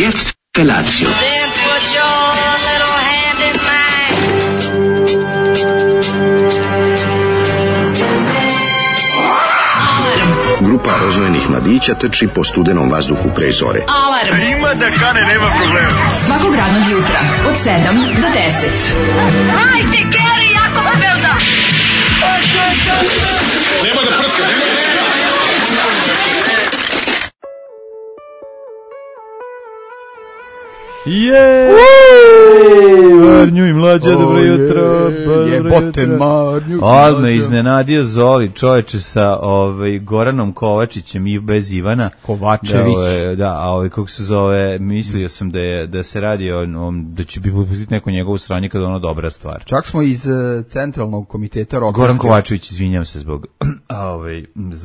jetzt Felatio. Then put your little hand in mine. Grupa rozvojenih mladića trči po studenom vazduhu pre zore. Alarm. Ima da kane, nema problema. Svakog radnog jutra od 7 do 10. Hajde, Geri, jako se velda. Nema da prska, nema da prska. Marnju i mlađa, dobro jutro. Jebote Marnju. Odmah iznenadio Zoli, čoveče, sa Goranom Kovačićem i bez Ivana Kovačević. Da, kako se zove, mislio sam da se radi da će bi pustiti neko njegovu stranje kada ono dobra stvar. Čak smo iz centralnog komiteta rokerske. Goran Kovačević, izvinjam se zbog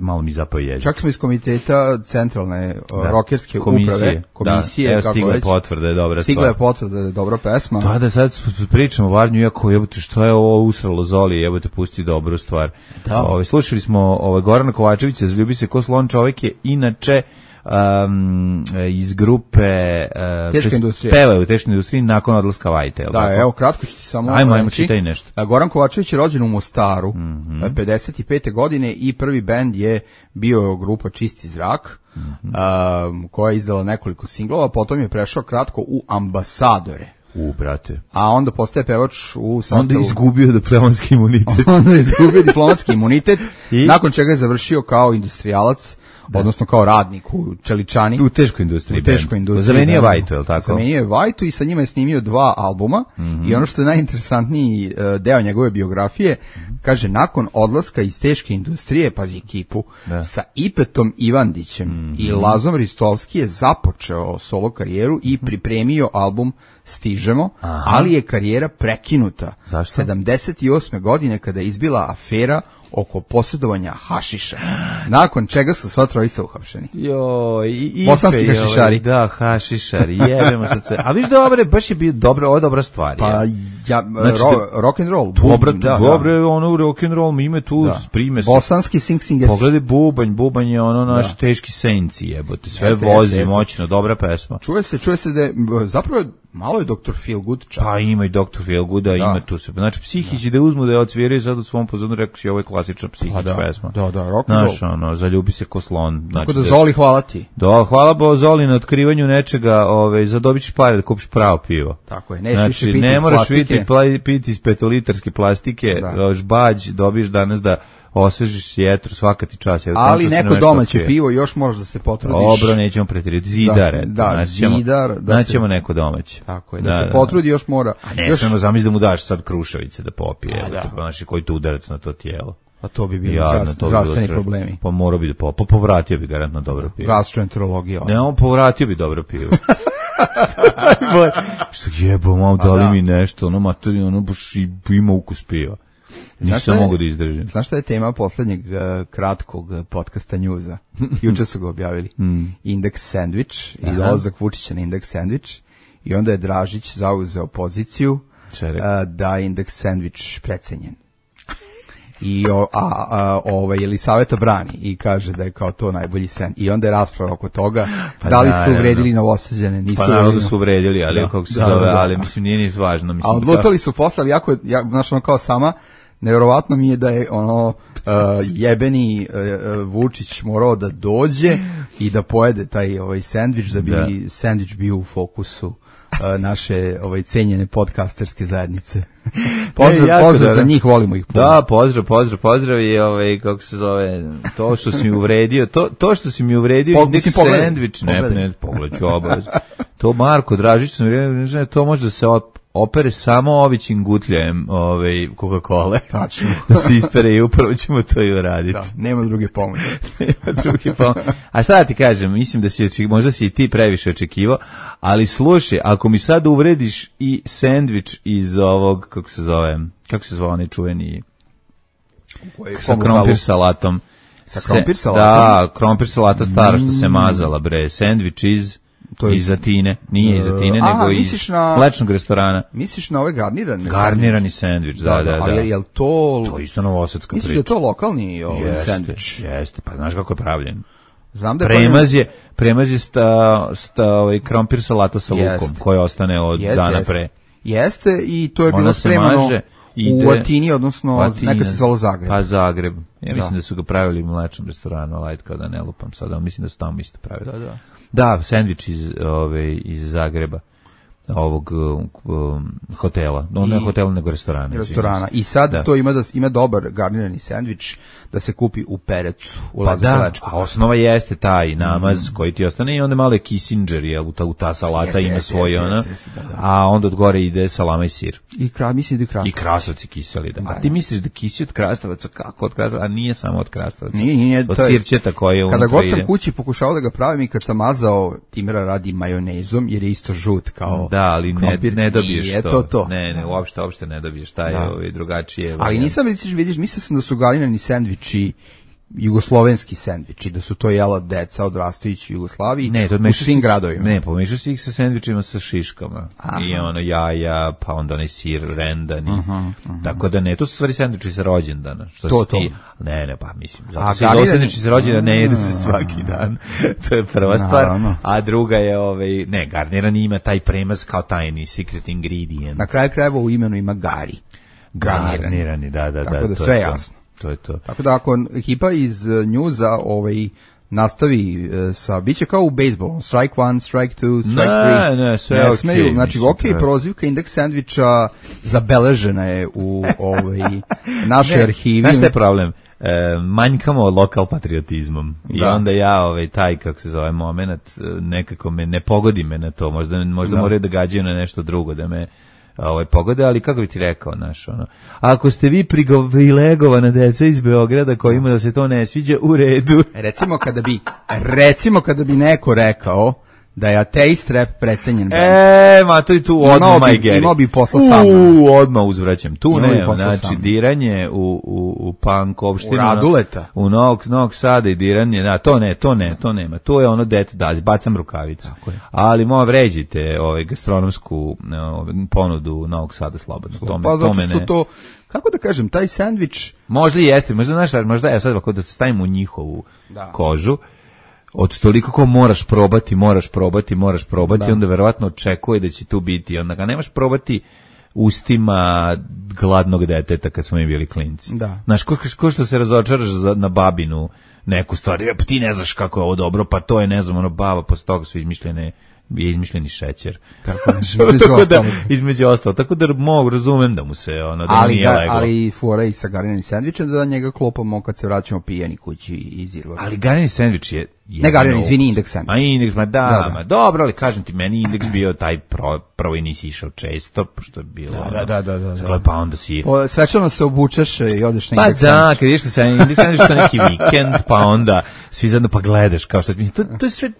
malo mi zapao jezik. Čak smo iz komiteta centralne rokerske komisije. Komisije, evo, kako stigla već. potvrda je dobra Stigla stvar. je potvrda da je dobra pesma. Da, sad pričamo o Varnju, iako jebote što je ovo usralo Zoli, jebote pusti dobru stvar. Da. Slušali smo Gorana Kovačevića, Zaljubi se ko slon, čovjek je inače iz grupe Teška industrija. Pevao u Teškoj industriji nakon odlaska Vajte. Da, evo kratko ću ti samo Ajmo, čitaj nešto. Goran Kovačević je rođen u Mostaru 55. godine i prvi bend je bio grupa Čisti zrak, koja je izdala nekoliko singlova, potom je prešao kratko u Ambasadore. Brate. A onda postaje pevač u sastavu... Onda je izgubio diplomatski imunitet. Onda je izgubio diplomatski imunitet, nakon čega je završio kao industrijalac, odnosno kao radnik u Čeličani. U teškoj industriji. Zamenio Vajtu, je li tako? Zamenio je Vajtu i sa njima je snimio 2 albuma i ono što je najinteresantniji deo njegove biografije, kaže, nakon odlaska iz teške industrije, pazi ekipu, sa Ipetom Ivandićem i Lazom Ristovski je započeo solo karijeru i pripremio album Stižemo, ali je karijera prekinuta. Zašto? 78. godine kada je izbila afera oko posjedovanja hašiša. Nakon čega su sva trojica uhapšeni. Bosanski hašišari. Da, hašišari, jebemo sad se. A viš baš je bio dobra stvar. Pa rock and roll. Dobro, ono rock and roll, ime tu sprime se. Bosanski singers. Pogledaj bubanj je ono naš teški senci, jebote, sve vozi, moćno, dobra pesma. Čuje se da je, zapravo malo je Dr. Feelgood čak. Pa ima i Dr. Feelgooda, ima tu se. Znači, psihići da uzmu da je odsviraju sad u svom pozornu, rekao si, ovo je klasična psihička pesma. Da, rock and roll. Znaš, zaljubi se ko slon. Tako da, Zoli, hvala ti. Da, hvala bo Zoli na otkrivanju nečega, zadobit ćeš pare da kupiš pravo pivo. Tako je, ne moraš piti iz 5-litarske plastike, žbađ, dobiš danas da osvežiš sjetru svaka ti čas. Ali neko domaće pivo još možeš da se potrudiš. Dobro, nećemo pretirati. Zidar. Zidar. Naćemo neko domaće. Tako je, da se potrudi još mora. A ne smemo zamisli da mu daš sad krušavice da popije. Znači, koji tu udarac na to tijelo. A to bi bilo zdravstveni problemi. Pa morao bi da povratio bi garantno dobro pivo. Gastroenterologija. Ne, on povratio bi dobro pivo. Što jebo, malo dali mi nešto, ono materi, ono baš ima ukus piva. Nisam mogu da izdržim. Znaš šta je tema poslednjeg kratkog podcasta Njuza? Juče su ga objavili. Indeks sandvič i dolazak Vučića na indeks sandvič. I onda je Dražić zauzeo poziciju da je indeks sandvič precenjen. I Jelisaveta brani i kaže da je kao to najbolji sen. I onda je rasprava oko toga da li su uvredili Novosađane, nisu uvredili. Pa naravno su uvredili, ali kako se zove, ali mislim nije ni važno. A odlutali su posle, ali znaš ono kao sama, nevjerovatno mi je da je jebeni Vučić morao da dođe i da pojede taj sendvič, da bi sendvič bio u fokusu naše cenjene podcasterske zajednice. Pozdrav za njih, volimo ih. Da, pozdrav i kako se zove, to što si mi uvredio, to što si mi uvredio indeks sendvič, ne, pogledaću obavezno. To Marko Dražić, to može da se opere samo ovićim gutljajem Coca-Cola. Tačno. Da se ispere i upravo ćemo to i uraditi. Da, nema druge pomoći. A šta da ti kažem, mislim da možda si i ti previše očekivao, ali slušaj, ako mi sad uvrediš i sendvič iz ovog, kako se zove onaj čuveni sa krompir salatom. Sa krompir salatom? Da, krompir salata stara što se mazala, sendvič iz Atine, nije iz Atine, nego iz mlečnog restorana. Misliš na ove garnirane? Garnirani sendvič, da. Ali je li to... To je isto novosadska priča. Misliš da je to lokalni sendvič? Jeste, pa znaš kako je pravljen? Znam da premaz je ovaj krompir salata sa lukom, koji ostane od dana pre. Jeste, i to je bilo spremano u Atini, odnosno nekad se zvalo Zagreb. Pa Zagreb. Ja mislim da su ga pravili u mlečnom restoranu, ali kao da ne lupam sada, mislim da su tamo isto pravili. Da, sendvič iz Zagreba, ovog hotela. Ne hotela, nego restorana. I sad to ima dobar garnirani sendvič da se kupi u Perecu, u Lazarevečku. A osnova jeste taj namaz koji ti ostane i onda malo je Kissinger, u ta salata ima svoj ona, a onda od gore ide salama i sir. Mislim da i krastavac. I krastavci kiseli, da. A ti misliš da kisi od krastavaca, kako od krastavaca, a nije samo od krastavaca. Nije, od sirćeta koje je unutra ide. Kada god sam kući pokušao da ga pravim i kad sam mazao, Timera radi majonezom, jer je isto žut kao da, ali ne dobiješ to. Ne, uopšte ne dobiješ taj drugačije. Ali nisam, vidiš, mislio sam da su garnirani sendviči jugoslovenski sendviči, da su to jela deca odrastajući u Jugoslaviji u svim gradovima. Ne, pomešao si ih sa sendvičima sa šiškama. I ono jaja, pa onda onaj sir rendan. Tako da ne, to su stvari sendviči sa rođendana. To. Ne, pa mislim. Zato se iz sendviči sa rođendana ne jedu se svaki dan. To je prva stvar. A druga je, garnirani ima taj premaz kao tajni secret ingredient. Na kraju krajeva u imenu ima gari. Garnirani, da. Tako da sve jasno. To je to. Tako da ako ekipa iz njuza nastavi sa, biće kao u bejsbolu, strike 1, strike 2, strike 3. Ne, sve okej. Smeju, znači, prozivka indeks sendviča zabeležena je u našoj arhivi. Znaš šta je problem? Manjkamo lokal patriotizmom. I onda ja, taj, kako se zove, moment, nekako ne pogodi me na to. Možda moraju da gađaju na nešto drugo, da me pogode, ali kako bi ti rekao, ako ste vi privilegovana deca iz Beograda kojima da se to ne sviđa, u redu. Recimo kada bi neko rekao da je ateist rap precenjen band. Ma to i tu odmah majgeri. Imao bi posla sa mnom. Odmah uzvraćam. Tu nema, znači diranje u punk-ovštinu. U Raduleta. U Novog Sada i diranje, to nema. To je ono dete da, bacam rukavicu. Ali vređite gastronomsku ponudu Novog Sada slobodno. To, kako da kažem, taj sendvič... Možda i jeste, možda je sad da se stavimo u njihovu kožu. Od toliko ko moraš probati, onda verovatno očekuje da će tu biti. Onda ga nemaš probati ustima gladnog deteta kad smo mi bili klinci. Znaš, ko što se razočaraš na babinu neku stvar, ti ne znaš kako je ovo dobro, pa to je, ne znam, baba, posle toga su izmišljeni šećer. Između ostalo. Tako da razumem da mu se da nije leglo. Ali fora i sa garniranim sendvičem da njega klopamo kad se vraćamo pijani kući iz izlaza. Ali garnirani sendvič je... Ne garnirani, izvini, indeks sendvič. Indeks, dobro, ali kažem ti, meni indeks bio taj prvo i nisi išao često, pošto je bilo... Da. Pa onda si... Svečano se obučeš i odeš na indeks sendvič. Pa da, kad ideš na indeks sendvič, to neki vikend, pa onda svi zajedno pa gledaš, kao što...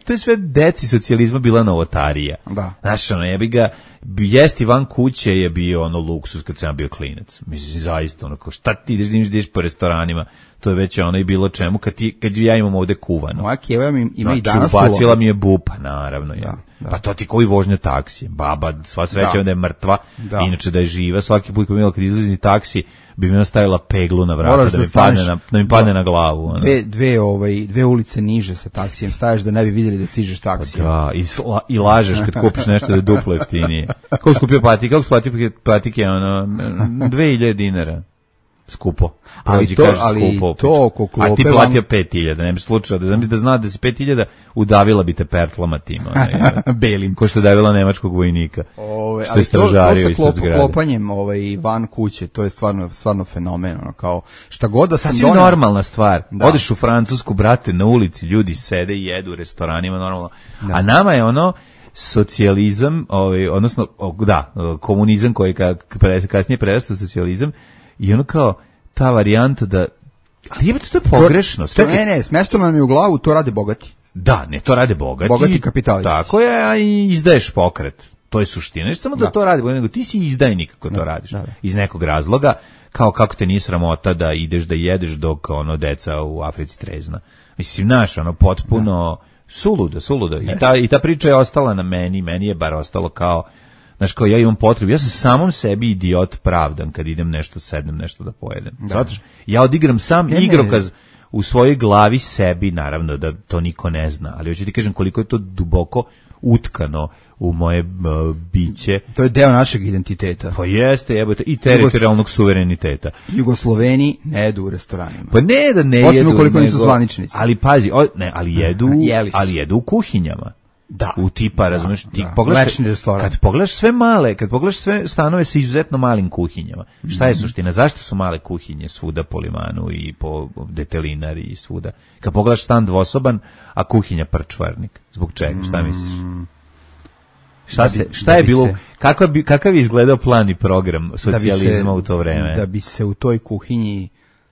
To je sve deci socijalizma bila novotarija. Znaš, jebi ga, jesti van kuće je bio luksus kad sam bio klinac. Mislim, zaista, šta ti ideš po restoranima, to je već i bilo čemu, kad ja imam ovde kuvano. Moja kjeva ima i danas kuvano. Ubacila mi je bupa, naravno. Pa to ti koji vožnja taksije. Baba, sva sreća da je mrtva, inače da je živa. Svaki put kad izlazi taksi, bi mi nastavila peglu na vrata da mi padne na glavu. Dve ulice niže sa taksijem staješ da ne bi vidjeli da stižeš taksijem. Da, i lažeš kad kupiš nešto da je duplo jeftinije. Kako skupio patike? Kako skupio patike? 2000 dinara. Skupo. Ali to oko klope... A ti platio 5.000, ne bi slučao. Da zna da si 5.000, udavila bi te pertlama tima. Belim. Ko što je davila nemačkog vojnika. Što je stražario ispod zgrade. Klopanjem van kuće, to je stvarno fenomen. Kao, šta god da sam donio... Sasvim normalna stvar. Odeš u Francusku, brate, na ulici, ljudi sede i jedu u restoranima, normalno. A nama je socijalizam, odnosno, komunizam koji kasnije prerastao socijalizam, i kao ta varijanta da... Ali jebate, to je pogrešno. Ne, smešno nam je u glavu, to rade bogati. Da, ne, to rade bogati. Bogati kapitalisti. Tako je, a i izdaješ pokret. To je suština. Ne samo da to radi, nego ti si izdajnik kako to radiš. Iz nekog razloga, kao kako te nije sramota da ideš da jedeš dok deca u Africi trezna. Mislim, naš, potpuno suludo. I ta priča je ostala na meni je bar ostalo kao... Znaš, kao ja imam potrebu, ja sam samom sebi idiot pravdan kad idem sednem nešto da pojedem. Zato ja odigram sam igrokaz u svojoj glavi sebi, naravno da to niko ne zna, ali hoću ti kažem koliko je to duboko utkano u moje biće. To je deo našeg identiteta. Pa jeste, jebote, i teritorijalnog suvereniteta. Jugosloveni ne jedu u restoranima. Pa ne da ne posebno jedu. Koliko nisu zvaničnici. Ali pazi, ali jedu u kuhinjama. Da. U tipa, razumeš, ti kad pogledaš sve stanove sa izuzetno malim kuhinjama. Šta je suština? Zašto su male kuhinje svuda po Limanu i po Detelinari i svuda? Kad pogledaš stan dvosoban, a kuhinja prčvarnik. Zbog čega? Šta misliš? Šta je bilo, kakav je izgledao plan i program socijalizma u to vreme? Da bi se u toj kuhinji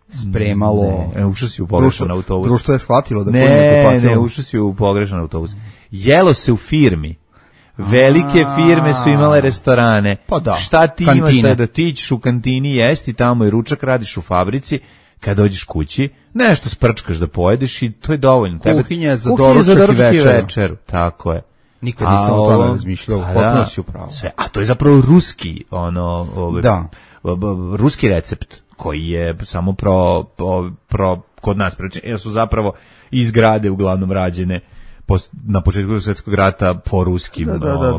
spremalo... Ušao si u pogrešan autobus. Društvo je shvatilo da Ne, ušao si u pogrešan autobus. Jelo se u firmi. Velike firme su imale restorane. Pa da. Šta ti imaš da ti ćeš u kantini jesti tamo i ručak radiš u fabrici, kad dođeš kući, nešto sprčkaš da pojedeš i to je dovoljno. Kuhinja je za doručak i večeru. Tako je. Nikad nisam o tome razmišljao, potpuno si upravo. A to je zapravo ruski, ruski recept koji je samo kod nas jer su zapravo iz zgrade uglavnom rađene na početku svjetskog rata po ruskim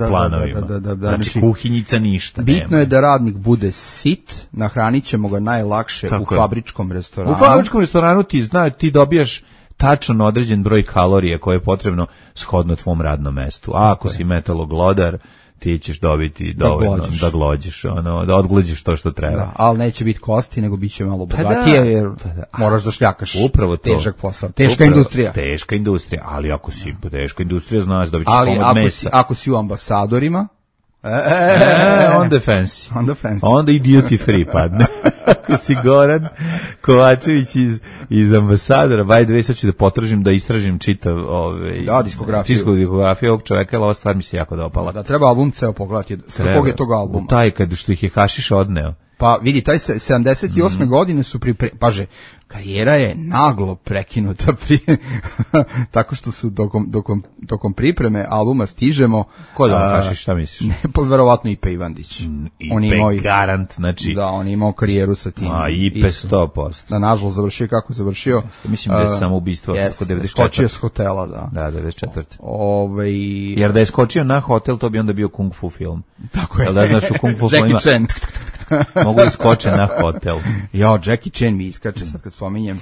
planovima. Znači kuhinjica ništa. Bitno je da radnik bude sit, nahranit ćemo ga najlakše u fabričkom restoranu. U fabričkom restoranu ti dobijaš tačno određen broj kalorija koje je potrebno shodno tvom radnom mestu. A ako si metaloglodar, ti ćeš dobiti dovoljno da glođiš, da odglođiš to što treba. Da, ali neće biti kosti, nego bit će malo bogatije, jer moraš da šljakaš. Upravo to. Težak posao. Teška industrija. Teška industrija, ali ako si teška industrija, znaš da ćeš komad mesa. Ali ako si u ambasadorima, onda je fancy. Onda i duty free padne. Ako si Goran Kovačević iz ambasadora, by the way, sad ću da potražim, da istražim čitav diskografiju ovog čoveka, ali ova stvar mi se jako dopala. Da, treba album ceo pogledati, sa kog je tog albuma. Taj što ih je Hašiš odneo. Pa vidi, taj 78. godine su paže, karijera je naglo prekinuta tako što su tokom pripreme albuma stižemo. Ko da Hašiš, šta misliš? Ne, pa verovatno Ipe Ivandić. Ipe garant, znači. Da, on je imao karijeru sa tim. Ipe 100%. Da, nažalost, završio kako završio. Mislim da je samo ubistvo. Skočio s hotela, da. Da, 94. Jer da je skočio na hotel, to bi onda bio kung fu film. Tako je. Da znaš u kung fu filmima. Jackie Chan. Mogu iskoče na hotel. Jackie Chan mi iskače sad kad spominjem.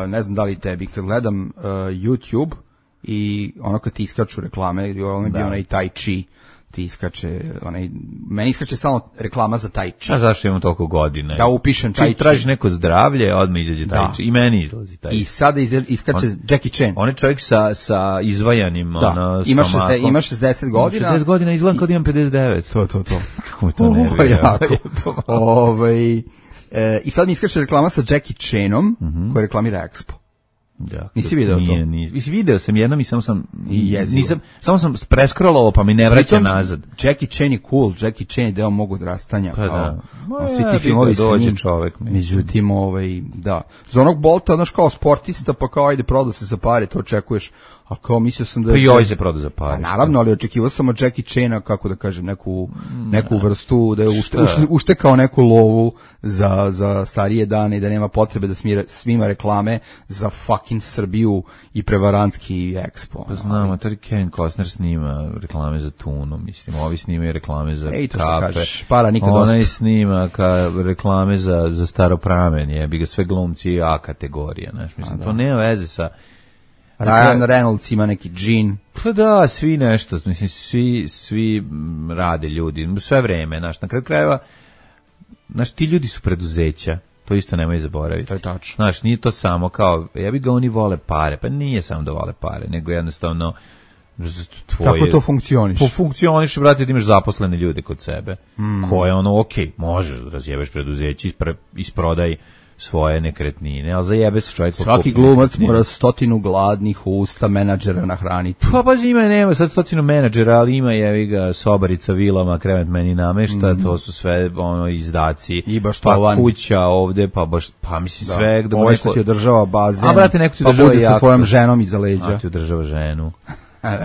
Ne znam da li tebi, kad gledam YouTube i ono kad ti iskaču reklame, ono je bio onaj Tai Chi, ti iskače, meni iskače samo reklama za Tai Chi. A zašto imamo toliko godine? Da upišem Tai Chi. Tražiš neko zdravlje, odmah izađe Tai Chi. I meni izlazi Tai Chi. I sada iskače Jackie Chan. On je čovjek sa izvajanim stomakom. Ima 60 godina. 60 godina izgleda kao da imam 59. To. Kako mi to ne bi? Jako. I sad mi iskače reklama sa Jackie Chanom, koja reklamira Expo. Ja, nisi video to? Mislim, video sam jednom i samo sam preskrolao pa mi ne vraća nazad. Jackie Chan je cool, Jackie Chan je deo mog odrastanja. Pa da. Svi ti filmovi sa njim. Čovek, međutim, da. Za onog Bolta, znaš, kao sportista, pa kao ajde prodao se za pare, to očekuješ. A kao mislio sam da... Pa joj se prodao za pare. Naravno, ali očekivao sam od Jackie Chana, kako da kažem, neku vrstu, da je uštekao neku lovu za starije dane i da nema potrebe da svima reklame za fucking Srbiju i prevarantski Expo. Pa znam, a tada Kevin Costner snima reklame za tunu, mislim, ovi snimaju reklame za kafe. Para nikad dosta. Onaj snima reklame za staropramen, jebi ga, sve glumci A kategorija, znaš, mislim, to nema veze sa... Ryan Reynolds ima neki džin. Pa da, svi nešto, mislim, svi rade ljudi, sve vreme, znaš, na kraju krajeva, znaš, ti ljudi su preduzeća, to isto nemoj zaboraviti. To je tačno. Znaš, nije to samo kao, ja bih ga oni vole pare, pa nije samo da vole pare, nego jednostavno tvoje... Kako to funkcioniš? Funkcioniš, brate, da imaš zaposlene ljude kod sebe, koje možeš da razjebeš preduzeće, isprodaj svoje nekretnine, ali zajebe se čovjek. Svaki glumac mora 100 gladnih usta menadžera nahraniti. Pa nema sad 100 menadžera, ali ima jevi ga sobarica, vilama, krevet meni namešta, to su sve izdaci. I baštovan. Pa kuća ovde, pa mislim sve. Ovo je što ti održava bazen, a brate, neko ti pa bude sa svojom ženom iza leđa. A ti održava ženu.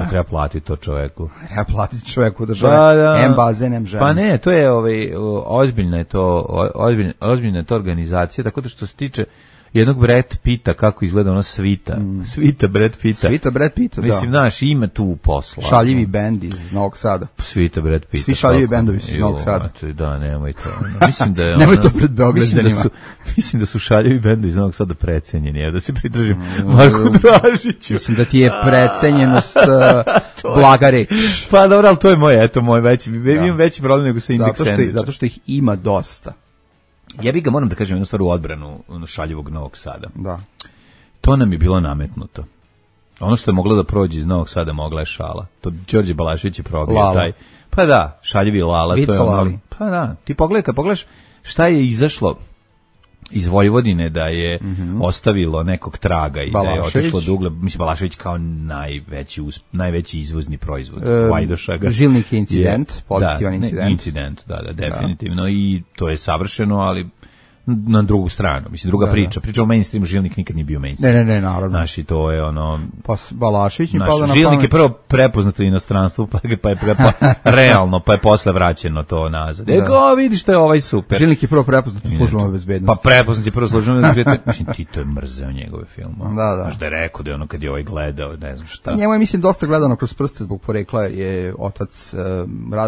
Treba platiti to čoveku. Treba platiti čoveku države. M bazen, M ženu. Pa ne, to je ozbiljna je to organizacija, tako da što se tiče jednog Brad Pitta, kako izgleda ona svita. Svita Brad Pitta. Svita Brad Pitta, da. Mislim, znaš, ima tu posla. Šaljivi bend iz Novog Sada. Svita Brad Pitta. Svi šaljivi bendovi su iz Novog Sada. Da, nemoj to. Mislim da je nemoj to pred Beograđanima. Mislim da su šaljivi bendovi iz Novog Sada precenjeni. Evo da se pridržim Marku Dražiću. Mislim da ti je precenjenost blaga reč. Pa dobro, ali to je moj veći. Imam veći problem nego sa Index Sandwich. Zato što ih ima dosta. Ja bih ga, moram da kažem, jednu stvar u odbranu šaljivog Novog Sada. Da. To nam je bilo nametnuto. Ono što je moglo da prođe iz Novog Sada mogla je šala. To Đorđe Balašević je probio taj. Pa da, šaljivi Lala. Vica, to je ono. Pa da, ti pogledaj, kad pogledaš šta je izašlo iz Vojvodine da je ostavilo nekog traga i Balašević. Da je otišlo do ugla, mislim Balašević kao najveći izvozni proizvod Vajdošaga. Žilnik je incident, pozitivan incident. Incident, da, definitivno i to je savršeno, ali na drugu stranu, mislim, druga priča. Priča o mainstreamu, Žilnik nikad nije bio mainstream. Ne, naravno. Znaš, i to je ono... Pa Balašević mi pada na pamet. Žilnik je prvo prepoznato u inostranstvu, pa realno, pa je posle vraćeno to nazad. Ego, vidiš što je ovaj super. Žilnik je prvo prepoznat u službama bezbednosti. Pa prepoznat je prvo službama bezbednosti. Mislim, Tito je mrzeo njegove filmove. Da. Znaš da je rekao da je ono kad je ovaj gledao, ne znam šta. Njemu je, mislim, dosta gledano kroz prste zbog porekla je otac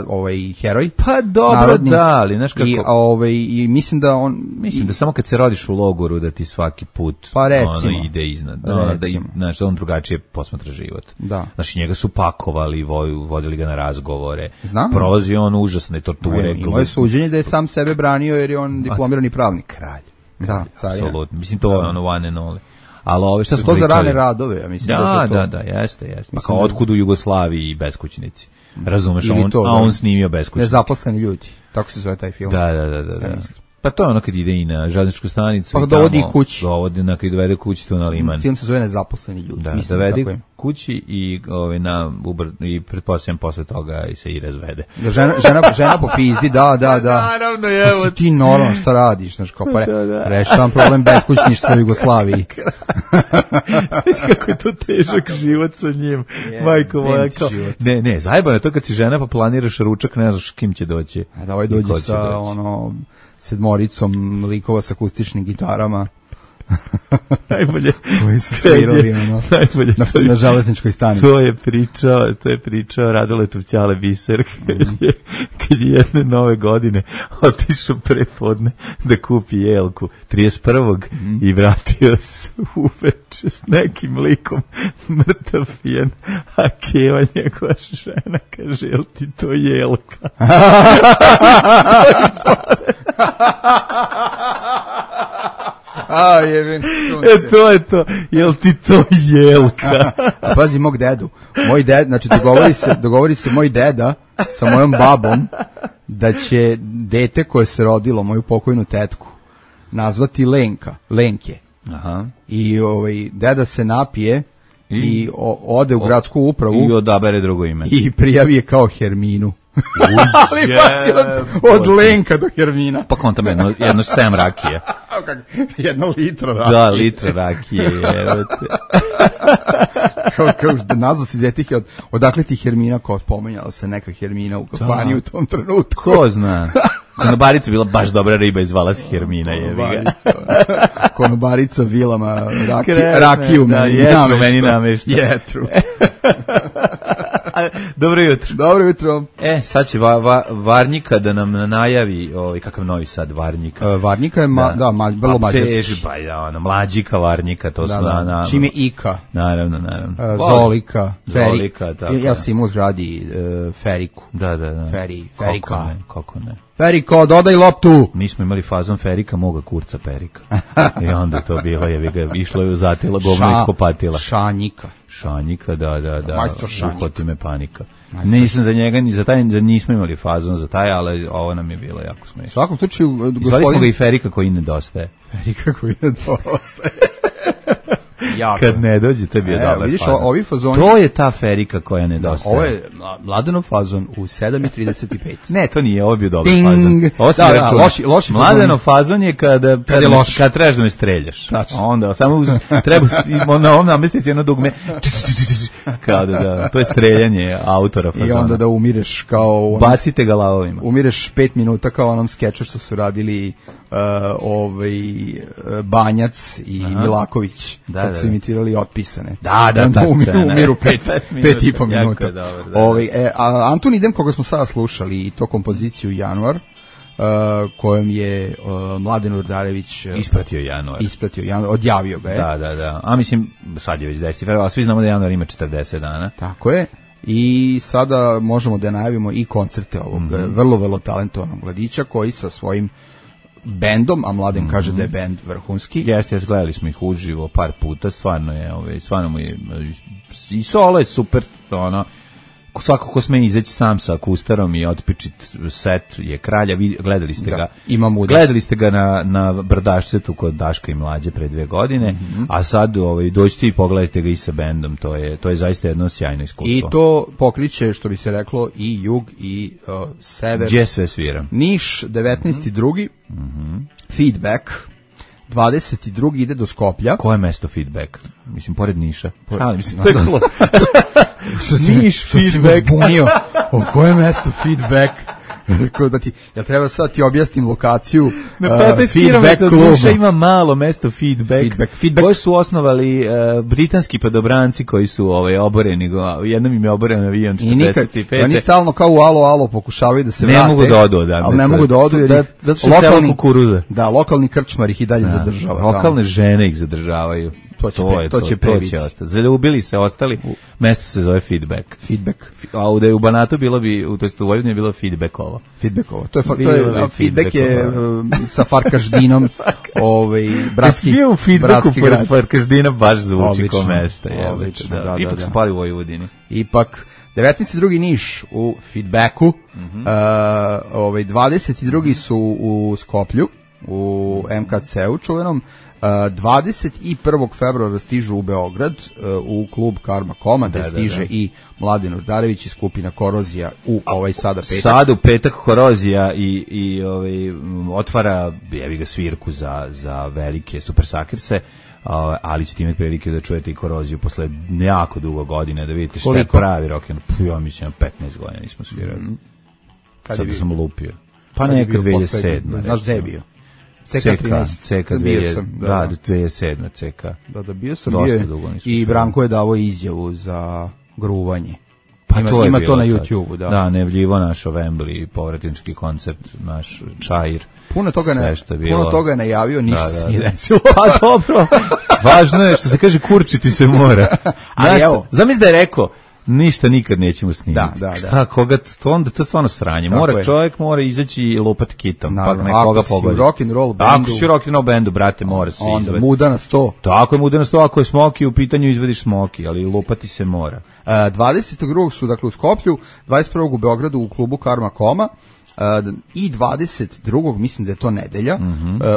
ovaj heroj. Pa dobro, narodni. Da, ali znaš kako... I mislim da on... Mislim da samo kad se rodiš u logoru da ti svaki put ono ide iznad. Znači, on drugačije posmatra život. Da. Znači, njega su pakovali, vodili ga na razgovore. Znam. Prolazio on užasne torture. I moje suđenje da je sam sebe branio jer je on diplomirani pravnik. Kralj. Da, apsolutno. Mislim, to je ono one and only. Ali ove, šta smo to pričali? Za rane radove, ja mislim da su to. Da, jeste. Pa kao otkud u Jugoslaviji i beskućnici. Razumeš, on snimio beskućnici. Nezaposleni ljudi, tako se zove taj film. Da. Pa to je ono kad ide i na železničku stanicu. Pa dovodi kući. Kad dovede kući tu na liman. Film se zove Nezaposleni ljudi. Da, dovede kući i i pretpostavljam posle toga i se i razvede. Žena popizdi, da. Naravno, evo. Pa ti normalno šta radiš, znaš, kao pa rešavam problem beskućništva u Jugoslaviji. Znaš kako je to težak život sa njim. Majko moja, kao. Ne, zajebano je to kad si žena pa planiraš ručak, ne znaš kim će doći. Da, ovaj dođe sa ono 7 likova sa akustičnim gitarama. Najbolje. Koji su svirali na železničkoj stanici. To je pričao Radoletov ćale Biser kad je jedne nove godine otišao prepodne da kupi jelku 31. I vratio se uveče s nekim likom mrtav pijan, a Keva njegova žena kaže, jel ti to jelka? To je to. Jel ti to jelka? A pazi mog dedu. Moj ded, znači dogovori se moj deda sa mojom babom da će dete koje se rodilo, moju pokojnu tetku, nazvati Lenke. Aha. I deda se napije i ode u gradsku upravu i odabere drugo ime. I prijavi je kao Herminu. Ali pazi od Lenka do Hermina. Pa kontam jedno 7 rakije. 1 litro rakije. Da, litro rakije. Kao nazva si dete, odakle ti Hermina, kao spomenjala se neka Hermina u kafani u tom trenutku. Ko zna? Konobarica bila baš dobra riba i zvala se Hermina. Konobarica vilama rakiju meni namešta. Jetru. Dobro jutro. Dobro jutro. Sad će Varnjika da nam najavi kakav Novi Sad Varnjika. Varnjika je vrlo mađarski. Mlađika Varnjika, to su na... Čim je Ika. Naravno. Zolika, Ferika. Ja sam imao zgradi Feriku. Da. Ferika. Kako ne. Feriko, dodaj loptu. Mi smo imali fazon Ferika, moga kurca Perika. I onda to bilo, išlo je u zatila, govno iskopatila. Šanjika, da. Majstor Šanjika. Uhvati me panika. Nisam za njega, ni za taj, nismo imali fazon za taj, ali ovo nam je bilo jako smiješno. U svakom slučaju, zvali smo ga i Ferika koji nedostaje. Kad ne dođe, to je bio dobar vidiš, fazon. Ovi fazoni... To je ta Ferika koja nedostaje. Ovo je Mladenov fazon u 7:35. Ne, to nije, ovo je bio dobar fazon. Ovo si loši Mladenov fazon je kad trebaš da me streljaš. Tačno. Onda samo treba na ovom namestici jedno dugme Kao da, to je streljanje autora fazona. I onda da umireš kao... Bacite ga lavovima. Umireš 5 minuta kao onom skeču što su radili Banjac i Milaković, kad su imitirali Otpisane. Da, ta scena. Umiru 5,5 minuta. Dobar, Antun Idem, koga smo sada slušali, i to kompoziciju Januar, kojom je Mladen Urdarević ispratio Januar, odjavio ga je. Da. A mislim, sad je već 10. februar, a svi znamo da Januar ima 40 dana. Tako je. I sada možemo da najavimo i koncerte ovog vrlo, vrlo talentovanog mladića koji sa svojim bendom, a Mladen kaže da je bend vrhunski. Jeste, gledali smo ih uživo par puta, stvarno mu je i solo je super, ono, svako ko sme izaći sam sa akustarom i otpičit set je kralja. Gledali ste ga. Gledali ste ga na Brdašcetu kod Daška i Mlađe pre 2 godine, a sad dođite i pogledajte ga i sa bendom. To je zaista jedno sjajno iskustvo. I to pokriće, što bi se reklo, i jug i sever. Gdje sve svira? Niš 19.2. Feedback 22. ide do Skoplja. Koje je mesto Feedback? Mislim, pored Niša. Mislim, to je cool. Niš Feedback. O koje mesto Feedback? Ja treba sad ti objasnim lokaciju. Na 15 km od Niša ima malo mesto Feedback. Koji su osnovali britanski padobranci koji su oboreni. Jednom im je oboren avion 45. Oni stalno kao u alo pokušavaju da se vrate. Ne mogu da odu. Ali ne mogu da odu jer zato što sela kukuruza. Da, lokalni krčmar ih i dalje zadržava. Lokalne žene ih zadržavaju. To će ostati. Zaljubili se ostali. Mesto se zove Feedback. A da je u Banatu bilo bi, to jest u Vojvodini je bilo Feedbackovo. Feedback je sa Farkaždinom, bratski grad. Feedbacku pored Farkaždina baš zvuči kao mesto. Ipak smo pali u Vojvodini. Ipak 19.2. Niš u Feedbacku, 22. su u Skoplju, u MKC-u čuvenom, 21. februara stižu u Beograd u klub Karma Koma, da stiže i Mladen Urdarević i skupina Korozija u sada petak. Sad u petak Korozija i otvara svirku za velike Super Sakirse, ali ćete imati prilike da čujete i Koroziju posle jako dugo godine, da vidite šta je pravi rock. Ja mislim 15 godina nismo svirali. Sad sam lupio. Pa neka 2007. Znaš gde je bio? CK 2007. Da, 2007. CK. Da, bio sam i Branko je davo izjavu za gruvanje. Pa ima to na YouTube-u, da. Da, nevljivo naš Wembley, povratnički koncert, naš Čair. Puno toga je najavio, ništa se nije desilo. Pa dobro, važno je što se kaže kurčiti se mora. Ali evo. Zamisli da je rekao, ništa nikad nećemo snimiti. Šta, koga, onda to stvarno sranje. Čovjek mora izaći i lupati kitom. Ako si u rock'n'roll bendu. Ako si u rock'n'roll bendu, brate, mora se izvati. Onda muda na 100. Tako je, muda na 100, ako je Smoki u pitanju, izvadiš Smoki, ali lupati se mora. 22. su, dakle, u Skoplju, 21. u Beogradu u klubu Karma Koma, i 22. mislim da je to nedelja,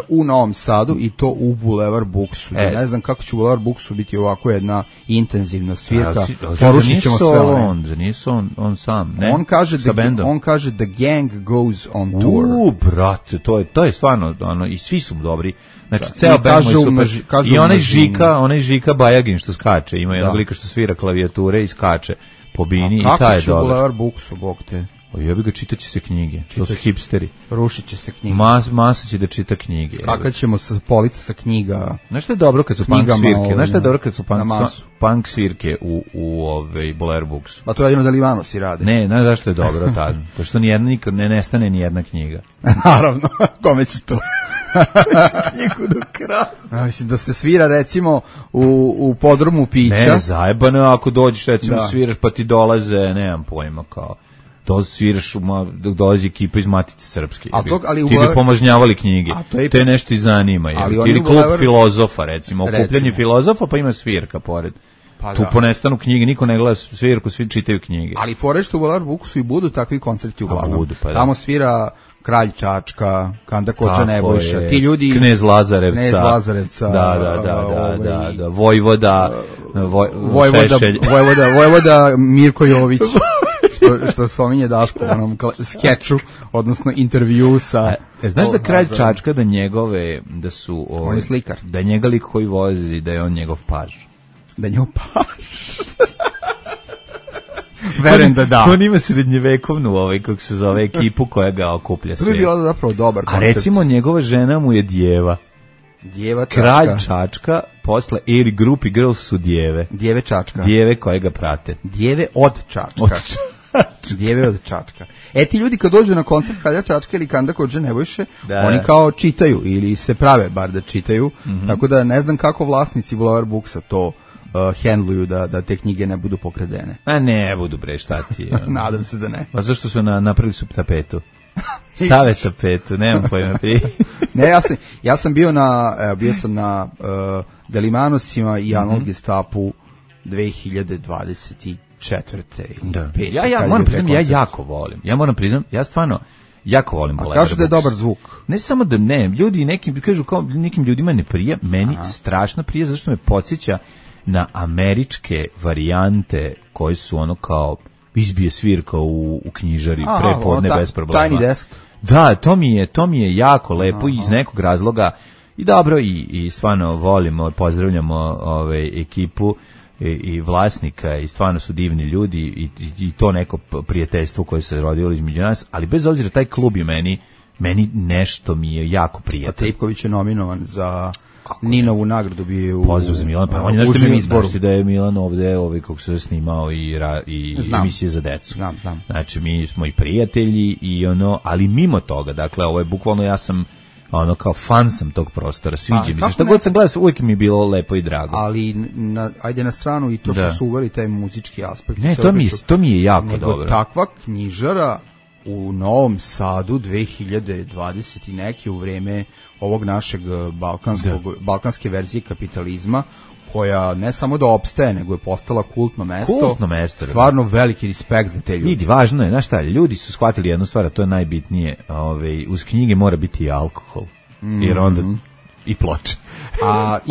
u Novom Sadu, i to u Bulevar Buksu. Ne znam kako će u Bulevar Buksu biti ovako jedna intenzivna svirka. Porušit ćemo sve one. Nije on sam, ne? On kaže The Gang Goes on Tour. Brate, to je stvarno, i svi su dobri. Znači, ceo band moj super. I onaj Žika Bajagin što skače, ima jednog lika što svira klavijature i skače po bini i taj je dobar. A kako će u Bulevar Buksu, bog te? Jebi ga, čitaće se knjige. To su hipsteri. Rušit će se knjige. Masa će da čita knjige. Skakat ćemo sa polica sa knjiga. Znaš što je dobro kad su punk svirke? Znaš što je dobro kad su punk svirke u Bulevar Buksu? A to je jedino da Livano si rade. Ne, znaš zašto je dobro tad? To što nikad ne nestane ni jedna knjiga. Naravno, kome će to? Knjigu do kraja. Mislim da se svira recimo u podrumu pića. Ne, zajebano, ako dođeš recimo sviraš pa ti dolaze, nemam pojma kao. To sviraš, dolazi ekipa iz Matice Srpske. Ti bi pomažnjavali knjige. Te nešto i zanima. Ili klub filozofa, recimo. Okupljanje filozofa, pa ima svirka pored. Tu ponestanu knjige, niko ne gleda svirku, svi čitaju knjige. Ali fore što u Bulevar Buksu i budu takvi koncerti uglavnom. Tamo svira Kralj Čačka, Kanda Koča Nebojša, ti ljudi... Knez Lazarevca. Da. Vojvoda Mirko Jović. Što spominje Daško u onom skeču, odnosno intervju sa... Znaš da Kralj Čačka, da njegove, da su... On je slikar. Da je njega lik koji vozi, da je on njegov paž. Da je njegov paž? Verujem da. On ima srednjevekovnu, kako se zove, ekipu koja ga okuplja sve. To bi bilo zapravo dobar koncept. A recimo, njegova žena mu je djeva. Djeva Čačka. Kralj Čačka, posle Eri Group i Girls su djeve. Djeve Čačka. Djeve koje ga prate. Djeve od Čačka. Djeve od Čačka. Ti ljudi kad dođu na koncert Kralja Čačka ili Kanda Kodže Nebojše, oni kao čitaju ili se prave bar da čitaju, tako da ne znam kako vlasnici Boulevard Booksa to handluju da te knjige ne budu pokradene. A ne budu bre, šta ti je? Nadam se da ne. Pa zašto su napravili su tapetu? Stave tapetu, nemam pojma. Ne, ja sam bio na Delimanosima i Analog Gestapu 2024. Da. Ja moram priznam, ja jako volim. Ja moram priznam, ja stvarno jako volim Boulevard Books. A kažu da je dobar zvuk. Ne samo da ne, ljudi nekim kažu kao nekim ljudima ne prija, meni strašno prija zato što me podsjeća na američke varijante koje su ono kao izbije svirka u knjižari prepodne bez problema. Tiny Desk. Da, to mi je jako lepo iz nekog razloga i dobro i stvarno volimo, pozdravljamo ekipu i vlasnika i stvarno su divni ljudi i to neko prijateljstvo koje se rodilo između nas, ali bez obzira taj klub je meni nešto mi je jako prijatno. A Tripković je nominovan za Ninovu nagradu bio u pozdrav za Milan, pa on je užem izboru. Da je Milan ovde, kako se snimao i emisije za decu. Znam. Znači, mi smo i prijatelji i ali mimo toga, dakle, ovo je bukvalno, ja sam kao fan sam tog prostora, sviđa mi se. Šta god sam gledao, uvijek mi je bilo lepo i drago. Ali, ajde na stranu i to što su uveli taj muzički aspekt. Ne, to mi je jako dobro. Nego takva knjižara u Novom Sadu 2020 i neki u vreme ovog našeg balkanske verzije kapitalizma, koja ne samo da opstaje, nego je postala kultno mesto. Stvarno veliki respekt za te ljudi. Vidi, važno je, znaš šta, ljudi su shvatili jednu stvar, a to je najbitnije, uz knjige mora biti i alkohol, jer onda i ploče.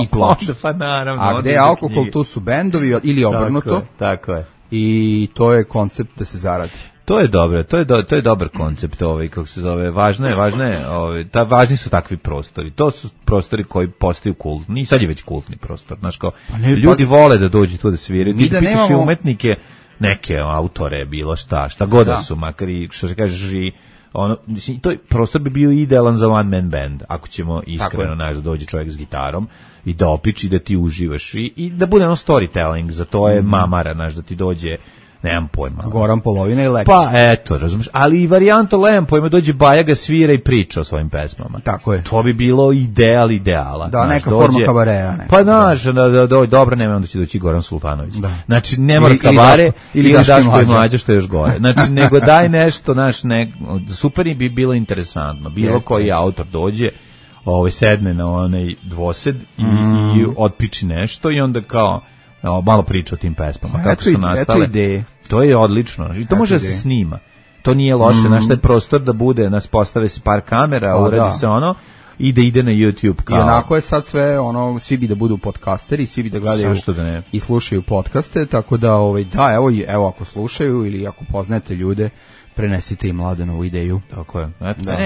I ploče. Pa naravno. A gde je alkohol, tu su bendovi ili obrnuto. Tako je. I to je koncept da se zaradi. To je dobro, to je dobar koncept, kako se zove, važno je, važni su takvi prostori. To su prostori koji postaju kultni, i sad je već kultni prostor, znaš kao, ljudi vole da dođu tu da sviraju, ti da pitaš i umetnike, neke autore, bilo šta god da su, makar i, što se kažeš, i mislim, to prostor bi bio idealan za one man band, ako ćemo iskreno, znaš, da dođe čovjek s gitarom i da opiči, da ti uživaš i da bude storytelling, za to je mamara, znaš, da ti dođe, nemam pojma. Goran Polovina i Lek. Pa eto, razumiješ, ali i varijanta nemam pojma, dođe Bajaga, svira i priča o svojim pesmama. Tako je. To bi bilo ideala. Da, neka forma kabareja. Pa znaš, dobro, nema, onda će doći Goran Sultanović. Znači, ne mora kabare ili Daško i Mlađa, što je još gore. Znači, nego daj nešto, super bi bilo interesantno. Bilo koji autor dođe, sedne na onaj dvosed i otpiči nešto i onda kao malo priča o tim pesmama, kako su nastale. To je odlično, i to može da se snima. To nije loše, naš taj prostor da bude, nas postave se par kamera, uradi se i da ide na YouTube kao. I onako je sad sve, svi bi da budu podcasteri, svi bi da gledaju i slušaju podcaste, tako da, evo ako slušaju ili ako poznate ljude, prenesite im Mladenovu ideju. Tako je.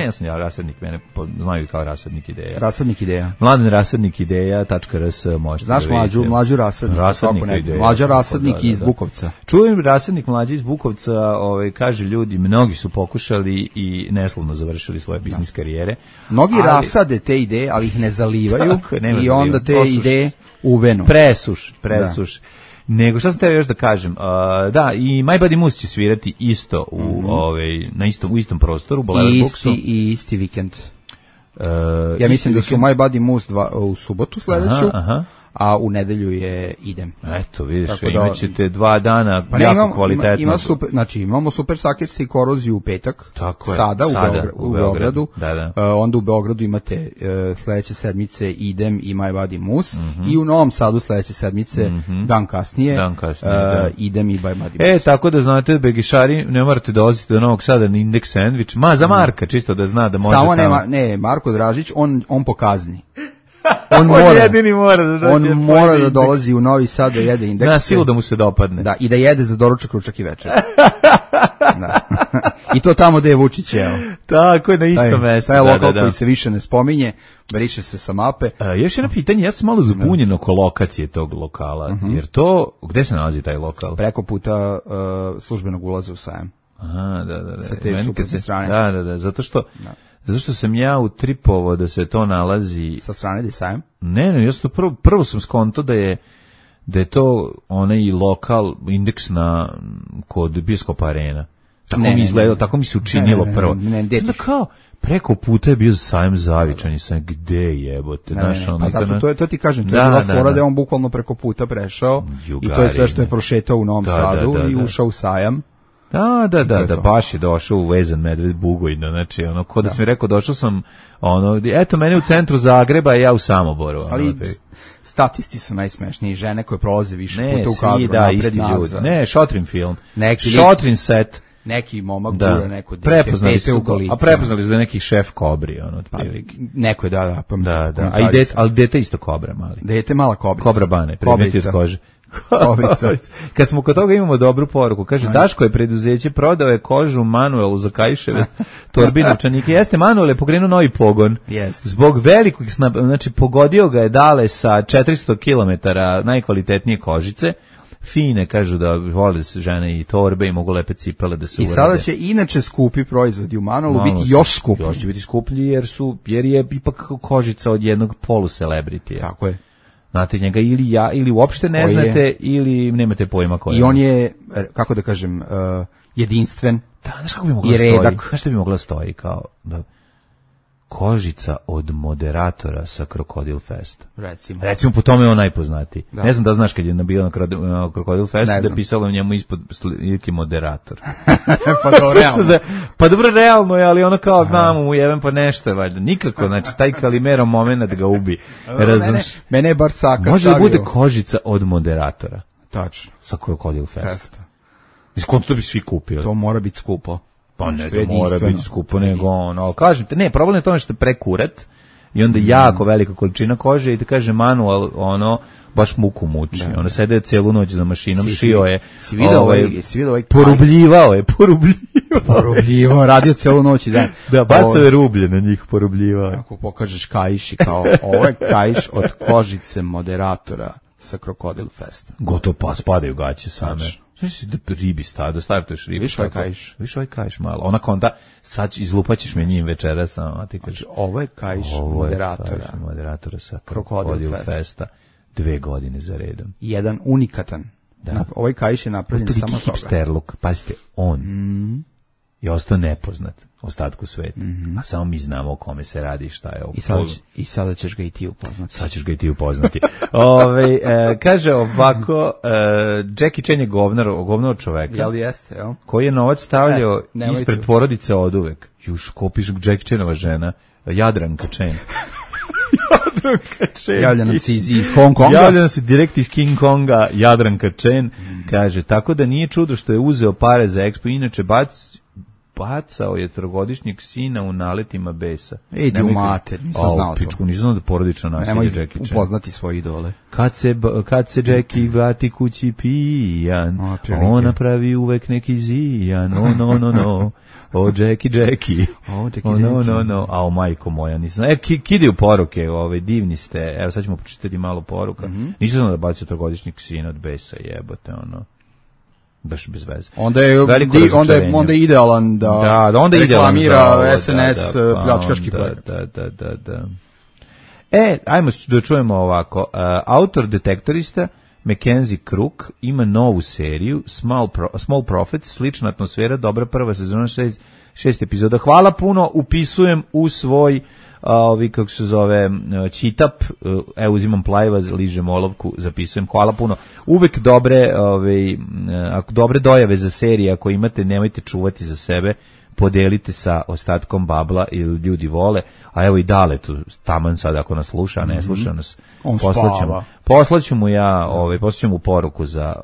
Ja sam rasadnik, mene znaju kao rasadnik ideja. Rasadnik ideja. Mladen rasadnik ideja.rs možete. Znaš mlađu rasadnik. Mlađa rasadnik iz Bukovca. Čujem rasadnik mlađi iz Bukovca, kaže ljudi, mnogi su pokušali i neslovno završili svoje biznis karijere. Mnogi rasade te ideje, ali ih ne zalivaju i onda te ideje uvenu. Presuš. Nego šta sam teo još da kažem, da, i My Buddy Moose će svirati isto u istom prostoru, u Boulevard Booksu. I isti vikend. Ja mislim da su My Buddy Moose u subotu sledeću, a u nedelju je Idem. Eto, vidiš, imat ćete 2 dana jako kvalitetno. Znači, imamo Super Suckers i Koroziju u petak, sada u Beogradu. Onda u Beogradu imate sledeće sedmice Idem i My Buddy Moose i u Novom Sadu sledeće sedmice, dan kasnije, Idem i My Buddy Moose. Tako da znate, begišari, ne morate dolaziti do Novog Sada na Indeks Sandwich, za Marka, čisto da zna da može samo ne, Marko Dražić, on pokazni. On jedini mora da dolazi u Novi Sad da jede Indeks. Na silu da mu se dopadne. Da, i da jede za doručak, ručak i večer. I to tamo gde je Vučić, evo. Tako je, na isto mesto. Taj lokal koji se više ne spominje, briše se sa mape. Još jedno pitanje, ja sam malo zbunjen oko lokacije tog lokala, jer to, gde se nalazi taj lokal? Preko puta službenog ulaza u Sajam. Aha, da. Sa te suprotne strane. Da, zato što sam ja utripovao da se to nalazi... Sa strane gde je Sajam? Ne, ja sam to prvo sam skonto da je to onaj lokal indeks kod Bioskopa Arena. Tako mi izgledalo, tako mi se učinilo prvo. Onda kao, preko puta je bio Sajam Zavičan i sam, gde jebote? Pa zato to ti kažem, to je bila fora da je on bukvalno preko puta prešao i to je sve što je prošetao u Novom Sadu i ušao u Sajam. Da, baš je došao u vezan medved bugojno, znači ono, ko da sam mi rekao, došao sam, ono, eto, mene u centru Zagreba i ja u Samoboru. Ali statisti su najsmešniji, žene koje prolaze više puta u kadru, napred nazad. Ne, šotrin film, šotrin set. Neki momak gura neko dete, prepoznali u kolicima. A prepoznali su da je neki šef kobri, ono, otprilike. Neko je, da. Ali dete isto kobra, mali. Dete mala kobrica. Kobra bane, predmeti od kože. Kad smo kod toga imamo dobru poruku. Kaže, Daško je preduzeće, prodao je kožu Manuelu za kaiševe torbi novčanike. Jeste, Manuel je pokrenuo novi pogon. Zbog velikog znači pogodio ga je dale sa 400 km najkvalitetnije kožice. Fine, kažu da vole se žene i torbe i mogu lepe cipele da se urade. I sada će inače skupi proizvodi u Manuelu biti još skuplji. Još će biti skuplji jer je ipak kožica od jednog polucelebritija. Tako je. Znate njega ili uopšte ne znate ili nemate pojma ko je. I on je, kako da kažem, jedinstven. Da, znaš kako bi mogla stoji? Znaš što bi mogla stoji kao da kožica od moderatora sa Krokodil Festa. Recimo po tome je on najpoznatiji. Da. Ne znam da znaš kad je bio na Krokodil Fest da je pisalo u njemu ispod slike moderator. Pa dobro realno je, ali ono kao mamu mu jebem pa nešto je valjda. Nikako, znači taj Kalimero moment ga ubi. Mene je bar Saka može stavio. Da bude kožica od moderatora. Tačno. Sa Krokodil Festa. Iskonto to bi svi kupili. To mora biti skupo. Pa ne, to mora biti skupo, nego ono, kažem te, ne, problem je to što je prekurat i onda jako velika količina kože i te kaže Manuel, ono, baš muku muči, ono sede celu noć za mašinom, šio je, si vidio ovaj porubljivao, radio celu noć i dan. Da, bacao je rublje na njih, porubljivao. Ako pokažeš kaiš i kao, ovo je kaiš od kožice moderatora sa Krokodil Festa. Gotovo pa spadaju gaće same. Znači da ribi stavio to još ribi. Viš ovaj kaiš malo. Onako onda sad izlupaćeš me njim večeras, a ti kažeš. Ovo je kaiš moderatora sa Krokodil Festa 2 godine za redom. Jedan unikatan. Da. Ovaj kaiš je napravljen samo toga. Hipster look, pazite, on je ostao nepoznat ostatku sveta. A samo mi znamo o kome se radi, šta je ovo. I sada ćeš ga i ti upoznati. Sad ćeš ga i ti upoznati. Kaže ovako, Jackie Chan je govnar čoveka. Jel jeste, jel? Koji je novac stavljao ispred porodice oduvek. Juš, kopiš Jackie Chanova žena, Jadranka Chan. Javlja nam se iz Hong Konga. Javlja nam se direkt iz King Konga, Jadranka Chan. Kaže, tako da nije čudo što je uzeo pare za Expo, inače bacao je 3-godišnjeg sina u naletima besa. Idi u mater, nisam znao to. Nisam znao da porodično nasilje Jackie Chan. Nemoj upoznati svoje idole. Kad se Jackie vrati kući pijan, ona pravi uvek neki zijan, no. O, Jackie. No. A o, majko moja, nisam. Kidaju poruke, divni ste. Evo, sad ćemo počitati malo poruka. Nisam znao da bacio 3-godišnjeg sina od besa, jebote, ono. Baš bez veze. Onda je idealan da reklamira SNS pljačkaški projekt. Da. Ajmo da čujemo ovako. Autor detektorista Mackenzie Crook ima novu seriju Small Profits, slična atmosfera, dobra prva sezona, 6 epizoda. Hvala puno, upisujem u svoj kako se zove, čitap, evo uzimam plajeva, ližem olovku, zapisujem, hvala puno. Uvek dobre dojave za serije, ako imate, nemojte čuvati za sebe, podelite sa ostatkom babla ili ljudi vole, a evo i Dale tu, taman sad ako nas sluša, a ne sluša nas, poslaću mu poruku za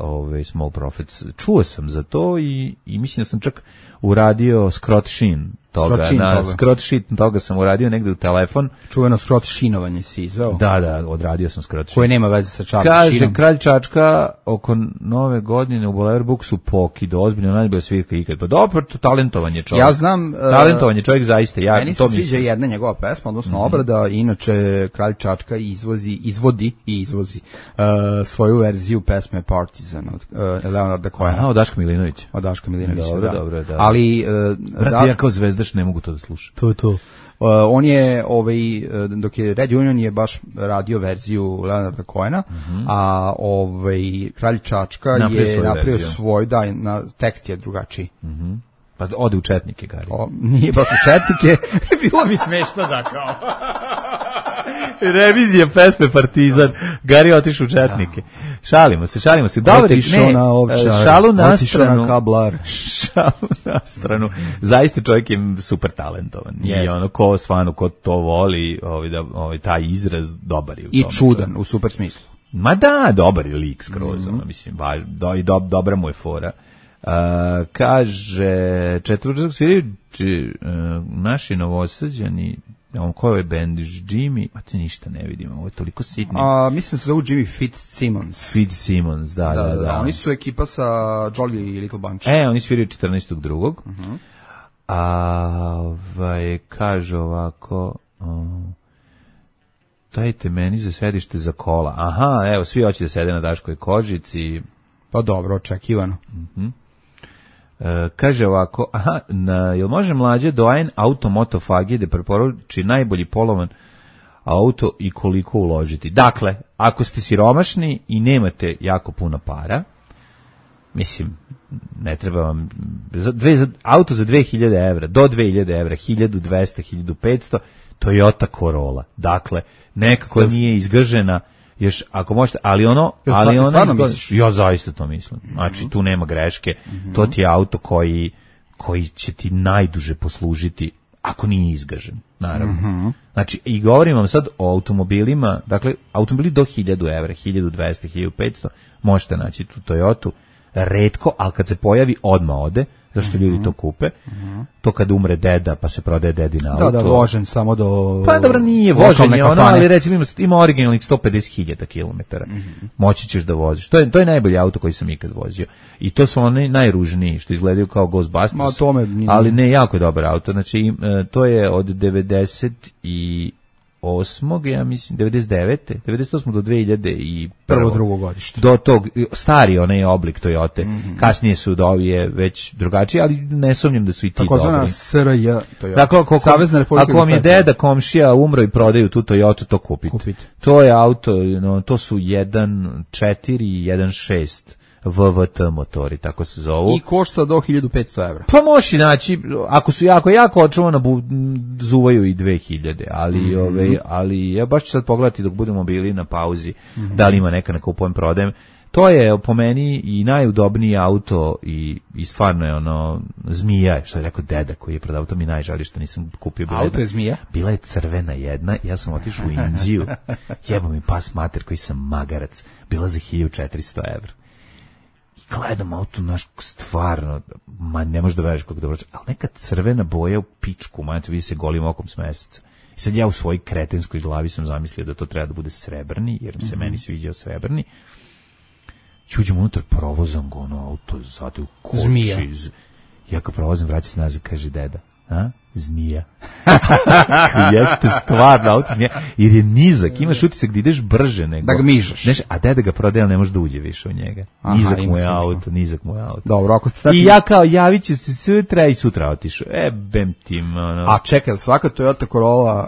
Small Profits. Čuo sam za to i mislim da sam čak uradio Scott Sheen toga, scrot sheet toga sam uradio negde u telefon. Čuveno scrot šinovanje si izveo? Da, odradio sam scrot sheet. Koje nema veze sa Čakom Kaže, šinom. Kralj Čačka oko nove godine u Boulevard Booksu pokido, ozbiljno najbolja svirka ikad. Pa dobro, to talentovan je čovjek. Ja znam... talentovan je čovjek zaista. Meni se sviđa jedna njegova pesma, odnosno obrada, inače Kralj Čačka izvodi svoju verziju pesme Partizan od Leonarda Cohena. Aha, od Daška Milinovića. Od Daška Milinovića, dobro, da. Ali... Brate, ja kao zvezdaš ne mogu to da slušam. To. On je, dok je Red Union je baš radio verziju Leonarda Cohena, a Kralj Čačka je napravio svoj, tekst je drugačiji. Pa ode u četnike, Gari. Nije baš u četnike, bilo bi smešno da kao... Revizija pesme Partizan, Gari otišao u četnike. Šalimo se. Dobro, otišao na ovčar, šalu na otišao na kablar. Šalu na stranu. Zaista čovjek je super talentovan. I ono, ko to voli, taj izraz dobar je u i tome. čudan, u super smislu. Ma da, dobar je lik skroz, mislim, dobra mu je fora. Kaže, četvrtak svirajući naši Novosađani, ko je band, Jimmy, a te ništa ne vidimo, ovo je toliko sitno. Mislim se zovu Jimmy Fitzsimmons. Da. Oni su ekipa sa Jolly i Little Bunch. Oni sviraju 14.2. Kaže ovako, dajte meni za sedište za kola. Aha, evo, svi hoće da sede na Daškoj kožici. Pa dobro, očekivano. Kaže ovako, jel može mlađe doajen automotofagije da preporuči najbolji polovan auto i koliko uložiti? Dakle, ako ste siromašni i nemate jako puno para, mislim, ne treba vam, auto za 2000 evra, do 2000 evra, 1200, 1500, Toyota Corolla. Dakle, nekako nije izgržena, još ako možete, ali ono ja zaista to mislim. Znači tu nema greške. To ti je auto koji će ti najduže poslužiti ako nije izgažen, naravno. Znači i govorim vam sad o automobilima, dakle automobili do 1000 evra, 1200, 1500 možete naći tu Toyotu, retko, ali kad se pojavi odmah ode, zašto ljudi to kupe. To kad umre deda, pa se prodaje dedina auto. Da, vožen samo do... Pa dobro, nije vožen je ono, ali recimo ima originalnih 150.000 kilometara. Moći ćeš da voziš. To je najbolji auto koji sam ikad vozio. I to su oni najružniji, što izgledaju kao Ghostbusters. Ali ne, jako je dobar auto. Znači, to je od 98. ja mislim, 98. do 2001. Prvo drugo godište. Do tog, stari onaj oblik Toyote. Kasnije su dovije već drugačiji, ali ne sumnjam da su i ti dobri. Takozvana SRJ Toyota. Dakle, ako vam je deda komšija umro i prodaju tu Toyotu, to kupite. To je auto, to su 1.4 i 1.6 VVT motori, tako se zovu. I košta do 1500 evra. Pa možeš naći, ako su jako očuvano, zuvaju i 2000, ali ja baš ću sad pogledati dok budemo bili na pauzi, da li ima neka kupujem, prodajem. To je po meni i najudobniji auto i stvarno je ono, zmija, što je rekao deda koji je prodao, to mi najžali što nisam kupio. Auto je zmija? Bila je crvena jedna, ja sam otišao u Indiju, jebo mi pas mater koji sam magarac, bila za 1400 evra. Gledam auto, naš, stvarno, ne možeš da veriš kako dobro, ali neka crvena boja u pičku, vidi se golim okom s meseca. I sad ja u svojoj kretenskoj glavi sam zamislio da to treba da bude srebrni, jer se meni sviđao srebrni. Uđem unutar, provozam ga, auto zade u koči. Zmija. Ja kad provozam, vraća se nazad, kaže deda. Zmija. Jeste stvarno auto zmija. Jer je nizak, imaš utisak da ideš brže nego... Da ga mižaš. A deda ga prodaje, ali ne može da uđe više u njega. Nizak mu je auto. Dobro, ako ste... I ja kao, javit ću se sutra i sutra otišao. Bem tim, A čekaj, svaka Toyota Corolla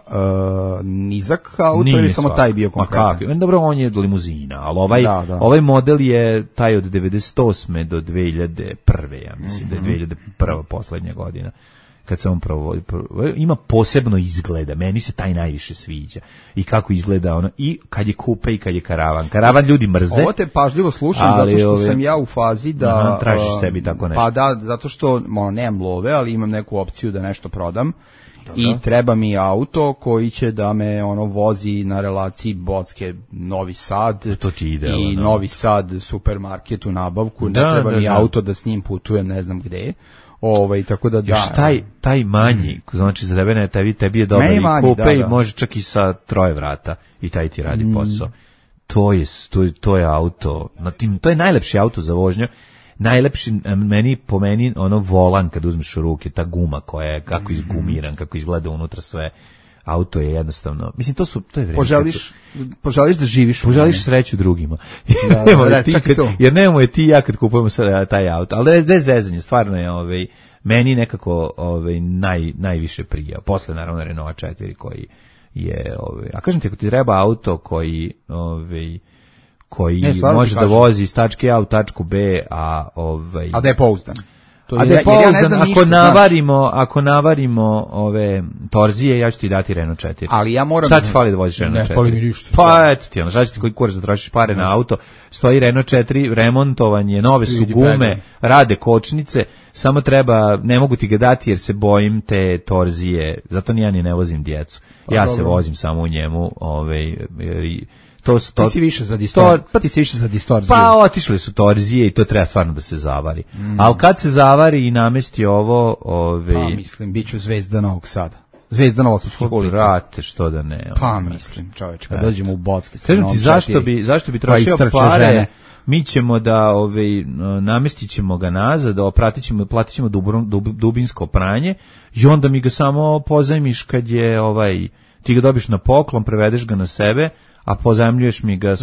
nizak auto ili samo taj bio konkretan? Dobro, on je limuzina, ali ovaj model je taj od 98. do 2001. Ja mislim da je 2001. poslednja godina. Kad sam ima posebno izgleda, meni se taj najviše sviđa i kako izgleda ono, i kad je kupe i kad je karavan ljudi mrze. Ovo te pažljivo slušam zato što sam ja u fazi da tražiš sebi tako nešto. Pa da, zato što nemam love, ali imam neku opciju da nešto prodam i treba mi auto koji će da me vozi na relaciji Bocke Novi Sad to ti idealno, i Novi Sad supermarket u nabavku, ne treba mi auto da s njim putujem ne znam gde. Tako da još taj manji, znači za tebe tebi je dobar i kupe i može čak i sa 3 vrata i taj ti radi posao. To je auto, to je najlepši auto za vožnju. Najlepši po meni volan kad uzmeš u ruke, ta guma koja je kako izgumiran, kako izgleda unutra sve. Auto je jednostavno, mislim to je vreme. Poželiš da živiš. Poželiš sreću drugima. Jer nemamo je ti ja kad kupujemo sad taj auto. Ali da je zezanje, stvarno je meni nekako najviše prija. Posle naravno Renault 4 koji je a kažem ti, ako ti treba auto koji može da vozi iz tačke A u tačku B, a da je pouzdan. A da je pouzdan, ako navarimo ove torzije, ja ću ti dati Renault 4. Ali ja moram... Šta ti fali da voziš Renault 4? Ne fali mi ništa. Pa eto ti, šta će ti koji kurac da trošiš pare na auto, stoji Renault 4, remontovanje, nove su gume, rade kočnice, samo treba, ne mogu ti ga dati jer se bojim te torzije, zato ni ja ni ne vozim djecu. Ja se vozim samo u njemu, ti si više za distorziju. Pa otišle su torzije i to treba stvarno da se zavari. Ali kad se zavari i namesti ovo... Pa mislim, bit ću zvezda Novog Sada. Zvezda Novosavskih ulica. Brate, što da ne. Pa mislim, čoveče, kad dođemo u Bocke... Kažem ti, zašto bi trošio pare... Mi ćemo da namestit ćemo ga nazad, platit ćemo dubinsko pranje i onda mi ga samo pozajmiš kad je ti ga dobiš na poklon, prevedeš ga na sebe, a pozajmljuješ mi ga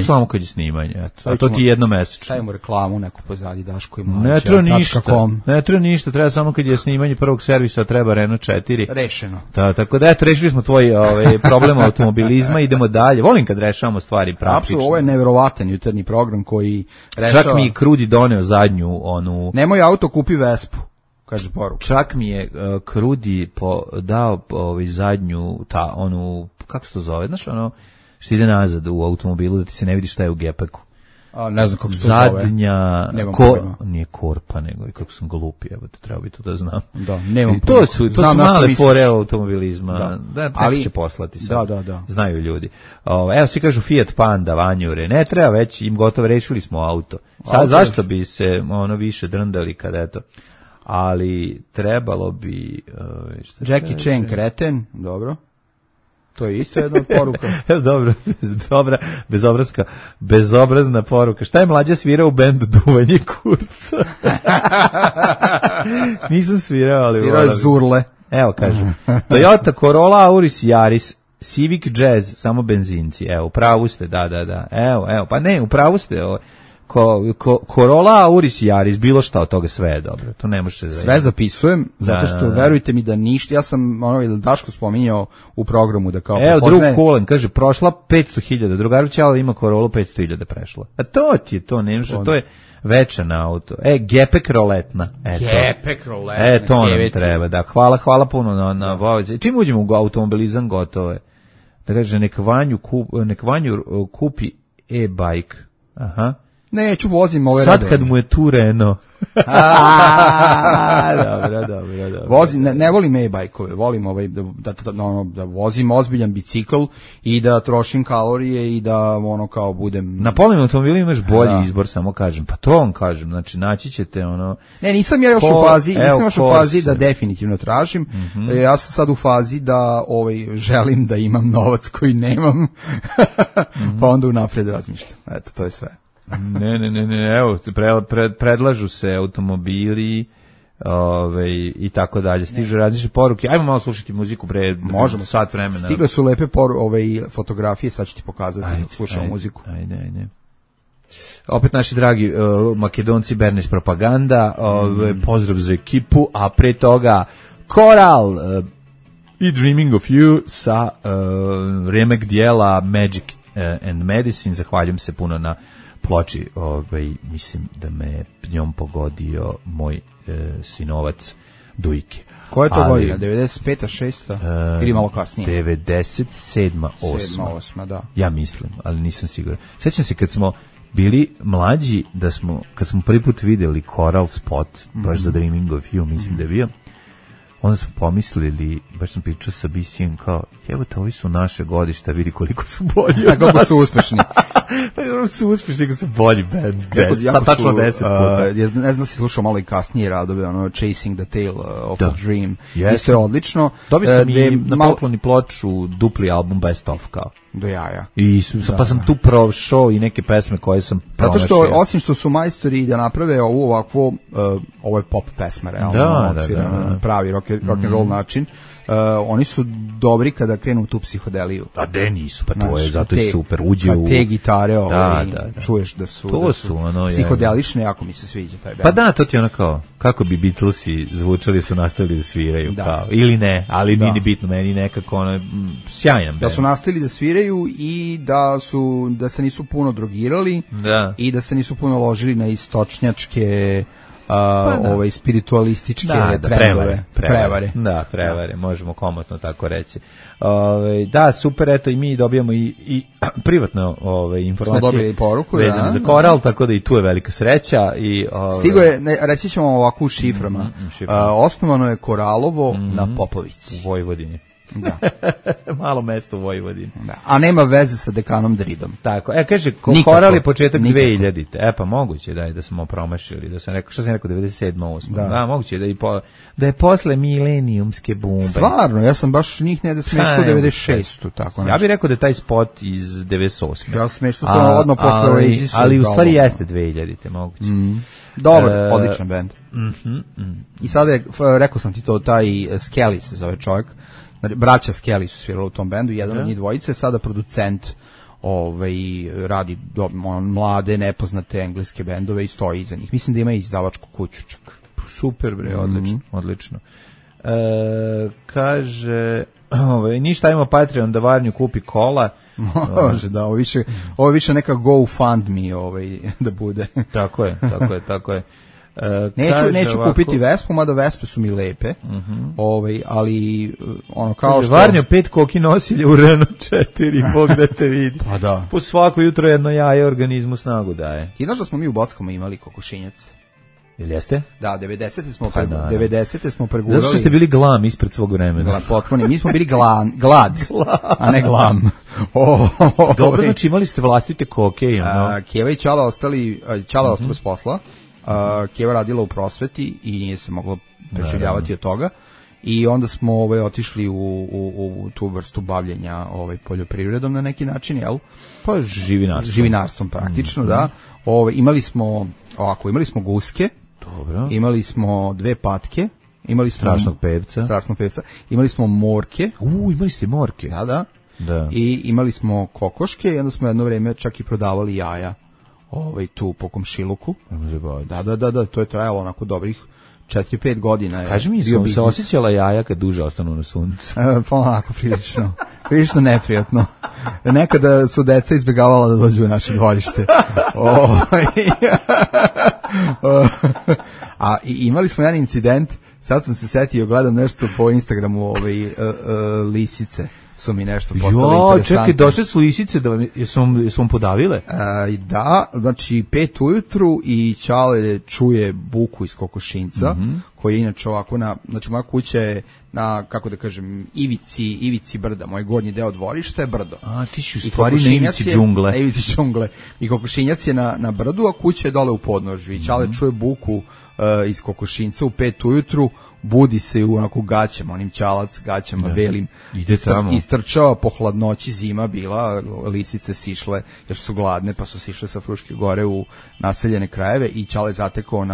samo kad je snimanje. A to ti je jednomesečno. Stavimo reklamu neku pozadi Daško i Ne treba ništa, treba samo kad je snimanje prvog servisa, treba Renault 4. Rešeno. Tako da rešili smo tvoj problem automobilizma, idemo dalje. Volim kad rešavamo stvari praktično. Apsolutno, ovo je neverovatan jutarnji program koji rešava. Čak mi Krudi doneo zadnju Nemoj auto, kupi Vespu. Kaže poruka. Čak mi je Krudi dao zadnju kako se to zove, znaš što ide nazad u automobilu da ti se ne vidi šta je u gepeku. Ne znam kako se to zove. Zadnja, nije korpa, nego i kako sam glupi, treba bi to da znam. Da, nemam to su male fore automobilizma, neko će poslati sad. Da. Znaju ljudi. Evo, svi kažu Fiat Panda, vanjure, ne treba već, im gotovo rešili smo auto. Sad, zašto bi se više drndali kad eto, ali trebalo bi... Jackie Chan kreten, dobro. To je isto jedna od poruka. Dobro, bezobrazna poruka. Šta je Mlađa svirao u bendu Duvanje kurca? Nisam svirao, ali... Svirao je Zurle. Evo, kažem. Toyota Corolla, Auris, Yaris, Civic Jazz, samo benzinci. Evo, upravu ste, da. Evo, pa ne, upravu ste, Corolla, Auris, Yaris, bilo šta od toga, sve je dobro. To ne može se sve zapisujem, zato što verujte mi da ništa. Ja sam Daško spominjao u programu da kao evo, drug Kulen, kaže, prošla 500.000, drugaruće, ali ima Corollu 500.000 prešla. A to ti je to, ne može, to je večan auto. Gepek roletna. Gepek roletna. To nam treba, da. Hvala puno na čim uđemo u automobilizam, gotovo je. Da kaže, nek Vanju kupi e-bike. Aha. Neću, vozim ove sad kad mu je tu Renault. Dobro. Vozim, ne volim e-bajkove, volim da vozim ozbiljan bicikl i da trošim kalorije i da kao budem... Na polovnim automobilima imaš bolji izbor, samo kažem. Pa to vam kažem, znači naći ćete Ne, nisam ja još u fazi da definitivno tražim. Ja sam sad u fazi da želim da imam novac koji nemam, pa onda unapred razmišljam. Eto, to je sve. Ne, evo, predlažu se automobili i tako dalje. Stižu različite poruke. Ajmo malo slušati muziku možemo sat vremena. Stigle su lepe fotografije, sad ću ti pokazati. Slušamo muziku. Ajde. Opet naši dragi Makedonci, Bernes Propaganda, pozdrav za ekipu, a pre toga Koral i Dreaming of You sa remake dijela Magic and Medicine. Zahvaljujem se puno na ploči, mislim da me njom pogodio moj sinovac Dujke. Koja je to godina? 95. 6. ili malo kasnije? 97. 8. Da. Ja mislim, ali nisam siguran. Sjećam se kad smo bili mlađi, kad smo prvi put vidjeli Coral spot, baš za Dreaming of You, mislim da je bio, onda smo pomislili, baš sam pričao sa BC-em kao, jebote, ovi su naše godišta, vidi koliko su bolji od nas. Kako su uspešni. Su uspešni, kako su bolji band. Sad tačno 10 puta. Ne znam, si slušao malo i kasnije radove, ono, Chasing the Tail of a Dream. Yes. Isto je odlično. Dobio sam i na pokloni ploču dupli album Best Of, kao. Do jaja. Pa sam tu prošao i neke pesme koje sam promašio. Zato što, osim što su majstori da naprave ovu ovakvo, ovo je pop pesma, realno, pravi rock and roll način, oni su dobri kada krenu u tu psihodeliju. A de nisu, pa to je, zato je super. Uđe u... te gitare, čuješ da su psihodelične, jako mi se sviđa taj band. Pa da, to ti je ono kao, kako bi Beatlesi zvučali su nastavili da sviraju, kao, ili ne, ali nije ni bitno, meni nekako ono, sjajan band. Da su nastavili da sviraju i da se nisu puno drogirali i da se nisu puno ložili na istočnjačke spiritualističke trendove. Prevare. Da, prevare, možemo komotno tako reći. Da, super, eto i mi dobijamo i privatno informacije. Smo dobili poruku, vezane za koral, tako da i tu je velika sreća. Stigo je, reći ćemo ovako u šiframa, osnovano je Koralovo na Popovici. U Vojvodini. Da. Malo mesto u Vojvodini. Da. A nema veze sa dekanom Dridom. Tako, kaže, Koral je početak 2000-te. Pa moguće da smo promašili, da sam rekao, što sam rekao, 97. 8. Da, moguće da je posle milenijumske bombe. Stvarno, ja sam baš njih ne da smeštao 96. Tako nešto. Ja bih rekao da je taj spot iz 98. Ja sam smeštao to odno posle Oasisu. Ali u stvari jeste 2000-te, moguće. Dobar, odličan band. I sada je, rekao sam ti to, taj Skelly se zove čovjek. Braća Skelly su svirali u tom bendu, jedan od njih dvojice, sada producent radi mlade, nepoznate engleske bendove i stoji iza njih. Mislim da ima i izdavačku kuću čak. Super, bre, odlično. Kaže, ništa, ima Patreon da Varnju kupi kola. Može, da, ovo više neka GoFundMe da bude. Tako je. Neću kupiti Vespu, mada Vespe su mi lepe, ali ono kao što... Varnjo 5 koki nosilje u Renault 4, Bog da te vidi. Pa da. Po svako jutro jedno jaje organizmu snagu daje. I znaš da smo mi u Bockama imali kokošinjac? Jel jeste? Da, 90. smo pregurali. Zato što ste bili glam ispred svog vremena. Potpuno, mi smo bili glad, a ne glam. Dobro, znači imali ste vlastite koke. Keva i Ćala ostali s posla. Keva radila u prosveti i nije se moglo preživljavati od toga i onda smo otišli u tu vrstu bavljenja poljoprivredom na neki način, jel? Pa živinarstvom praktično, da. Imali smo guske, dobro. Imali smo 2 patke, imali smo strašnog pevca, imali smo morke. Imali ste morke. Da. I imali smo kokoške i onda smo jedno vreme čak i prodavali jaja. Tu po komšiluku. Da, to je trajalo onako dobrih 4-5 godina. Kaži mi, su se osjećala jaja kad duže ostanu na suncu? Pa onako, prilično neprijatno. Nekada su deca izbjegavala da dođu u naše dvorište. A imali smo jedan incident, sad sam se setio, gledam nešto po Instagramu, lisice su mi nešto postale interesantne. Čekaj, došle su lisice da su vam podavile? Da, znači 5 ujutru i Ćale čuje buku iz kokošinca, koji je inače ovako znači moja kuća je na, kako da kažem, ivici brda, moj gornji deo dvorišta je brdo. A, ti si u stvari na ivici džungle. Na ivici džungle. I kokošinjac je na brdu, a kuća je dole u podnožju. I Ćale čuje buku iz kokošinca u 5 ujutru, budi se u onako gaćama, onim Ćalac gaćama belim, istrčava po hladnoći, zima bila, lisice sišle jer su gladne, pa su sišle sa Fruške gore u naseljene krajeve i Ćale zatekao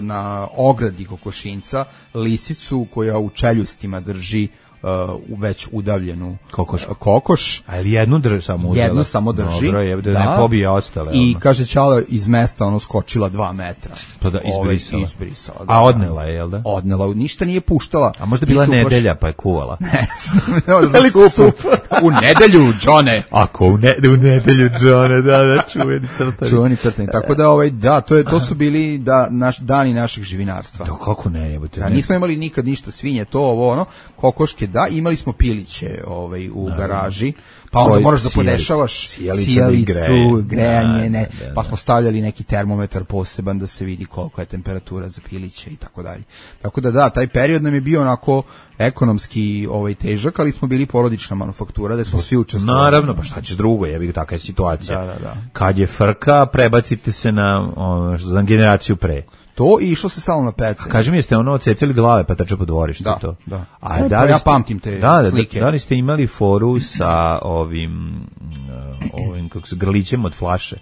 na ogradi kokošinca lisicu koja u čeljustima drži već udavljenu kokoš. A ili jednu samo uzela? Jednu samo drži. Dobro, da ne pobije ostale. I kaže Ćala iz mesta skočila 2 metra. Pa da izbrisala. Da, a odnela je, jel da? Odnela, ništa nije puštala. A možda bila nedelja pa je kuvala. Ne, u nedelju, Džone. Ako u nedelju, Džone, da, čuveni crtani. Čuveni crtani, tako da, to su bili dani naših živinarstva. Da, kako ne, jebote. Nismo imali nikad ništa, svinje, kokoške da, imali smo piliće u garaži, pa onda moraš da podešavaš sijalicu, grejanje, pa smo stavljali neki termometar poseban da se vidi koliko je temperatura za piliće i tako dalje. Tako da, taj period nam je bio onako ekonomski težak, ali smo bili porodična manufaktura, da smo svi učestvovali. Naravno, pa šta ćeš drugo, jebi, takva je situacija. Da. Kad je frka, prebacite se za generaciju pre. To i išlo se stalno na pece. Kaži mi, jeste odsecali glave pa trče po dvorištu? Da. Da, ja pamtim te slike. Da li ste imali foru sa ovim kako se grlićem od flaše?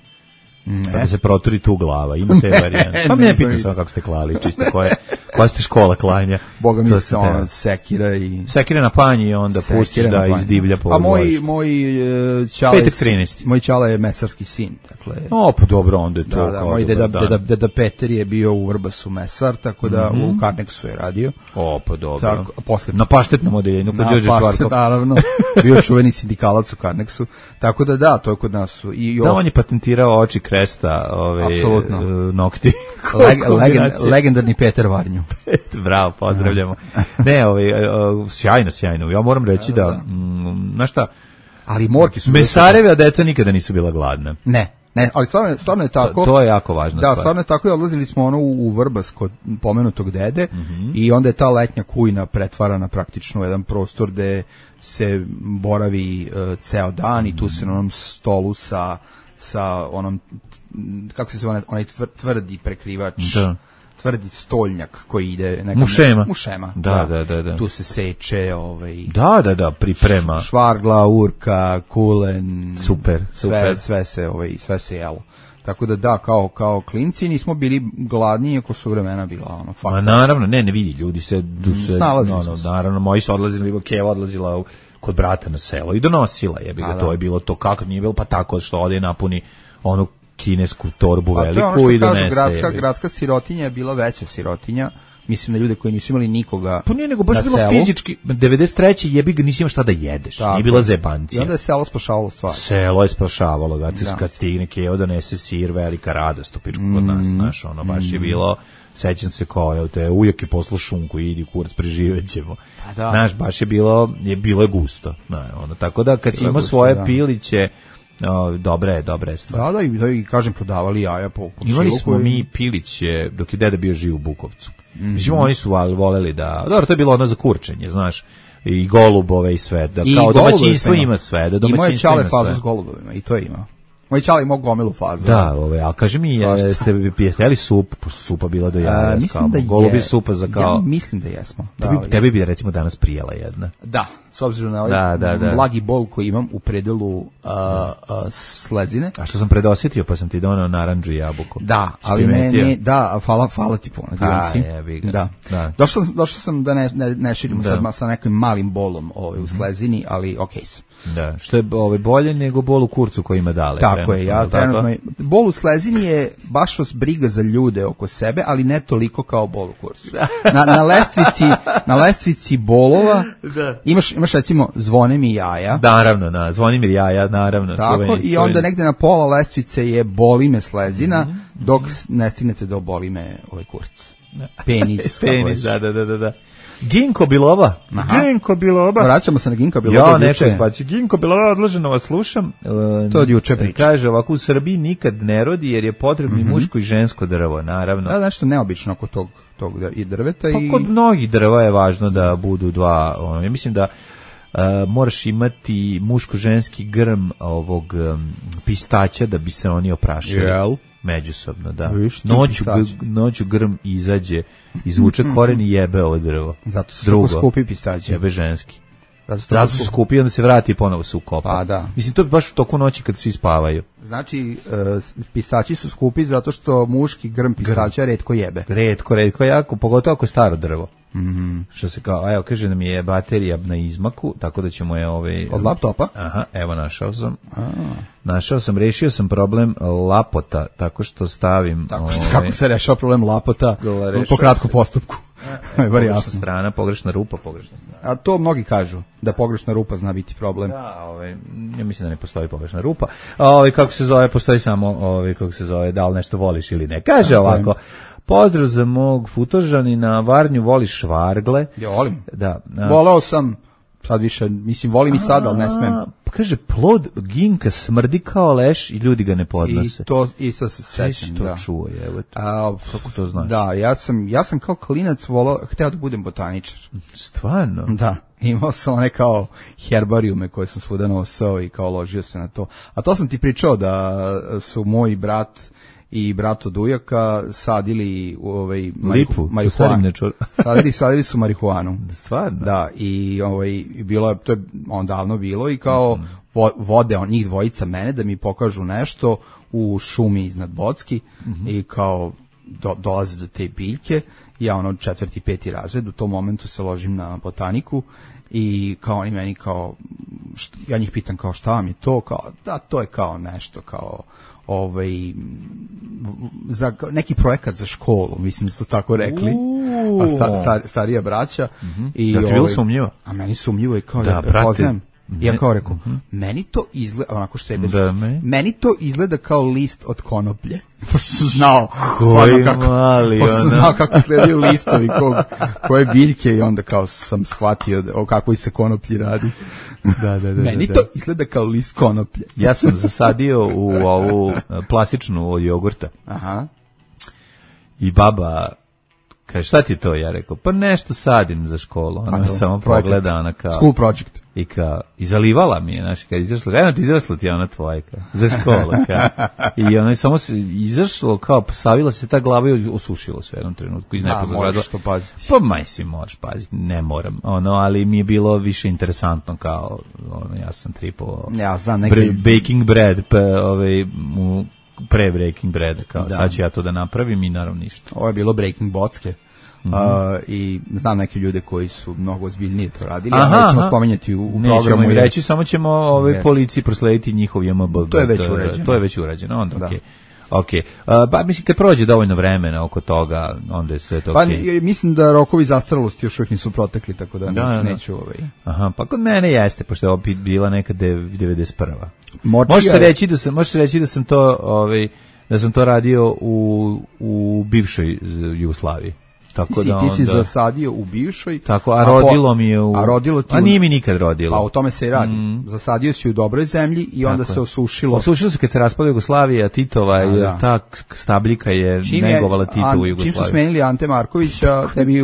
Da se proturi tu glava, ima te varijante. Pa ne pitam samo kako ste klali, čisto koja ste škola klanja. Boga mi se sekira i... Sekira na panji i onda pustiš da izdivlja po dvorištu. Moj čala je mesarski sin. Pa dobro, onda je to. Da, moj deda Peter je bio u Vrbasu mesar, tako da u Karneksu je radio. Pa dobro. Na paštetnom odeljenju, kod Đorđe Švarkov. Naravno, bio čuveni sindikalac u Karneksu. Tako da, to je kod nas. Da, on je patentirao oči kresta, nokti. Legendarni Peter Varnju. Bravo, pozdravljamo. Ne, sjajno. Ja moram reći da, znaš šta, ali morki su... Mesareva deca nikada nisu bila gladna. Ne, ali stvarno je tako. To je jako važna stvar. Da, stvarno je tako i odlazili smo u Vrbas kod pomenutog dede i onda je ta letnja kujna pretvarana praktično u jedan prostor gde se boravi ceo dan i tu se na onom stolu sa onom, kako se zove, onaj tvrdi prekrivač, tvrdi stoljnjak koji ide mušema. Da. Tu se seče Da, priprema. Švargla, urka, kulen. Super. Sve se jelo. Tako da, kao klinci nismo bili gladni, iako su vremena bila fakta. Ma naravno, ne vidi, ljudi se naravno, moji su odlazili, Keva odlazila kod brata na selo i donosila, to je bilo to kako nije bilo, pa tako što ode napuni onu kinesku torbu veliku i donese. Gradska sirotinja je bila veća sirotinja. Mislim da ljude koji nisu imali nikoga pa nije, nego baš bilo fizički. 93. jebi ga, nisi imao šta da jedeš. Nije bila zebancija. I onda je selo spašavalo stvar. Selo je spašavalo. Kad stigne Keo donese sir, velika radost u pičku kod nas. Znaš, baš je bilo, sećam se kao, te ujak je poslao šunku, idi kurac, preživećemo. Znaš, baš je bilo je gusto. Tako da kad si imao svoje piliće, dobra je stvar. Da, i kažem, prodavali jaja po imali smo mi piliće dok je deda bio živ u Bukovcu. Mislim, oni su voleli da... Dobro, to je bilo ono za kurčenje, znaš, i golubove i sve. Da, kao domaćinstvo ima sve. Imao je čale fazu s golubovima i to je imao. Moj čale imao gomilu fazu. Da, a kaži mi, jeste jeli sup, pošto supa bila do jaja. Mislim da je. Golubi supa za kao... Ja mislim da jesmo. Tebi bi recimo danas prijela jedna. Da, s obzirom na ovaj blagi bol koji imam u predelu slezine. A što sam predosjetio, pa sam ti donao narandžu i jabuku. Da, ali hvala ti puno. Da. Došao sam da ne širimo sad sa nekim malim bolom u slezini, ali okej sam. Da, što je bolje nego bol u kurcu koji ima dale. Tako je, ja trenutno... Bol u slezini je baš vas briga za ljude oko sebe, ali ne toliko kao bol u kurcu. Na lestvici bolova imaš recimo zvone mi jaja. Naravno, zvoni mi jaja, naravno. Tako, i onda negde na pola lestvice je boli me slezina, dok ne stignete do boli me kurac. Penis. Penis, da. Ginko Biloba. Vraćamo se na Ginko Biloba. Ja, neko izbaci. Ginko Biloba, odloženo vas slušam. To od juče priča. Kaže ovako, u Srbiji nikad ne rodi jer je potrebno i muško i žensko drvo, naravno. Da, nešto neobično oko tog i drveta. Pa kod mnogih drva je važno da budu dva. Ja mislim da moraš imati muško-ženski grm ovog pistaća da bi se oni oprašili. Međusobno, da. Noću grm izađe, izvuče koren i jebe ovo drvo. Zato su tako skupi pistaći. Jebe ženski. Zato su skupi i onda se vrati i ponovo se ukopa. Pa da. Mislim, to je baš u toku noći kad svi spavaju. Znači, pistaći su skupi zato što muški grm pistaća retko jebe. Retko, jako, pogotovo ako je staro drvo. Što se kao, evo, kaže da mi je baterija na izmaku, tako da ćemo je od laptopa? Aha, evo, našao sam, rešio sam problem lapota, tako što stavim... Kako se rešao problem lapota po kratkom postupku? Pogrešna strana, pogrešna rupa. A to mnogi kažu, da pogrešna rupa zna biti problem. Da, ja mislim da ne postoji pogrešna rupa. Kako se zove, postoji samo, da li nešto voliš ili ne. Kaže ovako... Pozdrav za mog futožanina, Varnju, voliš švargle? Ja volim. Da. Voleo sam Sad više, mislim, volim i sad, ali ne smem. Pa kaže, plod ginka smrdi kao leš i ljudi ga ne podnose. I to se sećam, da. To čuo je, evo. Kako to znaš? Da, ja sam kao klinac hteo da budem botaničar. Stvarno? Da. Imao sam one kao herbarijume koje sam svuda nosao i kao ložio se na to. A to sam ti pričao da su moj brat i brat od ujaka sadili lipu, marihuanu. Sadili su marihuanu. Stvarno? Da, i to je davno bilo i kao vode njih dvojica mene da mi pokažu nešto u šumi iznad Bocki i kao dolaze do te biljke. Ja 4. 5. razred, u tom momentu se ložim na botaniku i kao oni meni kao, ja njih pitam kao šta vam je to, kao da to je kao nešto kao za neki projekat za školu, mislim da su tako rekli, starija braća. I da ti bilo sumnjivo? A meni sumnjivo i kao da poznajem. Ja kao rekao, meni to izgleda, onako štreberski, meni to izgleda kao list od konoplje. Pošto sam znao kako izgledaju listovi koje biljke i onda kao sam shvatio o kakvoj se konoplji radi. Meni to izgleda kao list konoplje. Ja sam zasadio u ovu plastičnu od jogurta. Aha. I baba kaže, šta ti to? Ja rekao, pa nešto sadim za školu. Ona me samo pogleda, ona kao... School project. I zalivala mi je, znaš, kad izrašla, eno ti izrašla ti ona tvoja, za školu, i ona je samo se izašlo, kao, savila se ta glava i osušilo sve u jednom trenutku. Moraš to paziti. Pa moraš paziti, ne moram, ali mi je bilo više interesantno, kao, ja sam tripovao baking bread, pre Breaking Bread, kao sad ću ja to da napravim i naravno ništa. Ovo je bilo Breaking Bocke i znam neke ljude koji su mnogo ozbiljnije to radili, ali nećemo spominjati u programu. Nećemo i reći, samo ćemo policiji proslediti njihov JMBG. To je već urađeno. Onda okej. Okay. Pa mislim, kad prođe dovoljno vremena oko toga, onda je sve to okej. Pa mislim da rokovi zastarelosti još uvijek nisu protekli, tako da neću Aha, pa kod mene jeste, pošto je opet bila neka 91. Može se reći da sam to da sam to radio u bivšoj Jugoslaviji. Tako ti si zasadio u bivšoj. Tako, a rodilo mi je a nije mi nikad rodilo. Pa o tome se i radi. Zasadio si u dobroj zemlji i onda se osušilo. Osušilo se kad se raspada Jugoslavija, Titova, jer ta stabljika je negovala Titovu Jugoslaviju. Čim su smenili Ante Markovića, tebi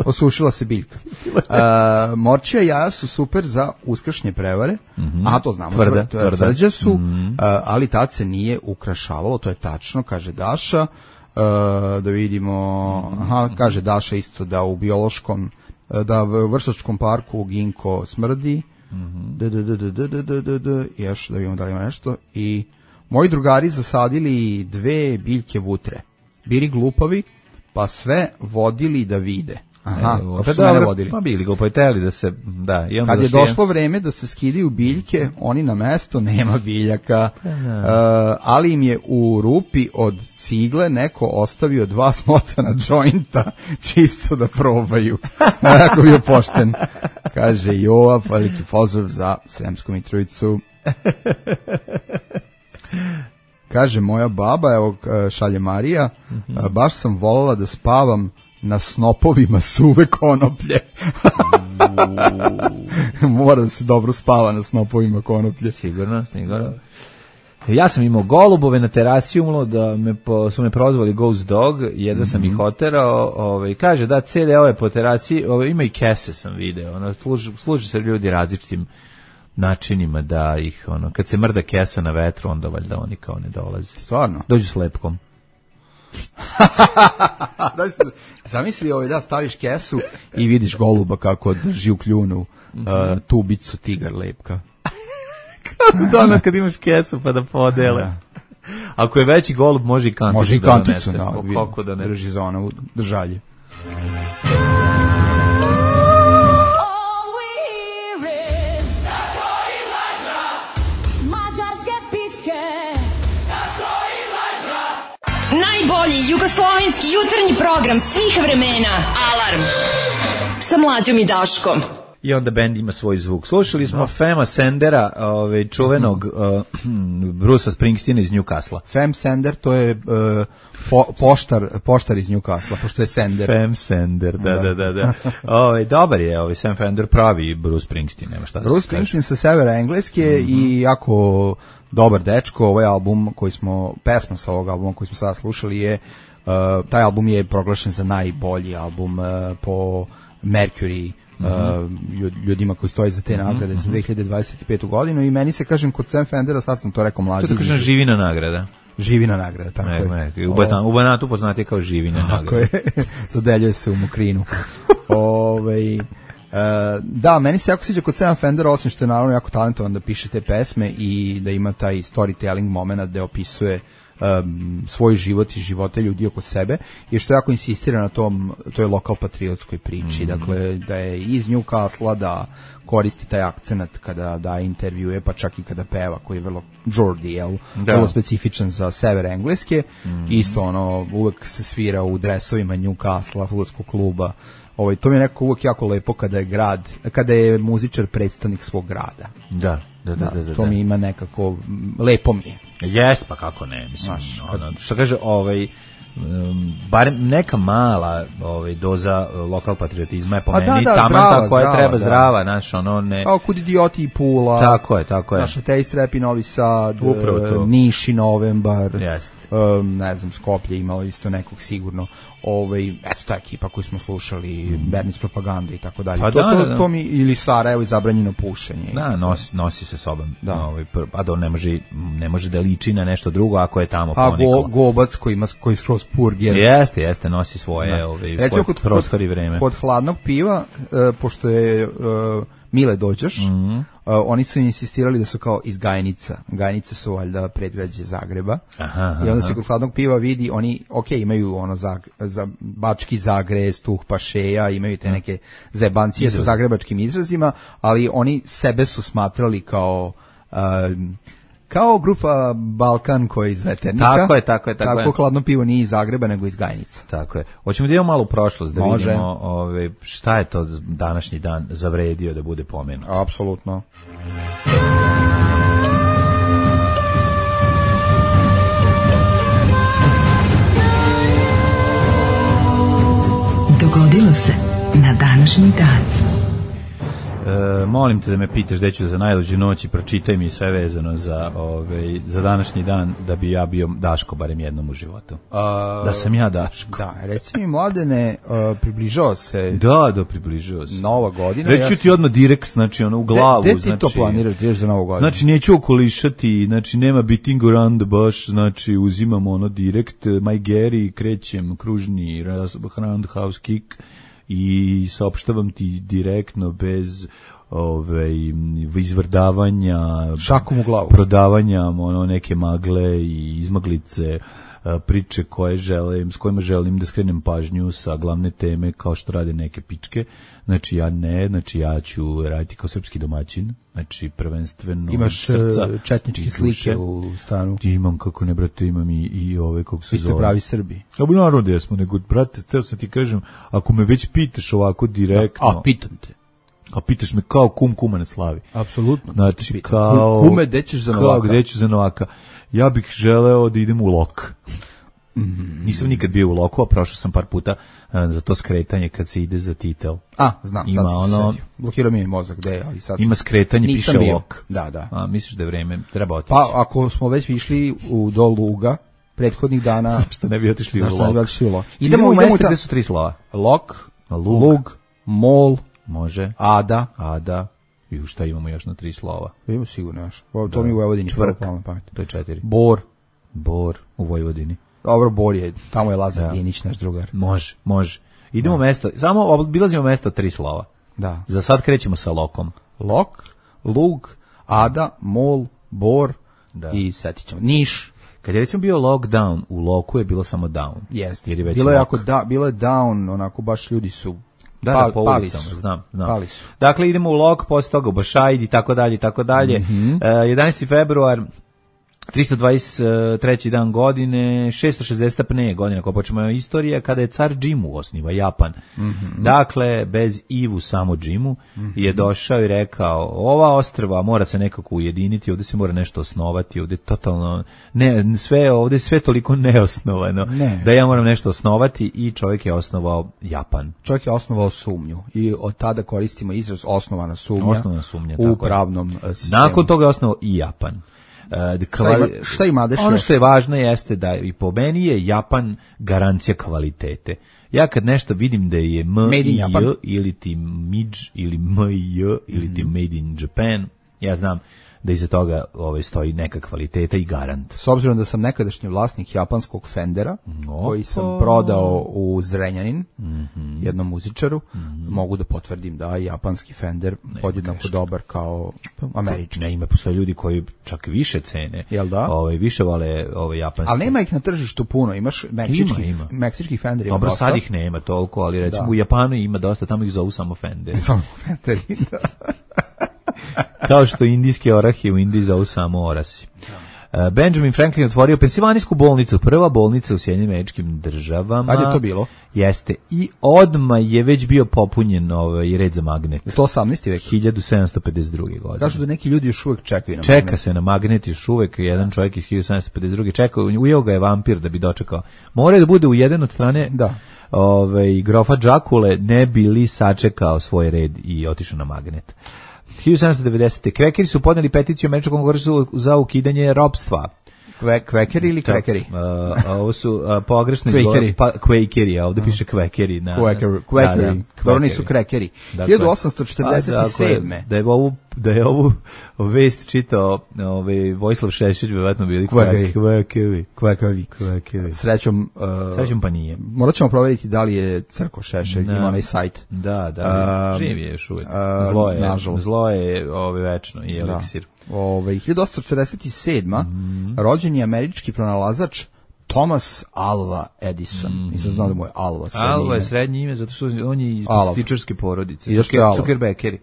osušila se biljka. Morčija jaja su super za uskršnje prevare, a to znamo, tvrđa su, ali tad se nije ukrašavalo, to je tačno, kaže Daša. Da vidimo, kaže Daša isto da u biološkom, da u Vršačkom parku ginko smrdi, još da vidimo da li ima nešto, i moji drugari zasadili 2 biljke vutre, bili glupavi, pa vodili da vide. Aha, pa su mene vodili. Pa bili glupoviteli da se, i onda kad je došlo vreme da se skidaju biljke, oni na mesto, nema biljaka, ali im je u rupi od cigle neko ostavio 2 smotana džointa, čisto da probaju. Jako bio pošten. Kaže Jova, veliki pozdrav za Sremsku Mitrovicu. Kaže moja baba, evo šalje Marija, baš sam voljela da spavam na snopovima suve konoplje. Mora da se dobro spava na snopovima konoplje. Sigurno. Ja sam imao golubove na terasi, da su me prozvali Ghost Dog, jedva sam ih oterao, kaže da CD ove po terasi, ima i kese sam video, služi se ljudi različitim načinima da ih, kad se mrda kesa na vetru, onda valjda oni kao ne dolaze. Stvarno? Dođu s lepkom. Zamisli da staviš kesu i vidiš goluba kako drži u kljunu tubicu tigar lepka. Kako kad imaš kesu pa da podele. Ako je veći golub može i kanticu. Može i kanticu, kako da ne drži za ono držalje. Najbolji jugoslovenski jutarnji program svih vremena. Alarm sa Mlađom i Daškom. i onda bend ima svoj zvuk. Slušali smo Fema Sandera, čuvenog Brusa Springsteena iz Newcastle. Fem Sander, to je poštar iz Newcastle, pošto je Sander. Fem Sander, da. Dobar je, Sam Fender pravi Bruce Springsteen, nema šta da Bruce Springsteen sa severa Engleske i jako dobar dečko. Ovaj album pesma sa ovog albuma koji smo sada slušali je, taj album je proglašen za najbolji album po Mercury, ljudima koji stoji za te nagrade za 2025. godinu i meni se, kažem, kod Sam Fendera, sad sam to rekao mlađi. To da kažem živina nagrada. Živina nagrada, tako je. U Banatu poznati kao živina nagrada. Tako je, dodeljuje se u Mokrinu. Da, meni se jako sviđa kod Sam Fendera, osim što je naravno jako talentovan da piše te pesme i da ima taj storytelling moment da opisuje svoj život i živote ljudi oko sebe, i što jako insistira na toj lokal patriotskoj priči, dakle da je iz Newcastle, da koristi taj akcenat kada daje intervjue, pa čak i kada peva, koji je vrlo Geordie, vrlo specifičan za sever Engleske. Isto uvek se svira u dresovima Newcastle, fudbalskog kluba. To mi je nekako uvek jako lepo kada je muzičar predstavnik svog grada. Da. To mi ima nekako, lepo mi je. Jest, pa kako ne, mislim, što kaže, barem neka mala doza lokal patriotizma je po meni taman koja treba zdrava, znaš, ne... Kao Kud idioti i Pula. Tako je. Naša Taste Rap i Novi Sad, Niš i Novembar, ne znam, Skoplje imalo isto nekog sigurno. Eto ta ekipa koju smo slušali, Bernis Propaganda i tako dalje. To mi, ili Sarajevo i Zabranjeno pušenje. Da, nosi se sobom. A da on ne može da liči na nešto drugo ako je tamo poniklo. Gobac koji skroz purger. Jeste, nosi svoje prostor i vreme. Kod hladnog piva, pošto je Mile Dođoš, oni su insistirali da su kao iz Gajnica. Gajnice su valjda predgrađe Zagreba. I onda se kod hladnog piva vidi, oni, imaju za Bački Zagre, Stuh Pašeja, imaju te neke zebancije sa zagrebačkim izrazima, ali oni sebe su smatrali kao grupa Balkan koji je iz Veternika. Tako je. Tako hladno pivo nije iz Zagreba, nego iz Gajnica. Tako je. Hoćemo da idemo malo u prošlost, da vidimo šta je to današnji dan zavredio da bude pomenut. Apsolutno. Dogodilo se na današnji dan. Molim te da me pitaš gde ću za najluđu noć i pročitaj mi sve vezano za današnji dan, da bi ja bio Daško barem jednom u životu. Da sam ja Daško. Da, reci mi, Mladene, približao se. Da, približao se. Nova godina. Reći ću ti odmah direkt, znači u glavu. Gde ti to planiraš, ideš za Novu godinu? Znači neću okolišati, znači nema beating around the bush, znači uzimam direkt, my Gary, krećem kružni roundhouse kick i saopštavam ti direktno bez izvrdavanja, šakom u glavu, prodavanja neke magle i izmaglice, priče s kojima želim da skrenem pažnju sa glavne teme, kao što rade neke pičke. Znači ja ću raditi kao srpski domaćin, znači prvenstveno imaš srca, četničke slike u stanu. Imam, kako ne, brate, imam i kako se zove. Vi ste pravi Srbi. Naravno da jesmo, nego, brate, teo sam ti kažem, ako me već pitaš ovako direktno... pitam te. A pitaš me kao kuma na slavi. Apsolutno. Znači, kao... Kume, gde ćeš za Novaka? Gde ću za Novaka? Ja bih želeo da idem u Lok. Nisam nikad bio u Loku, a prošao sam par puta za to skretanje kad se ide za Titel. Znam, sad se sedio. Blokirao mi je mozak, gde, ali sad... Ima skretanje, piše Lok. Da. Misliš da je vreme, treba otići? Pa, ako smo već išli do Luga, prethodnih dana... Što ne bi otišli u Lok? Idemo u mesto gde su 3 slova. Lok, Lug, Mol, može. Ada. I šta imamo još na 3 slova? Imamo sigurno još. To mi u Vojvodini. Čvrk, to je 4. Bor u Vojvodini. Dobro, Bor je, tamo je Lazar Dinić, naš drugar. Može. Idemo mesto, samo obilazimo mesto 3 slova. Da. Za sad krećemo sa Lokom. Lok, Lug, Ada, Mol, Bor i setit ćemo. Niš. Kad je recimo bio lockdown, u Loku je bilo samo down. Jeste. Bilo je down, onako baš ljudi su po ulicama, znam. Pali su. Dakle, idemo u Lok, posle toga u Bašajd i tako dalje. 11. februar, 323. dan godine, 660. pne godine, ako počnemo istorija, kada je car Džimu osniva Japan. Dakle, bez Ivu, samo Džimu, je došao i rekao, ova ostrva mora se nekako ujediniti, ovdje se mora nešto osnovati, ovdje totalno, ovdje sve toliko neosnovano, da ja moram nešto osnovati i čovjek je osnovao Japan. Čovjek je osnovao sumnju i od tada koristimo izraz osnovana sumnja u pravnom sistemu. Nakon toga je osnovao i Japan. Šta ima dešava? Ono što je važno jeste da i po meni je Japan garancija kvalitete. Ja kad nešto vidim da je M-I-J ili ti MIDŽ ili M-I-J ili ti Made in Japan, ja znam da iza toga stoji neka kvaliteta i garant. S obzirom da sam nekadašnji vlasnik japanskog Fendera, koji sam prodao u Zrenjanin, jednom muzičaru, mogu da potvrdim da je japanski Fender podjednako dobar kao američki. Ne, ima postoje ljudi koji čak više cene. Jel da? Više vole japanski. Ali nema ih na tržištu puno, imaš meksički Fender ima dobro, dosta. sad ih nema toliko, ali recimo u Japanu ima dosta, tamo ih zovu samo Fender. Samo Fenderi, da. Kao što indijske orahe u Indiji zovu samo orasi. Benjamin Franklin otvorio pensilvanijsku bolnicu, prva bolnica u Sjedinjenim Američkim Državama. Kad je to bilo? Jeste. I odmah je već bio popunjen red za magnet. Je to 18. vek? 1752. godine. Kažu da neki ljudi još uvek čekaju na magnet. Čeka se na magnet još uvek. Jedan čovjek iz 1752. čekao, ujeo ga je vampir da bi dočekao. Mora da bude u jedan od strane grofa Džakule, ne bi li sačekao svoj red i otišao na magnet. 1790. Kvekeri su podneli peticiju Američkom kongresu za ukidanje ropstva. Kvekeri ili kvekeri? Ovo su pogrešni kvekeri, a ovdje piše kvekeri. Kvekeri. Dobro, nisu krekeri. 1847. Da je ovu vest čitao Vojislav Šešelj, vjerovatno bili Kvekevi. Srećom pa nije. Morat ćemo provjeriti da li je Crko Šešelj, ima onaj sajt. Da, živ je još uvijek. Zlo je večno i eliksir. 1847. rođen je američki pronalazač Thomas Alva Edison. Nisam znao da mu je Alva srednje ime. Alva je srednje ime zato što on je iz plastičarske porodice. Zuckerbergeri.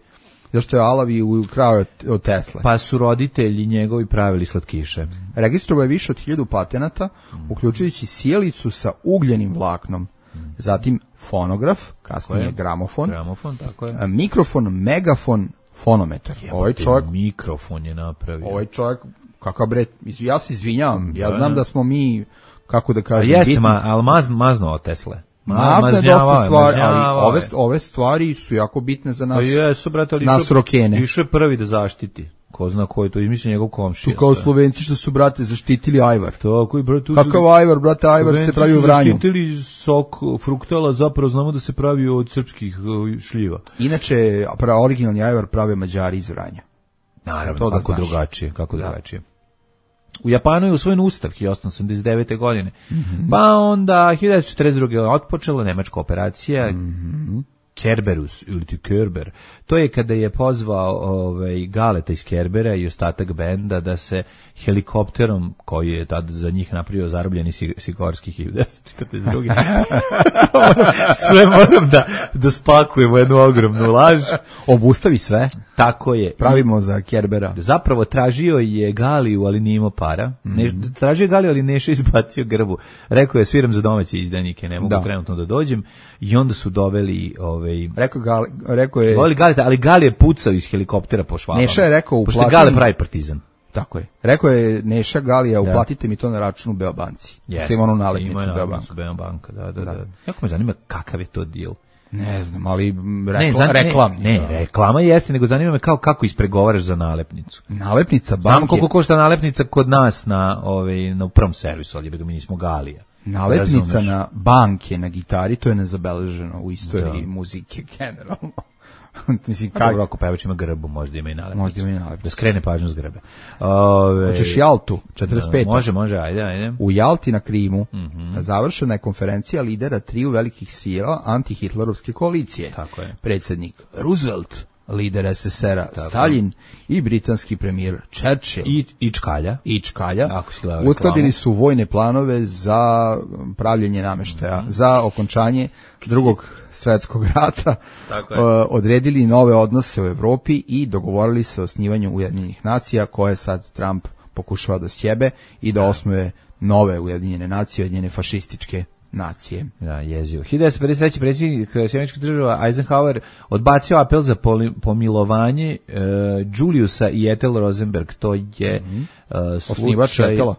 Zašto je Alav i ukrao od Tesla? Pa su roditelji njegovi pravili slatkiše. Registrovao je više od 1000 patenata, uključujući sjelicu sa ugljenim vlaknom. Zatim fonograf, kasnije gramofon, mikrofon, megafon, fonometar. Ovaj čovjek mikrofon je napravio. Ovaj čovjek, kakav bre, ja se izvinjavam, ja znam da smo mi, kako da kažem, jeste, ali mazno od Tesle. Mazno je dosta stvari, ali ove stvari su jako bitne za nas, nas rokene. Išao je prvi da zaštiti. Ko zna ko je to, izmislio njegov komšija. Tu kao Slovenci što su, brate, zaštitili ajvar. Tako i, brate, kakav ajvar, brate, ajvar se pravi u Vranju. Zaštitili sok fruktala, zapravo znamo da se pravi od srpskih šljiva. Inače, originalni ajvar prave Mađari iz Vranja. Naravno, kako drugačije. U Japanu je usvojen ustav 1889. godine. Pa onda 1942. otpočela nemačka operacija Kerberus ili ti Kerber. To je kada je pozvao Galeta iz Kerbera i ostatak benda da se helikopterom, koji je tad za njih napravio zarobljeni Sikorski 1942. Sve moram da spakujemo jednu ogromnu laž. Obustavi sve. Tako je. Pravimo za Kerbera. Zapravo tražio je Galiju, ali nije imao para. Tražio je Galiju, ali Neša izbacio grbu. Rekao je, sviram za domaće izdanike, ne mogu trenutno da dođem. I onda su doveli Rekao je voli Galeta, ali Gali je pucao iz helikoptera po švabama. Neša je rekao, pošto Gale pravi partizan. Tako je. Rekao je Neša Galija, uplatite mi to na računu Beobanci. Jeste. Ima onu nalepnicu Beobanka. Da. Jako me zanima kakav je to deal. Ne znam, ali reklamni. Ne, reklama jeste, nego zanima me kako ispregovaraš za nalepnicu. Nalepnica banke. Znam koliko košta nalepnica kod nas na prvom servisu, ali mi nismo Galija. Nalepnica na banke na gitari, to je nezabeleženo u istoriji muzike generalno. Dobro, ako pevač ima grbu, možda ima i nalepnicu. Da skrene pažnju s grbe. Hoćeš Jaltu, 45. Može, ajde. U Jalti na Krimu završena je konferencija lidera triju velikih sila antihitlerovske koalicije. Tako je. Predsjednik Roosevelt, lider SSR-a Stalin i britanski premijer Churchill. I Čkalja. Uskladili su vojne planove za pravljenje nameštaja, za okončanje Drugog svjetskog rata, odredili nove odnose u Evropi i dogovorili se o osnivanju Ujedinjenih nacija koje sad Trump pokušava da sjebe i da osnuje nove Ujedinjene nacije, Ujedinjene fašističke nacije. Da, jezivo. 1953. predsjednik Sjedinjenih Država Eisenhower odbacio apel za pomilovanje Juliusa i Ethel Rosenberg. To je osnivač Ethela.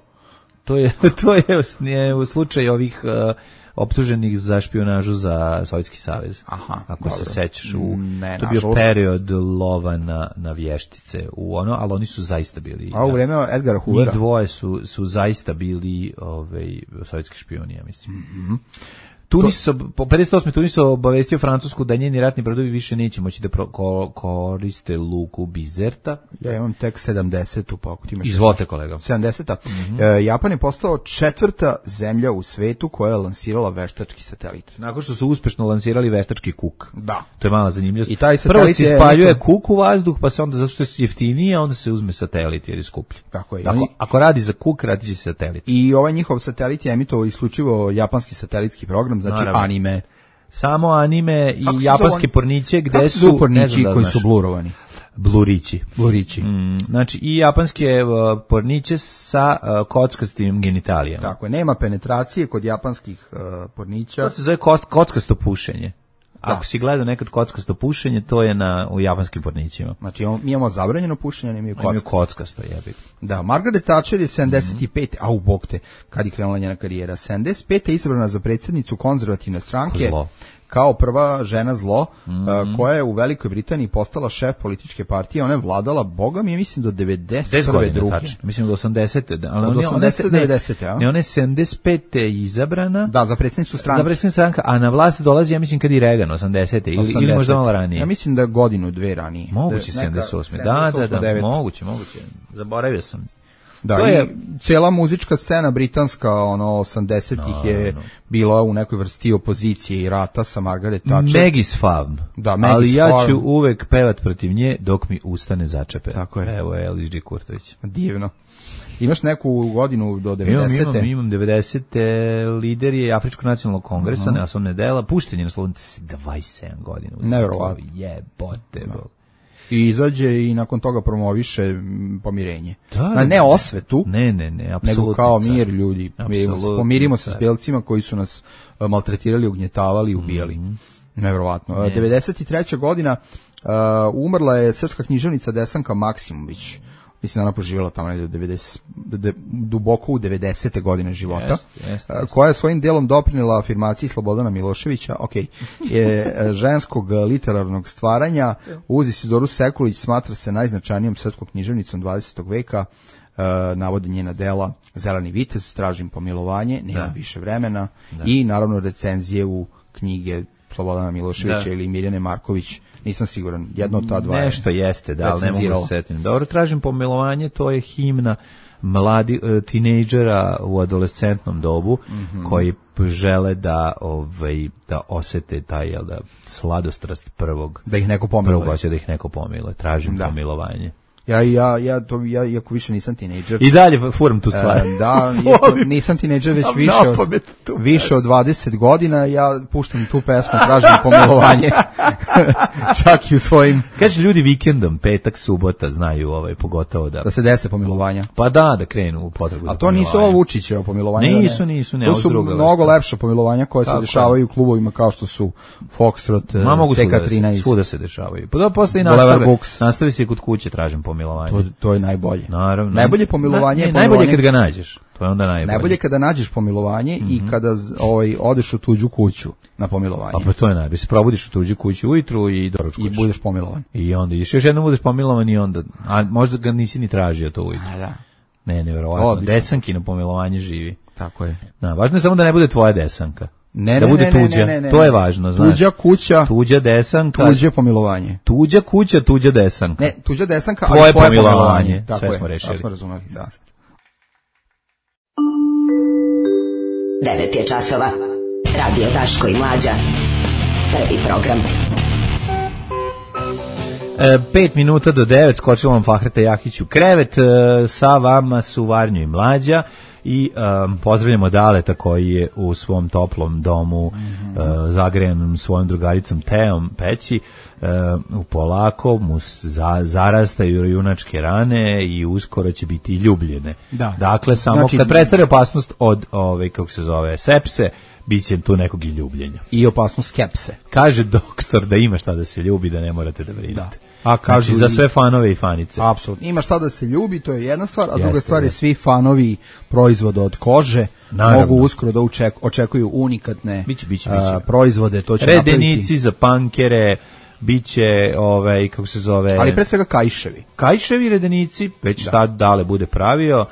To je u slučaju ovih optuženih za špijunažu za Sovjetski savez. Aha, ako dobro. se sećaš, Ne, to je bio period lova na vještice ali oni su zaista bili. A u vreme Edgara Hoovera. Njih dvoje su zaista bili sovjetski špijuni, ja mislim. Po 58. Tunis obavestio Francusku da njeni ratni brodovi više neće moći da koriste luku Bizerta. Ja imam tek 70. pa ako ti imaš... Izvolite, kolega. 70. Japan je postao 4. zemlja u svetu koja je lansirala veštački satelit. Nakon što su uspešno lansirali veštački kuk. Da. To je mala zanimljivost. I taj satelit prvo se ispaljuje kuk u vazduh, pa se onda, zato što je jeftinije, onda se uzme satelit jer je skuplji. Tako je. Ako radi za kuk, radi će satelit. I ovaj njihov satelit je emitovao isključivo japanski satelitski program, znači naravno. Anime. Samo anime i japanske porniće gde kako su pornići koji su blurovani. Blurići. Znači i japanske porniće sa kockastim genitalijama. Tako je, nema penetracije kod japanskih pornića. To se zove kockasto pušenje. Ako si gledao nekad kockasto pušenje, to je u japanskim pornićima. Znači mi imamo zabranjeno pušenje, ne imaju kockasto. Jebi. Da, Margaret Thatcher je 75. Au bog te, kad je krenula njena karijera. 75. je izabrana za predsjednicu konzervativne stranke. Zlo. Kao prva žena zlo, koja je u Velikoj Britaniji postala šef političke partije. Ona je vladala, boga mi je mislim do 91. druge. Mislim do 80. Od 80. do 90. Ne, ona je 75. izabrana. Da, za predsjednicu stranke. Za predsjednicu stranke, a na vlast dolazi, ja mislim, kad i Reagan, 80. ili možda malo ranije. Ja mislim da godinu, dve ranije. Moguće 78. Da, moguće. Zaboravio sam. Da, i cijela muzička scena britanska, 80-ih je bila u nekoj vrsti opozicije i rata sa Margaret Thatcher. Maggie's Farm. Da, Maggie's ali ja Farm. ću uvek pevat protiv nje dok mi ustane začepe. Tako je. Evo je Elis G. Kurtović. Divno. Imaš neku godinu do 90. Imam 90. Lider je Afričkog nacionalnog kongresa, Nelson Mandela, pušten je na slobodu 27 godina. Nevjerovatno. Jebote, bog. I izađe i nakon toga promoviše pomirenje. Da, ne osvetu, ne, nego kao mir ljudi. Pomirimo se s belcima koji su nas maltretirali, ugnjetavali i ubijali. Nevjerovatno. 93. godina umrla je srpska književnica Desanka Maksimović. Mislim da ona poživjela tamo duboko u 90. godine života, koja je svojim delom doprinela afirmaciji Slobodana Miloševića, je ženskog literarnog stvaranja. Uz Isidoru Sekulić smatra se najznačajnijom srpskom književnicom 20. veka, navodi njena dela Zeleni vitez, Tražim pomilovanje, Nemam više vremena i naravno recenzije u knjige Slobodana Miloševića ili Mirjane Marković. Nisam siguran, jedno od ta dva nešto jeste, da, ali ne mogu se setiti. Dobro, Tražim pomilovanje, to je himna tinejdžera u adolescentnom dobu koji žele da osete taj sladostrast prvog. Da ih neko pomiluje. Da ih neko pomiluje. Tražim pomilovanje. Ja iako više nisam tinejdžer. I dalje furam tu stvar. Da, nisam tinejdžer već više od 20 godina, ja puštam tu pesmu, Tražim pomilovanje. Čak i u svojim... Kaže ljudi vikendom, petak, subota, znaju pogotovo da se dese pomilovanja. Pa da krenu u potragu za pomilovanje. A to nisu ovo Vučićevo pomilovanje. Nisu. To su mnogo lepša pomilovanja koja se dešavaju u klubovima kao što su Foxtrot, CK13. Svuda se dešavaju. Pa da postoji nastavi se kod kuće, Tražim pomilovanje. To je najbolje. Naravno. Najbolje pomilovanje je najbolje kad ga nađeš. To je onda najbolje. Najbolje kada nađeš pomilovanje i kada odeš u tuđu kuću na pomilovanje. Pa to je najbolje. Se probudiš u tuđu kuću ujutru i doručkuješ. I budeš pomilovan. I onda ideš još jednom budeš pomilovan i onda, a možda ga nisi ni tražio to ujutru. Da. Ne, nevjerovatno. Desankino pomilovanje živi. Tako je. Važno je samo da ne bude tvoja desanka. Ne, da bude tuđa. To je važno, znaš. Tuđa kuća, tuđa desanka, tuđe pomilovanje. Tuđa kuća, tuđa desanka. Ne, tuđa desanka, tvoje pomilovanje. Sve smo rešili. Sve smo razumeli, da. 9 je časova. Radio Daško i Mlađa. Prvi program. 5 minuta do 9, skočila vam Fahreta Jahić u krevet, sa vama su Varnjo i Mlađa i pozdravljamo Daleta koji je u svom toplom domu zagrejanom svojom drugaricom Teom Peći, u polako mu zarastaju junačke rane i uskoro će biti ljubljene. Da. Dakle, samo znači, kad prestane opasnost od kako se zove, sepse, biće tu nekog i ljubljenja. I opasnost skepse. Kaže doktor da ima šta da se ljubi, da ne morate da brinete. Da. A kažu znači, za sve fanove i fanice. Apsolutno. Ima šta da se ljubi, to je jedna stvar, a druga stvar je svi fanovi proizvoda od kože. Naravno. Mogu uskoro da očekuju unikatne biće. Proizvode. To će redenici napraviti. Za pankere, biće, kako se zove... Ali pre svega kajševi. Kajševi redenici, već šta Dale bude pravio,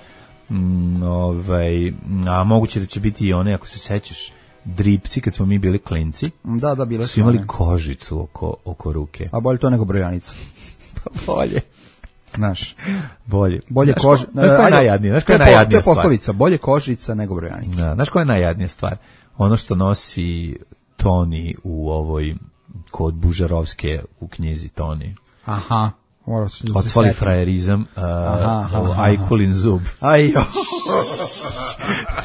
a moguće da će biti i one, ako se sećaš, dripci, kad smo mi bili klinci. Da, bile su imali kožicu oko ruke. A bolje to nego brojanica. Pa bolje. Znaš. Bolje kože. Znaš koja je najjadnija? To je poslovica, bolje kožica nego brojanica. Da, znaš koja je najjadnija stvar? Ono što nosi Toni u ovoj, kod Bužarovske u knjizi Toni. Aha. Otvali frajerizam, Ajkulin zub. Ajo.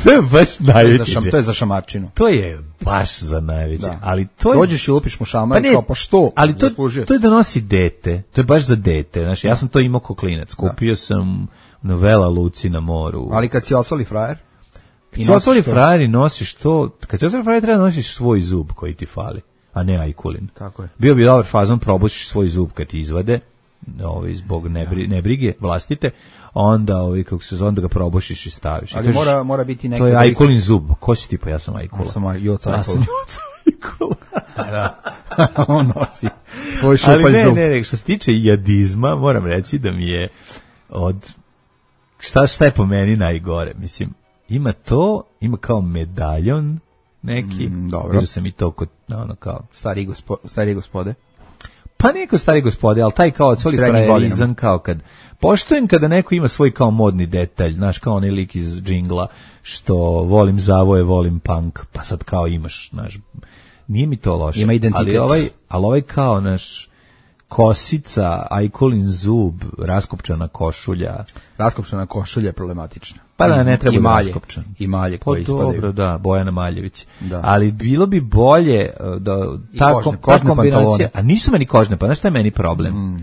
To je baš najveći. To je za šamarčinu. To je baš za najveći. Ali to je... Dođeš i lupiš mu šamar, kao pa što? Ali to je da nosi dete. To je baš za dete. Znaš, ja sam to imao ko klinac. Kupio sam na Vela Luci na moru. Ali kad si otvali frajer? Kad si otvali frajer i nosiš to... Kad si otvali frajer treba nosiš svoj zub koji ti fali, a ne Ajkulin. Tako je. Bio bi dobar fazon, probušiš svoj zub kad ti izvade, zbog nebrige vlastite, onda onda ga probušiš i staviš. Ali kažeš, mora biti neki... To je Ajkulin zub. Ko si ti? Pa ja sam Ajkula. Ja sam Joca Ajkula. Da. On nosi svoj šupalj zub. Ali ne, što se tiče jadizma, moram reći da mi je od... Šta je po meni najgore? Mislim, ima kao medaljon neki. Dobro. Vidio sam i to kod, kao... Starije gospode. Pa neko stari gospode, ali taj kao odsvoli frajerizam, kao kad... Poštujem kada neko ima svoj kao modni detalj, znaš, kao onaj lik iz džingla, što volim zavoje, volim punk, pa sad kao imaš, znaš, nije mi to loše. Ima identitet. Ali ovaj kao, znaš, kosica, Ajkulin zub, raskopčana košulja. Raskopčana košulja je problematična. Pa da, ne treba da raskopčan. I malje koje ispadaju. Dobro, da, Bojana Maljević. Da. Ali bilo bi bolje da ta kožne kombinacija, a nisu meni kožne, pa znaš šta je meni problem?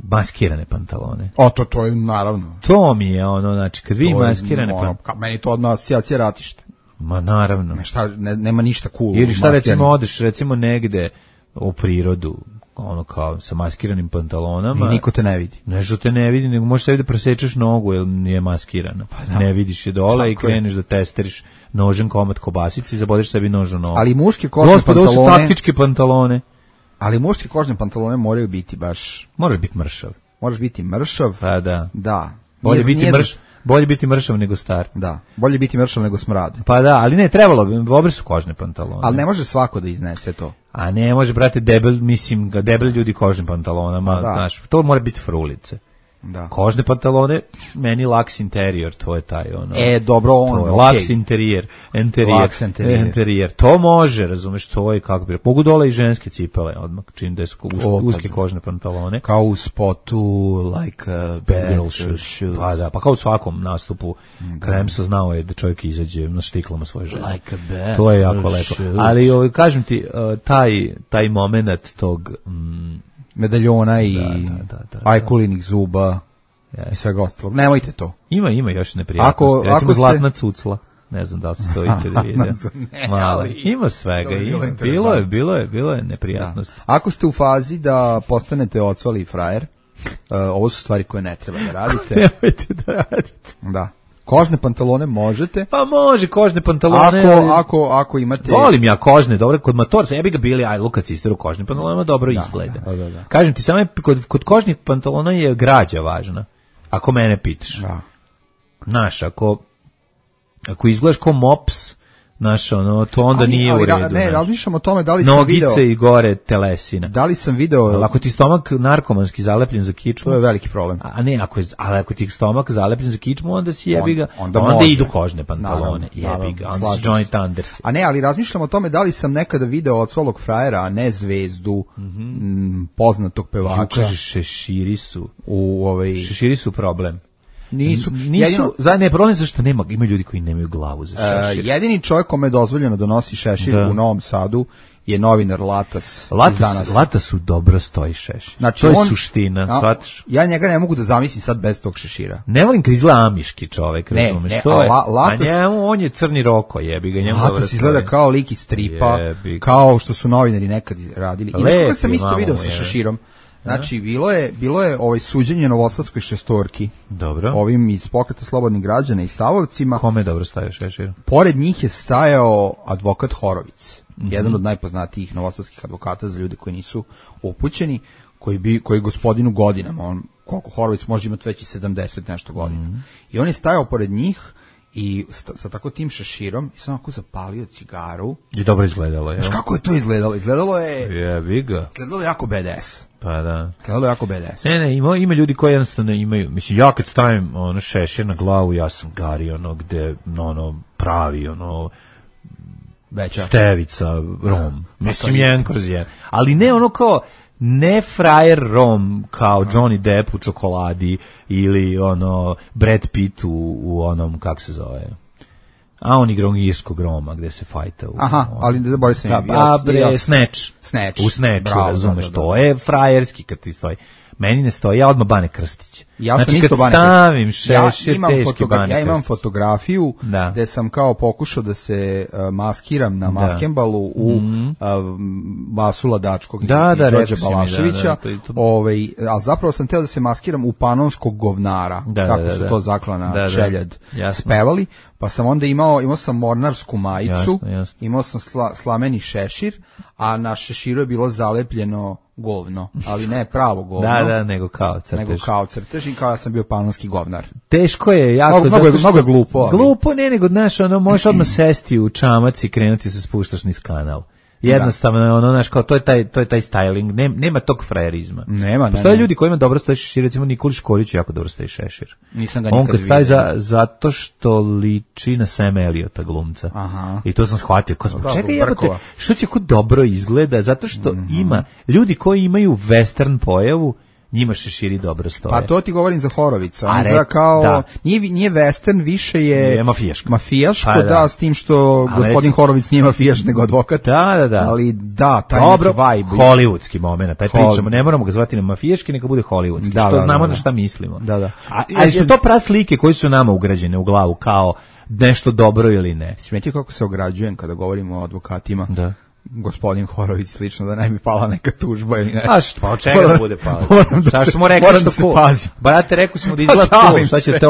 Maskirane pantalone. To je naravno. To mi je znači kad vi maskirane pantalone. Meni to odmah asocijacija ratište. Ma naravno. Nema ništa cool. Ili šta recimo odeš negde u prirodu, kao sa maskiranim pantalonama. I niko te ne vidi. Nešto te ne vidi, nego možeš sebi da presečeš nogu jer nije maskirana. Pa ne vidiš je dole i kreneš da testeriš nožem komad kobasici i zabodeš sebi nož u nogu. Ali muške kožne pantalone... Ovo su taktičke pantalone. Ali muške kožne pantalone moraju biti baš... Moraš biti mršav. Moraš biti mršav. Pa da. Da. Bolje biti mršav nego star. Da, bolje biti mršav nego smrad. Pa da, ali ne, trebalo bi, dobre su kožne pantalone. Ali ne može svako da iznese to. A ne može, brate, debel ljudi kožnim pantalonama, znaš, to mora biti frulice. Da. Kožne pantalone, meni laks interior, to je taj dobro, laks interior, to može, razumeš, to je kako bi, mogu dole i ženske cipele, odmah, čim da su uske kožne pantalone. Kao u spotu, like a bad girl shoes. Pa da, pa kao u svakom nastupu, Kremsa znao je da čovjek izađe na štiklama svoje žene. Like a bad to je jako lepo. Ali, kažem ti, taj moment tog... medaljona i Ajkulinih zuba i svega ostalog. Nemojte to. Ima još neprijatnosti. Recimo zlatna cucla. Ne znam da li se to ikada vidio. Ima svega. Bilo je neprijatnosti. Ako ste u fazi da postanete ocvali frajer, ovo su stvari koje ne treba da radite. Nemojte da radite. Da. Kožne pantalone možete. Pa može kožne pantalone. Ako imate... Volim ja kožne, dobro, kod motorca, ja bi ga bili, Lukac isteru kožne pantalone, dobro izgleda. Da. Kažem ti, samo kod kožnih pantalona je građa važna, ako mene pitaš. Da. Znaš, ako izgledaš ko mops, Znaš, ono, to onda nije u redu. Ne, razmišljam o tome da li sam video... Nogice i gore telesina. Da li sam video... Ali ako ti stomak narkomanski zalepljen za kičmu... To je veliki problem. Ali ako ti stomak zalepljen za kičmu, onda si jebi ga. Onda idu kožne pantalone. Jebi ga. Onda si Johnny Thunders. A ne, ali razmišljam o tome da li sam nekada video od Svalog frajera, a ne zvezdu poznatog pevača. Kaže, šeširi su. Šeširi su problem. Nisu ne, problem zašto ima ljudi koji nemaju glavu za šešir. Jedini čovjek kome je dozvoljeno da nosi šešir u Novom Sadu je novinar Latas. Latasu dobro stoji šešir. Znači, to je suština, shvataš? Ja njega ne mogu da zamislim sad bez tog šešira. Ne volim kad izgleda amiški čovek, razumeš? Latas, a njemu, on je crni roko, jebi ga. Latas izgleda kao lik iz stripa, kao što su novinari nekad radili. I nekoga sam isto video sa šeširom. Znači, bilo je suđenje Novosadskoj šestorki. Dobro. Ovim iz Pokreta slobodnih građana i stavovcima. Kome je dobro stajao šešir? Pored njih je stajao advokat Horovic. Jedan od najpoznatijih novosadskih advokata za ljude koji nisu upućeni, koji gospodinu godinama, koliko Horovic može imati već i 70 nešto godina. I on je stajao pored njih i sa tako tim šeširom i sam ako zapalio cigaru. I dobro izgledalo, Znaš kako je to izgledalo? Izgledalo je jako BDS. Pa da. Izgledalo je jako BDS. Ne, ima ljudi koji jednostavno imaju, mislim, ja kad stavim šešir na glavu, ja sam Gari, gde, pravi, stevica, rom. Mislim, jedan kroz jedan. Ali ne kao, ne frajer rom kao Johnny Depp u Čokoladi ili Brad Pitt u onom, kako se zove, a on igra irskog Roma gde se fajta. Ali da bolje sam Snatch. U Snatchu, razumeš, to je frajerski kad ti stoji. Meni ne stoji, ja odmah Bane Krstić. Ja sam isto Bane stavim šešir, teški Bane Krstić. Ja imam fotografiju gde sam kao pokušao da se maskiram na maskembalu u Vasula Dačkog i Đorđe Balaševića, ali zapravo sam teo da se maskiram u Panonskog govnara, kako su to Zaklana Šeljad spevali, pa sam onda imao sam mornarsku majicu, imao sam slameni šešir, a na šeširu je bilo zalepljeno govno, ali ne pravo govno. Nego kao crtež i kao ja sam bio panonski govnar. Teško je, jako. Mnogo je glupo. Glupo, nego, znaš, možeš odmah sesti u čamac i krenuti se spuštaš niz kanal. Jednostavno, znaš, kao, to je taj styling, nema tog frajerizma. Postoje ljudi koji ima dobro stoji šešir, recimo Nikoli Škorić jako dobro stoji šešir. Nisam ga nikad vidio. On kad staje zato što liči na Sam Elliota glumca. I to sam shvatio. Čekaj, što će ko dobro izgleda, zato što ima ljudi koji imaju western pojavu, njima šeširi dobro stoje. Pa to ti govorim za Horovica. Nije western, više je mafijaško, s tim što gospodin Horovic nije mafijaš, nego advokat. Da. Ali taj neki vibe. Hollywoodski moment, taj pričamo, ne moramo ga zvati na mafijaški, neka bude hollywoodski, što znamo na šta mislimo. Ali su to praslike koji su nama ugrađene u glavu, kao nešto dobro ili ne. Smetio kako se ograđujem kada govorimo o advokatima. Da. Gospodin Horović slično, da ne bi pala neka tužba ili nešto. Pa od čega da bude pala? Moram da se pazim. Brate, rekli smo da izgleda to, šta ćete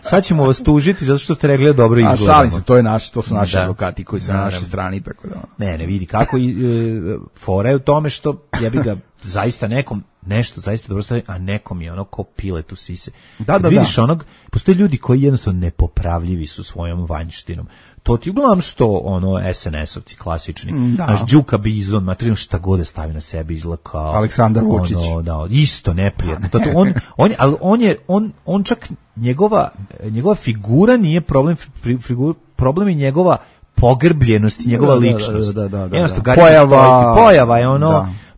sad ćemo vas tužiti zato što ste rekli da dobro izgledamo. Šalim se, to su naši advokati koji su na našoj strani, tako da. Ne, vidi kako fora je u tome što ja bih ga zaista nekom nešto zaista dobro stoji, a nekom je ko pilet u sise. Vidiš postoje ljudi koji jednostavno nepopravljivi su svojom vanjštinom. To ti uglavnom što SNS-ovci klasični. Naš Đuka Bizon, materijalno šta god da stavi na sebe izgleda kao Aleksandar Vučić. Isto neprijatno. On čak njegova figura nije problem, problem je njegova pogrbljenost i njegova ličnost. Pojava je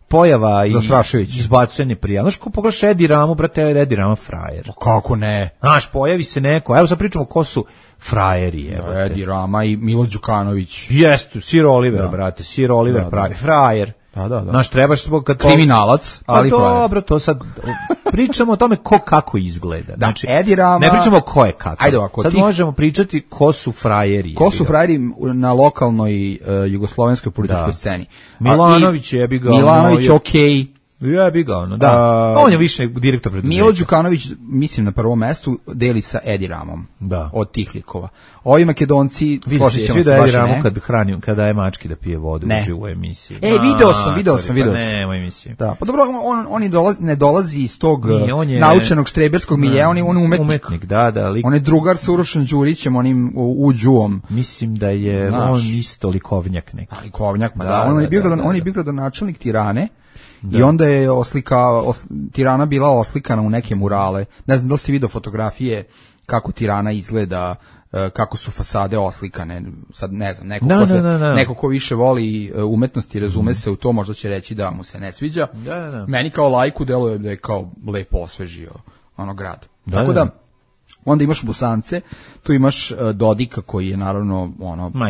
pojava i izbacujanje prijava. Znaš ko pogledaš Edi Ramu, brate, Edi Rama frajer. Kako ne? Znaš, pojavi se neko, evo sad pričamo ko su frajeri. Edi Rama i Milo Đukanović. Jeste, Sir Oliver, brate, Sir Oliver, frajer. Znaš, trebaš kriminalac, ali frajer. Dobro, to sad pričamo o tome ko kako izgleda. Znači, Edi Rama... Ne pričamo ko je kako. Sad možemo pričati ko su frajeri. Ko su frajeri na lokalnoj jugoslovenskoj političkoj sceni. Milanović je bi ga... Milanović, okej. Ja bi ga ono, da. On je više direktor preduzeća. Milo Đukanović, mislim na prvom mestu, deli sa Edi Ramom. Da. Od tih likova. Ovi Makedonci, složit ćemo se baš Edi Ramu kad daje mački da pije vodu u živoj emisiji. Video sam. Nema emisiji. Da, pa dobro, on ne dolazi iz tog naučenog štreberskog miljeja, on je umetnik. Da, lik. On je drugar sa Urošem Đurićem, onim uđuom. Mislim da je on isto likovnjak neki. Likovnjak, pa da. On je bio gradonačelnik Tirane. Da. I onda je Tirana bila oslikana u neke murale. Ne znam da li si vidio fotografije kako Tirana izgleda, kako su fasade oslikane. Sad ne znam, neko ko više voli umetnosti, razume se u to, možda će reći da mu se ne sviđa. Da. Meni kao lajku deluje da je kao lepo osvežio grad. Tako da onda imaš Busance, tu imaš Dodika koji je naravno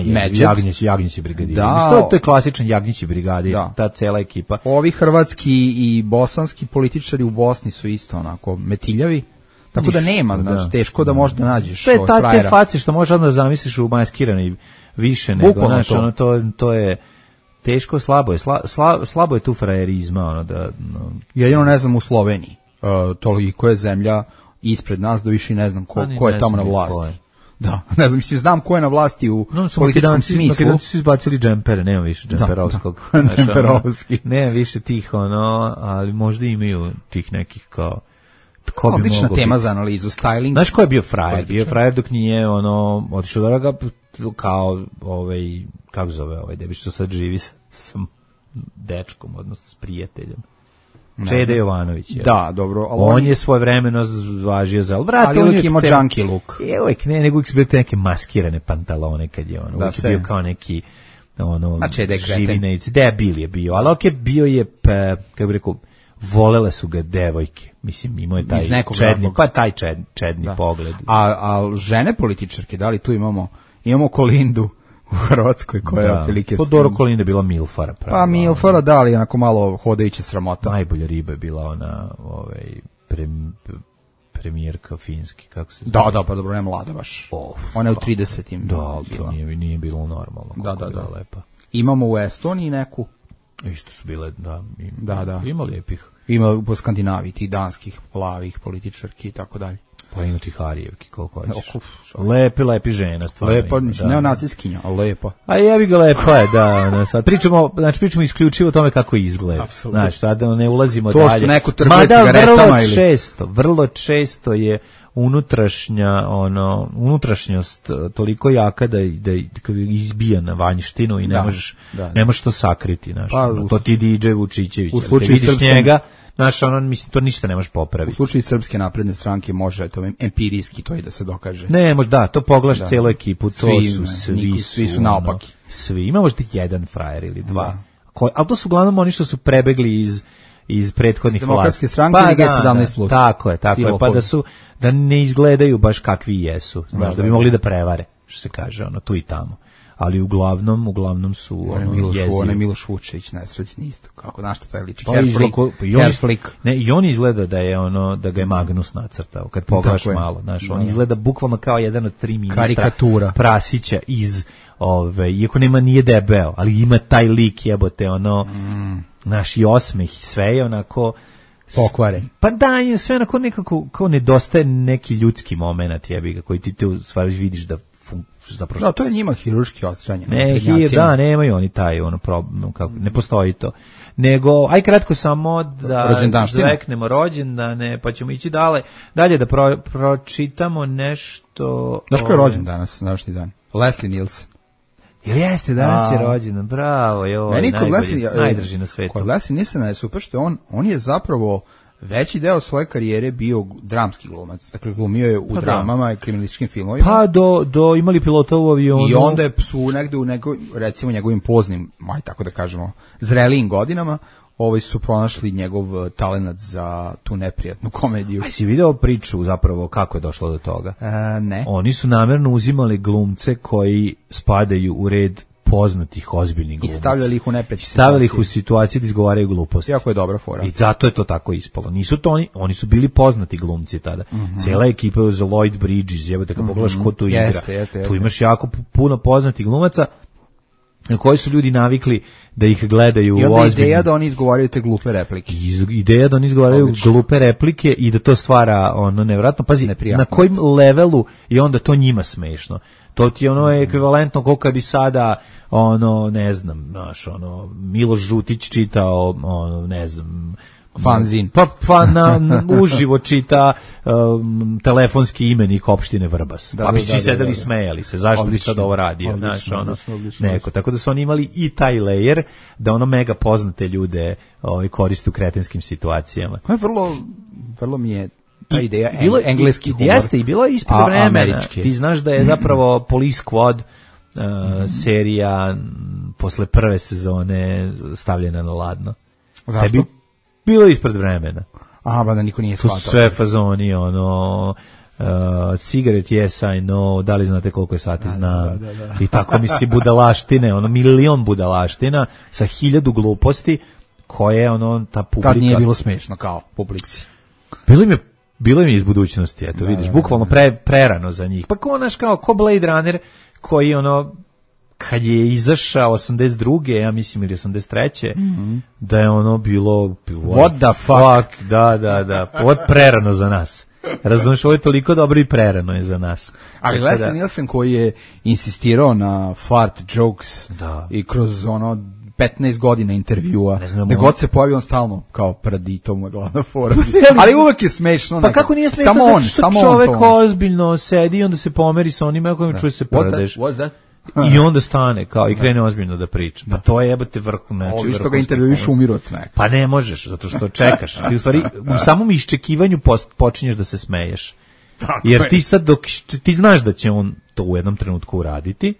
Medžed. Jagnjeći brigadir. Da, to je klasičan Jagnjeći brigadir, ta cela ekipa. Ovi hrvatski i bosanski političari u Bosni su isto onako metiljavi. Tako da nema, teško da možda nađeš te face što možeš onda zamisliš u maskirani više nego, to je teško, slabo je tu frajerizma. Jedino ne znam u Sloveniji, toliko je zemlja ispred nas da više ne znam ko je tamo na vlasti. Da, ne znam, znam ko je na vlasti u političkom smislu. Makedonci su izbacili džempere, nema više džemperovskog. Džemperovski. Nema više tih, ali možda imaju tih nekih kao... Odlična tema za analizu, styling. Znaš ko je bio frajer? Bio frajer dok nije otišao da ga kao kako zove debi što sad živi sa dečkom, odnosno s prijateljem. Čede Jovanović je. Da, dobro. On je svojevremeno važio za... Ali uvijek imao junkie look. Uvijek nego uvijek su bili neke maskirane pantalone kad je uvijek je bio kao neki živinac. Debil je bio, ali bio je, kako bi rekao, volele su ga devojke. Mislim, imao je taj čedni pogled. A žene političarke, da li tu imamo Kolindu u Hrvatskoj koja je otprilike... Doro Kolinda je bila milfara. Pa milfara, da, ali onako malo hodajuća sramota. Najbolja riba je bila ona premijerka finski, kako se zove? Da, pa dobro, ne mlada baš. Ona je u 30-im. Da, ali to nije bilo normalno. Da. Lepa. Imamo u Estoniji neku. Isto su bile, da. Ima lijepih. Ima po Skandinaviji, tih danskih, plavih političarki i tako dalje. Pa ima tih Harijevki, koliko hoćeš. Lepi žena, stvarno. Lepa, neonaciskinja, ali lepa. A jebi ga lepa je, da. Sad pričamo isključivo o tome kako izgleda. Znači, sad ne ulazimo dalje. To što neko trguje cigaretama ili... Vrlo često je unutrašnjost toliko jaka da izbija na vanjštinu i ne možeš to sakriti. To ti DJ Vučićević. U slučaju njega, mislim, to ništa ne možeš popraviti. U slučaju Srpske napredne stranke može to empirijski to i da se dokaže. Ne, možda, to pogledaš celu ekipu, svi su naopaki. Svi, ima možda jedan frajer ili dva. Ali to su uglavnom oni što su prebegli iz prethodnih vlasti. Demokratske stranke ili G17+. Tako je, pa da ne izgledaju baš kakvi jesu, da bi mogli da prevare, što se kaže, tu i tamo. Ali uglavnom su jezivi. On je Miloš Vučević, nesrećni isto, kako znaš što taj liči. I on izgleda da je da ga je Magnus nacrtao, kad pogledaš malo, znaš, on izgleda bukvalno kao jedan od 3 ministra karikatura Prasića iz iako nije debeo, ali ima taj lik, jebote, naš i osmeh i sve je onako pokvaren. Pa da, je sve onako nekako, kao nedostaje neki ljudski moment, jebi ga, koji ti u stvari vidiš da zapravo... Da, to je njima hirurški odstranjeno. Nemaju oni taj problem, ne postoji to. Nego, aj kratko samo da zveknemo rođendane, pa ćemo ići dalje da pročitamo nešto... Znaš ko je rođen danas, današnji dan? Leslie Nielsen. Ili jeste, danas je rođendan, bravo, najdrži na svetu. Kod Leslie Nielsena je super što on je zapravo veći deo svoje karijere bio dramski glumac. Dakle, glumio je u dramama i kriminalističkim filmovima. Pa do imali pilota u avionu. I onda su negde u recimo njegovim poznim, tako da kažemo, zrelijim godinama, su pronašli njegov talenat za tu neprijatnu komediju. A si video priču zapravo kako je došlo do toga? Ne. Oni su namjerno uzimali glumce koji spadaju u red poznatih ozbiljnih glumaca. I stavljali ih u neprijatne situacije. Stavljali ih u situaciju da izgovaraju gluposti. Jako je dobra fora. I zato je to tako ispalo. Nisu to oni su bili poznati glumci tada. Cijela ekipa je za Lloyd Bridges, jebote, kad pogledaš ko tu igra. Jeste. Tu imaš jako puno poznatih glumaca. na koji su ljudi navikli da ih gledaju i onda ozbiljno. Ideja da oni izgovaraju te glupe replike. Ideja da oni izgovaraju glupe replike i da to stvara ono nevjerojatno. Pazi, na kojim levelu je onda to njima smešno. To ti je ono ekvivalentno koliko kad bi sada ono, ne znam, znaš, ono, Miloš Žutić čitao, ono, ne znam, fanzin. Pa uživo čita telefonski imenik opštine Vrbas. Pa bi svi sedeli i smejali se. Zašto bi sad ovo radio? Neko. Tako da su oni imali i taj layer da ono mega poznate ljude koriste u kretenskim situacijama. Vrlo mi je ta ideja engleski humor. Jeste, i bilo je ispred vremena. Ti znaš da je zapravo Police Squad serija posle prve sezone stavljena na ladno. Zašto? Bilo je ispred vremena. Aha, ba da niko nije shvatao. To su sve fazoni, ono, cigarette, yes, I know, da li znate koliko je sati, znam. Da. I tako mi budalaštine, ono, milion budalaština sa 1000 gluposti koje, ono, ta publika... Tad nije bilo smešno kao publici. Bilo mi iz budućnosti, eto, vidiš, bukvalno prerano za njih. Pa ko Blade Runner, koji, ono, kad je izašao 82. ja mislim, ili 83. Da je ono bilo what the fuck? Da. Ovo je prerano za nas. Razumiješ, ovo je toliko dobro i prerano je za nas. Ali Leslie Nielsen koji je insistirao na fart jokes i kroz ono 15 godina intervjua, da god se pojavi on stalno kao prdi, to mu je glavna fora. Ali uvek je smešno. Pa kako nije smešno? Samo čovek ozbiljno sedi i onda se pomeri sa onima kojim čuje se prdeš. What's that? I onda stane kao i krene ozbiljno da priča. Pa to je jebate vrhu, znači. Ovi što ga intervjuiš umiru od smeka. Pa ne možeš, zato što čekaš. Ti u stvari u samom iščekivanju počinješ da se smeješ. Jer ti sad ti znaš da će on to u jednom trenutku uraditi,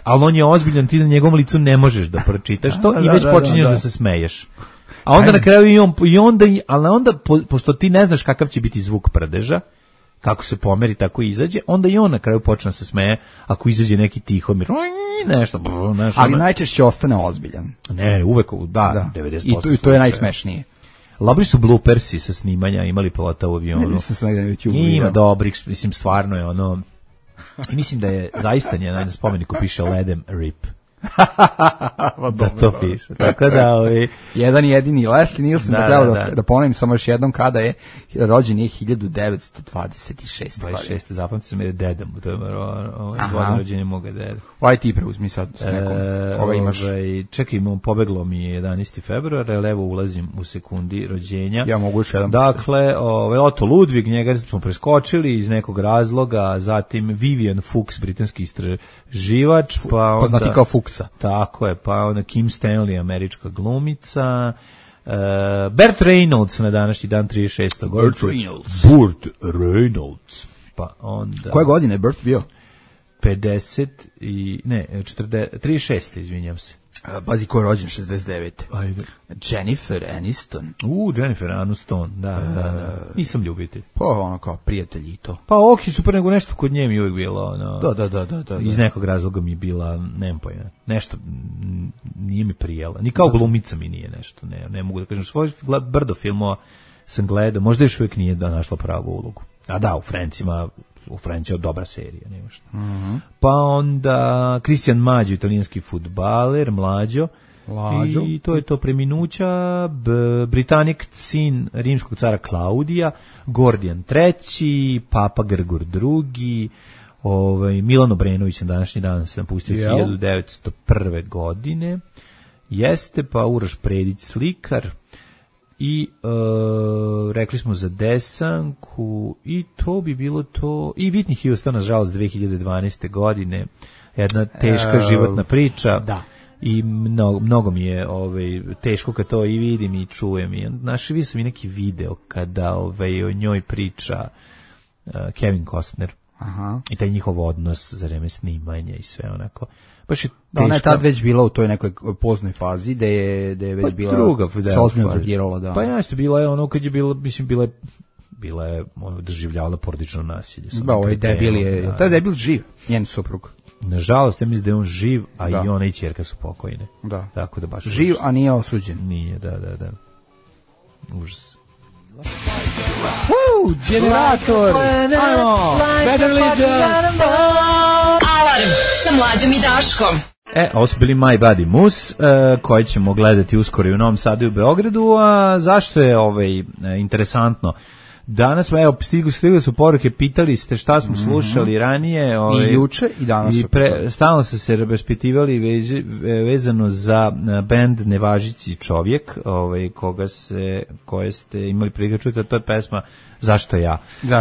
ali on je ozbiljan, ti na njegovom licu ne možeš da pročitaš to i već počinješ da se smeješ. A onda na kraju ali onda pošto ti ne znaš kakav će biti zvuk prdeža, kako se pomeri, tako i izađe, onda i on na kraju počne se smeje, ako izađe neki Tihomir, nešto. Ali najčešće ostane ozbiljan. Ne, uvek, 90%. I to je najsmešnije. Labri su bloopersi sa snimanja, imali pilota u avionu. Nisam se negdje na YouTube. Ima dobrih, mislim, stvarno je ono, i mislim da je zaista na spomeniku piše Let them rip. Da to piše. Tako da jedan jedini Leslie Nielsen, da ponovim samo još jednom kada je rođen je 1926. Zapamti se mi je dedam, to je godin rođenja moga deda. Aj ti preuzmi sad s nekom. Ova imaš. Čekaj, pobeglo mi je 11. februar, ali evo ulazim u sekundi rođenja. Ja mogu još jedan. Dakle, Otto Ludwig, njega smo preskočili iz nekog razloga, zatim Vivian Fuchs, britanski istraživač, pa onda... Poznati kao Fuchsa. Tako je, pa onda Kim Stanley, američka glumica, Burt Reynolds na današnji dan 36. Burt Reynolds. Pa onda... Koje godine je Burt bio? 36, izvinjam se. Pazi ko je rođen 69. Ajde. Jennifer Aniston. Jennifer Aniston, da. Nisam ljubitelj. Pa ono kao prijatelj i to. Pa super, nego nešto kod nje mi uvijek bilo. Da. Iz nekog razloga mi je bila, nemam pojma, nešto nije mi prijela. Ni kao glumica mi nije nešto, ne mogu da kažem. Svoj brdo filmova sam gledao, možda još uvijek nije našla pravu ulogu. A da, u Franci je dobra serija, nema šta. Pa onda Christian Maggio, italijanski fudbaler, mlađo. I to je to preminuća. Britanik sin rimskog cara Klaudija, Gordijan III, Papa Grgor II, Milan Obrenović na današnji dan se napustio 1901. godine. Jeste, pa Uroš Predić, slikar. I rekli smo za Desanku i to bi bilo to. I Whitney Houston, nažalost, 2012. godine, jedna teška životna priča. Da. I mnogo mi je teško kad to i vidim i čujem. I vidio sam i neki video kada o njoj priča Kevin Costner. Aha. I taj njihov odnos za vreme snimanja i sve onako. Baš je da, ona je tad već bila u toj nekoj poznoj fazi, da je već bila se ozbiljno drogirala, da. Pa jasno, bila je ono kad je bila, mislim, bila je ono doživljavala porodično nasilje. Da, ovaj debil je, taj debil živ, njen suprug. Nažalost, ja mislim da je on živ, a i ona i ćerka su pokojne. Da. Tako da baš živ, a nije osuđen. Nije, da. Užas. Generator! Ajmo! Better Legion! Alarm sa Mlađom i Daškom. Ovo su bili My Body Moose, koji ćemo gledati uskoro i u Novom Sadu i u Beogradu, a zašto je interesantno? Danas, evo, stigle su poruke, pitali ste šta smo slušali ranije. I juče i danas. Stalno su se raspitivali vezano za bend Nevažići čovjek, koje ste imali prilike čuti, a to je pesma Zašto ja?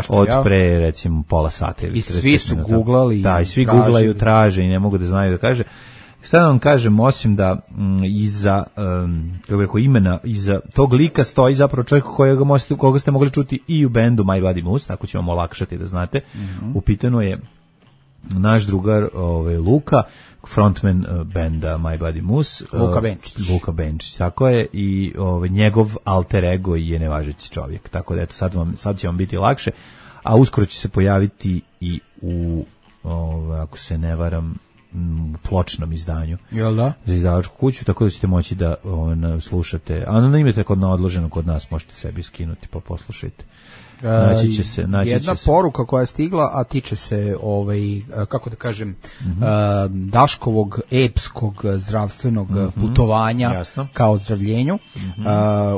Od pre, recimo, pola sata. I svi su googlali. Da, i svi googlaju, traže i ne mogu da znaju da kaže. Sada vam kažem, osim da iza imena, iza tog lika stoji zapravo čovjek koga ste mogli čuti i u bendu My Body Moose, tako ćemo vam olakšati da znate. U pitanju je naš drugar Luka, frontman benda My Body Moose. Luka Benčić, tako je, i njegov alter ego je Nevažeći čovjek, tako da eto, sad će vam biti lakše, a uskoro će se pojaviti i u, ako se ne varam, pločnom izdanju. Jel da? Za izdavačku kuću, tako da ćete moći da slušate. A na imate na odloženo kod nas, možete sebi skinuti pa poslušajte. Jedna poruka koja je stigla, a tiče se kako da kažem, Daškovog epskog zdravstvenog putovanja ka ozdravljenju.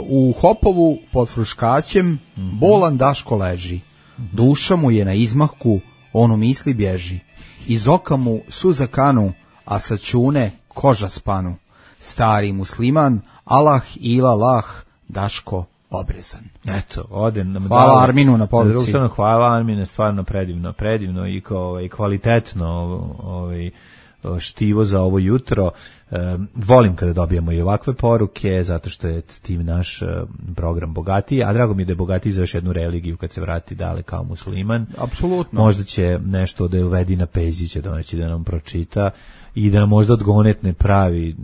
U Hopovu pod Fruškaćem bolan Daško leži. Duša mu je na izmahku, ono misli bježi. Iz oka mu suza kanu, a sa čune koža spanu. Stari musliman, Allah ila lah, Daško obrezan. Eto, hvala Arminu na poruci. Hvala Armine, stvarno predivno i kvalitetno štivo za ovo jutro. Volim kada dobijamo i ovakve poruke, zato što je tim naš program bogatiji, a drago mi je da je bogatiji za još jednu religiju kad se vrati dale kao musliman. Apsolutno. Možda će nešto da je uvedi na Pezića doneći da nam pročita i da nam možda odgonetne pravi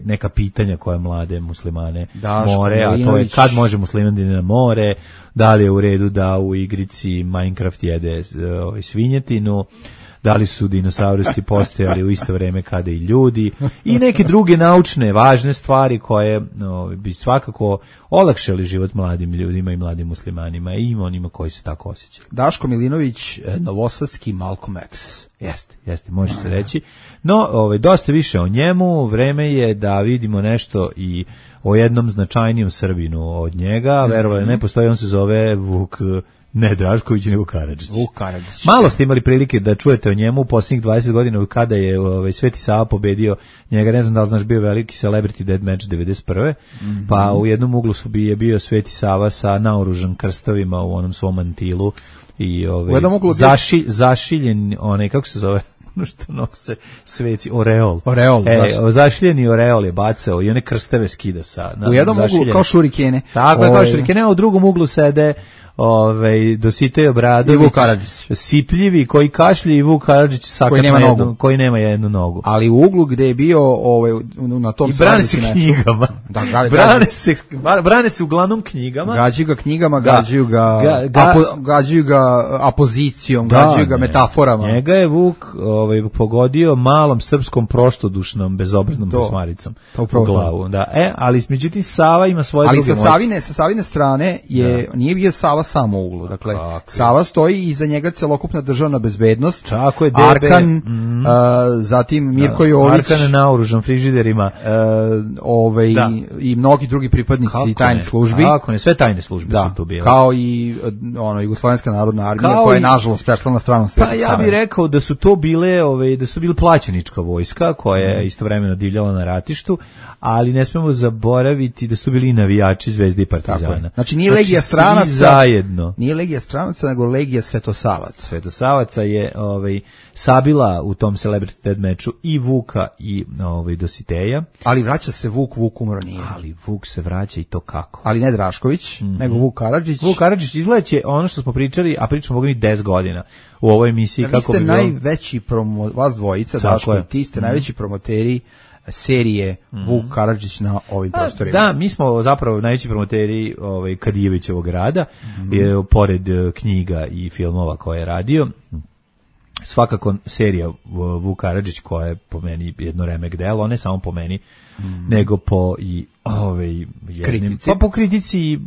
neka pitanja koje mlade muslimane more, a to je kad može musliman da ide na more, da li je u redu da u igrici Minecraft jede svinjetinu, da li su dinosaurusi postojali u isto vrijeme kada i ljudi, i neke druge naučne, važne stvari koje bi svakako olakšali život mladim ljudima i mladim muslimanima i onima koji se tako osjećaju. Daško Milinović, novosadski Malcolm X. Jeste, može se reći. No, dosta više o njemu, vreme je da vidimo nešto i o jednom značajnijem Srbinu od njega, verovali ne postoji, on se zove Vuk, ne Drašković, nego Karadžić. Malo ste imali prilike da čujete o njemu u posljednjih 20 godina kada je Sveti Sava pobedio njega, ne znam da li znaš, bio veliki Celebrity Dead Match 91. Pa u jednom uglu je bio Sveti Sava sa naoružan krstovima u onom svom mantilu i zašiljen kako se zove, što nose sveci, oreol. Zašiljeni oreol je bacao i one krsteve skida u jednom uglu kao šurikene. Tako je, kao šurikene, a u drugom uglu sede Dositej Obradović, sipljivi, koji kašlje, i Vuk Karadžić koji nema jednu nogu. Ali u uglu gde je bio na tom i brane se knjigama. Brane se uglavnom knjigama. Gađaju ga knjigama, gađaju ga apozicijom, gađaju ga metaforama. Njega je Vuk pogodio malom srpskom proštodušnom bezobraznom posmaricom u glavu. Ali međutim Sava ima svoje druge moći. Ali sa Savine strane nije bio Sava samo u uglu. Dakle, Sava stoji i iza njega celokupna državna bezbednost. Tako je, Arkan, zatim Mirko Jović. Arkan naoružan frižiderima. I mnogi drugi pripadnici tajnih službi. Tako ne, sve tajne službe su tu bile. Kao i Jugoslovenska narodna armija, koja je nažalost prešla na stranu Svetog Save. Pa ja bih rekao da su to bile, da su bile plaćenička vojska, koja je istovremeno divljala na ratištu, ali ne smemo zaboraviti da su bili i navijači Zvezde i Partizana. Znači nije Legija stranaca, nije Legija stranaca, nego Legija Svetosavaca. Svetosavaca je sabila u tom Celebrity Dead Matchu i Vuka i Dositeja. Ali vraća se Vuk umro nije. Ali Vuk se vraća i to kako. Ali ne Drašković, nego Vuk Karadžić. Vuk Karadžić izgledaće ono što smo pričali, a pričamo Boga mi 10 godina u ovoj emisiji. Vi ste najveći vas dvojica, Daško i ti ste najveći promoteri serije Vuk Karadžić na ovim prostorima. Da, mi smo zapravo najveći promoteri Kadijevićevog rada, pored knjiga i filmova koje je radio. Svakako serija Vuk Karadžić, koja je po meni jedno remek delo, ne samo po meni, nego po i kritici. Pa po kritici,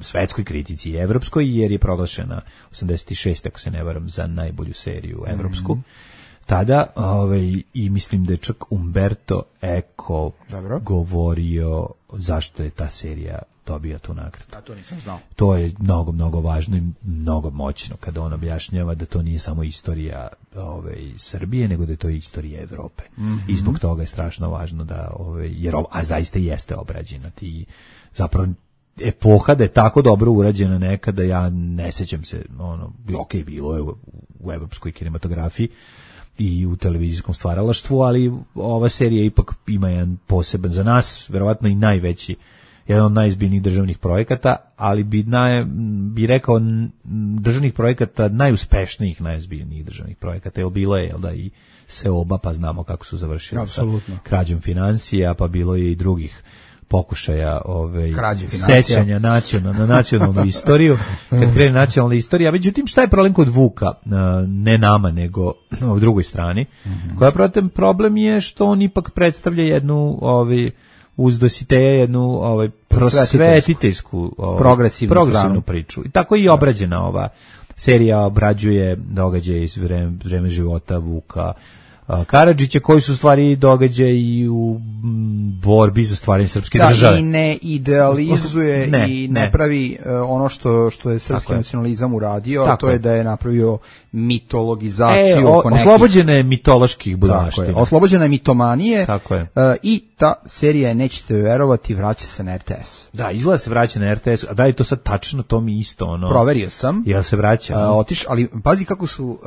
svetskoj kritici i evropskoj, jer je proglašena 86, ako se ne varam, za najbolju seriju evropsku. tada, i mislim da je čak Umberto Eco govorio zašto je ta serija dobija tu nagradu. A to nisam znao. To je mnogo, mnogo važno i mnogo moćno kada on objašnjava da to nije samo istorija Srbije, nego da je to istorija Evrope. I zbog toga je strašno važno da, jer a zaista jeste obrađena. Zapravo, epoha da je tako dobro urađena nekada, ja ne sećam se, bilo je u evropskoj kinematografiji i u televizijskom stvaralaštvu, ali ova serija ipak ima jedan poseban za nas, verovatno i najveći, jedan od najizbiljnijih državnih projekata, ali bi rekao državnih projekata najuspešnijih, najizbiljnijih državnih projekata, jer bilo je da i Seoba, pa znamo kako su završili sa krađom financija, pa bilo je i drugih pokušaja sećanja na nacionalnu istoriju, kad krene nacionalna istorija. Međutim, šta je problem kod Vuka, ne nama, nego u drugoj strani, koja problem je što on ipak predstavlja jednu uz Dositeja jednu prosvetiteljsku progresivnu priču. I tako i obrađena ova serija, obrađuje događaje iz vreme života Vuka Karadžića, koji su stvari događaji u borbi za stvaranje srpske države. Da, i ne idealizuje i ne pravi ono što je srpski nacionalizam uradio, a to je da je napravio mitologizaciju oko nekih. Oslobođena je mitoloških budalaština. Oslobođena je mitomanije. Tako je. I ta serija, nećete verovati, vraća se na RTS. Da, izgleda se vraća na RTS, a da je to sad tačno, to mi isto Proverio sam. Jel se vraća? Ali pazi kako su...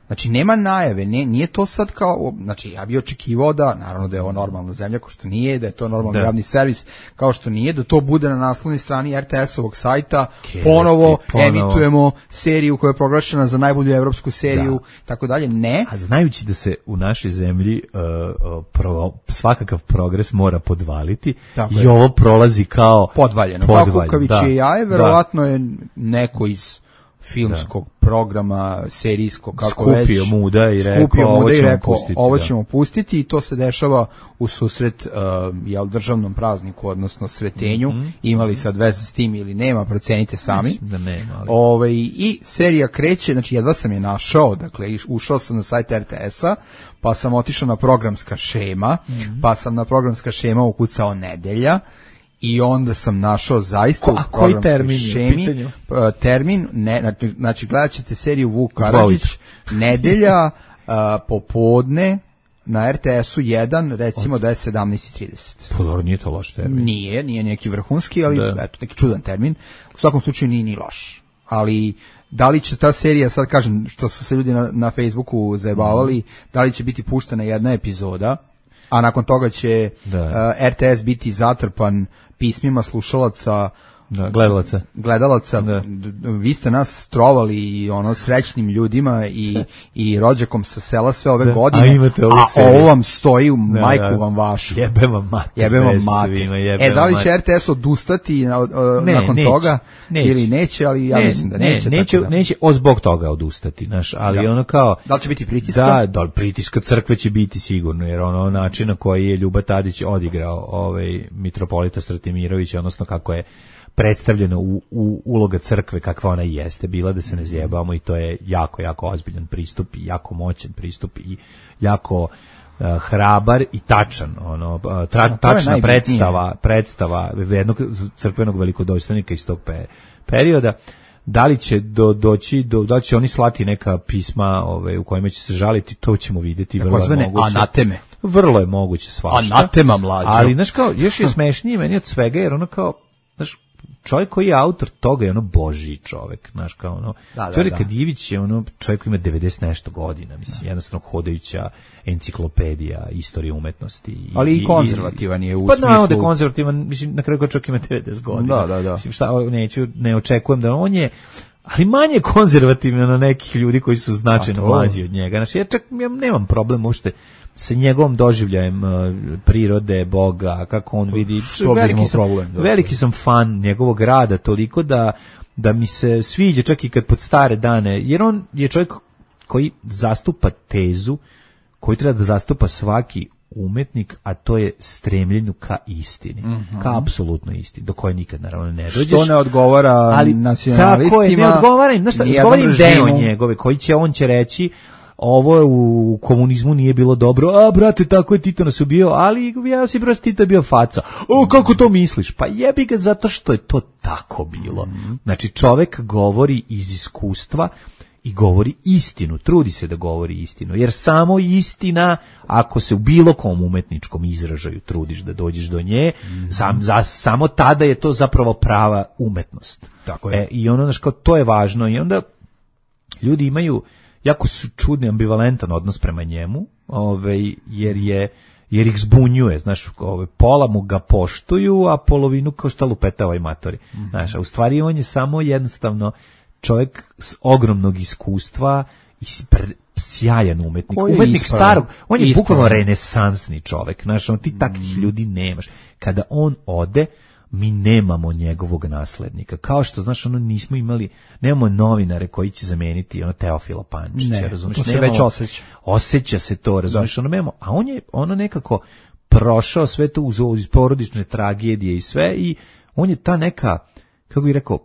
Znači, nema najave, nije to sad kao, znači, ja bih očekivao da, naravno da je ovo normalna zemlja, kao što nije, da je to normalni javni servis, kao što nije, da to bude na naslovnoj strani RTS-ovog sajta, ponovo emitujemo seriju koja je proglašena za najbolju evropsku seriju, tako dalje, ne. A znajući da se u našoj zemlji svakakav progres mora podvaliti, i ovo prolazi kao podvaljeno, kao kukavičije jaje, verovatno je neko iz filmskog programa, serijskog, kako skupio muda i rekao ovo ćemo pustiti, i to se dešava u susret državnom prazniku, odnosno Sretenju. Imali sad veze s tim ili nema, procenite sami. Da nema, ali... I serija kreće, znači jedva sam je našao, dakle ušao sam na sajt RTS-a, pa sam otišao na programska šema, pa sam na programska šema ukucao nedelja, i onda sam našao zaista u programskoj šemi termin, znači gledat ćete seriju Vuk Karadžić, nedelja, popodne, na RTS-u 1, recimo da je 17:30. Pa dobro, nije to loš termin. Nije neki vrhunski, ali eto, neki čudan termin. U svakom slučaju nije ni loš. Ali da li će ta serija, sad kažem, što su se ljudi na Facebooku zajebavali, da li će biti puštena jedna epizoda, a nakon toga će RTS biti zatrpan pismima slušalaca, gledalaca. Vi ste nas trovali srećnim ljudima i rođakom sa sela sve ove godine, a ovo vam stoji u majku vam vašu. Jebem vam mati. Da li će RTS odustati nakon toga ili neće, ali ja mislim da neće. Neće zbog toga odustati, ali kao... Da li će biti pritiska? Da, pritiska crkve će biti sigurno, jer način na koji je Ljuba Tadić odigrao mitropolita Stratimirović, odnosno kako je predstavljeno u uloga crkve kakva ona jeste bila, da se ne zjebamo, i to je jako, jako ozbiljan pristup i jako moćan pristup i jako hrabar i tačan, tačna predstava jednog crkvenog velikodostojnika iz tog perioda. Da li će da li će oni slati neka pisma u kojima će se žaliti, to ćemo vidjeti. Vrlo je moguće. Anateme. Vrlo je moguće svašta. Anatema, mlađo. Ali, znaš kao, još je smešnije meni od svega, jer kao, znaš, čovjek koji je autor toga je božji čovjek, znaš, kao Đure Kadijević je čovjek koji ima 90 nešto godina, mislim, jednostavno hodajuća enciklopedija istorije umetnosti. Ali i konzervativan je u smislu. Pa da je konzervativan, mislim, na kraju čovjek ima 90 godina. Da. Mislim, ne očekujem da on je, ali manje konzervativno na nekih ljudi koji su značajno mlađi od njega. Znači, ja nemam problem uopšte sa njegovom doživljajem prirode, Boga, kako on vidi. Veliki sam fan njegovog rada, toliko da mi se sviđa čak i kad pod stare dane, jer on je čovjek koji zastupa tezu koju treba da zastupa svaki umetnik, a to je stremljenju ka istini, ka apsolutno istini, do koje nikad naravno ne dođeš. Što ne odgovara nacionalistima? Tako je, ne odgovara im, znaš šta, odgovara im deo njegove, on će reći, ovo u komunizmu nije bilo dobro, a brate, tako je Tito nas ubio, ali ja si brate, Tito je bio faca. O, kako to misliš? Pa jebi ga zato što je to tako bilo. Znači, čovek govori iz iskustva i govori istinu, trudi se da govori istinu, jer samo istina, ako se u bilo kom umetničkom izražaju trudiš da dođeš do nje, samo tada je to zapravo prava umetnost. Tako je. I ono, znaš, kao, to je važno i onda ljudi imaju jako su čudni, ambivalentan odnos prema njemu, jer ih zbunjuje, znaš, pola mu ga poštuju, a polovinu kao šta lupeta ovaj matori. Znaš, a u stvari on je samo jednostavno čovjek s ogromnog iskustva i sjajan umetnik. Umetnik starog, on je bukvalno renesansni čovjek, znaš, ti takvih ljudi nemaš. Kada on ode, mi nemamo njegovog naslednika. Kao što, znaš, nemamo novinare koji će zameniti Teofila Pančića, razumiješ? To se već osjeća. Osjeća se to, razumiješ? A on je nekako prošao sve to uz porodične tragedije i sve i on je ta neka, kako bih rekao,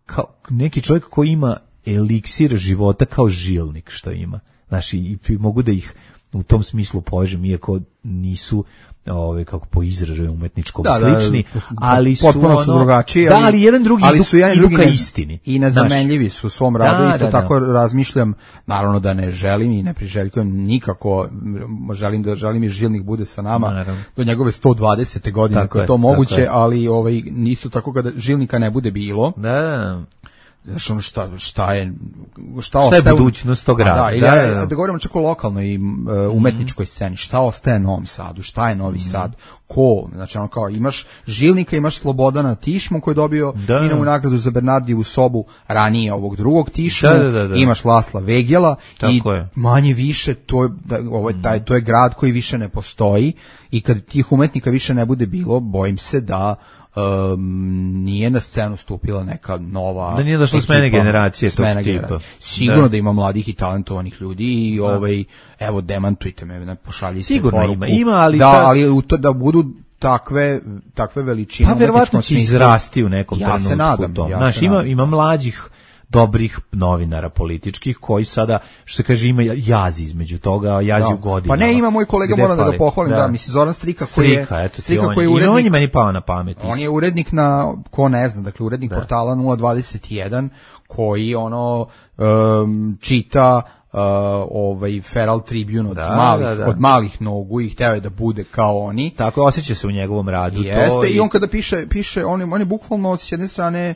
kao neki čovjek koji ima eliksir života kao žilnik što ima. Znaš, i mogu da ih u tom smislu povežem, iako nisu kako po izražaju umetničkom slični, ali su potpuno su drugačiji, ali jedan drugi idu ka istini. I nezamenljivi su u svom radu, isto tako razmišljam, naravno da ne želim i ne priželjkujem nikako, želim i žilnik bude sa nama do njegove 120. godine, ako je to moguće, ali isto tako kada žilnika ne bude bilo, znaš, ono šta je budućnost tog grada. Da govorimo čak o lokalnoj umetničkoj sceni, šta ostaje Novom Sadu, šta je Novi Sad, ko, znači ono kao imaš žilnika, imaš Slobodana Tišmu koji je dobio Inovu nagradu za Bernardijevu sobu ranije ovog drugog Tišmu, imaš Lasla Vegela i manje više to je grad koji više ne postoji i kad tih umetnika više ne bude bilo, bojim se da nije na scenu stupila neka nova, da nije došla smene generacije tog tipa. Sigurno da ima mladih i talentovanih ljudi i evo demantujte me, pošaljite sigurno poruku. Ima, ali ali da budu takve veličine. Pa verovatno će izrasti u nekom trenutku. Ja se nadam. Znaš, ima mlađih dobrih novinara političkih koji sada, što se kaže, ima jaz između toga, jazi u godinama. Pa ne, ima moj kolega, moram da ga pohvalim, mislim, Zoran Strika koji je urednik. On je meni pao na pamet. On je urednik ko ne zna, dakle urednik portala 021 koji čita Feral Tribune od malih nogu i hteo je da bude kao oni. Tako, osjeća se u njegovom radu. Jeste, i on kada piše, on je bukvalno s jedne strane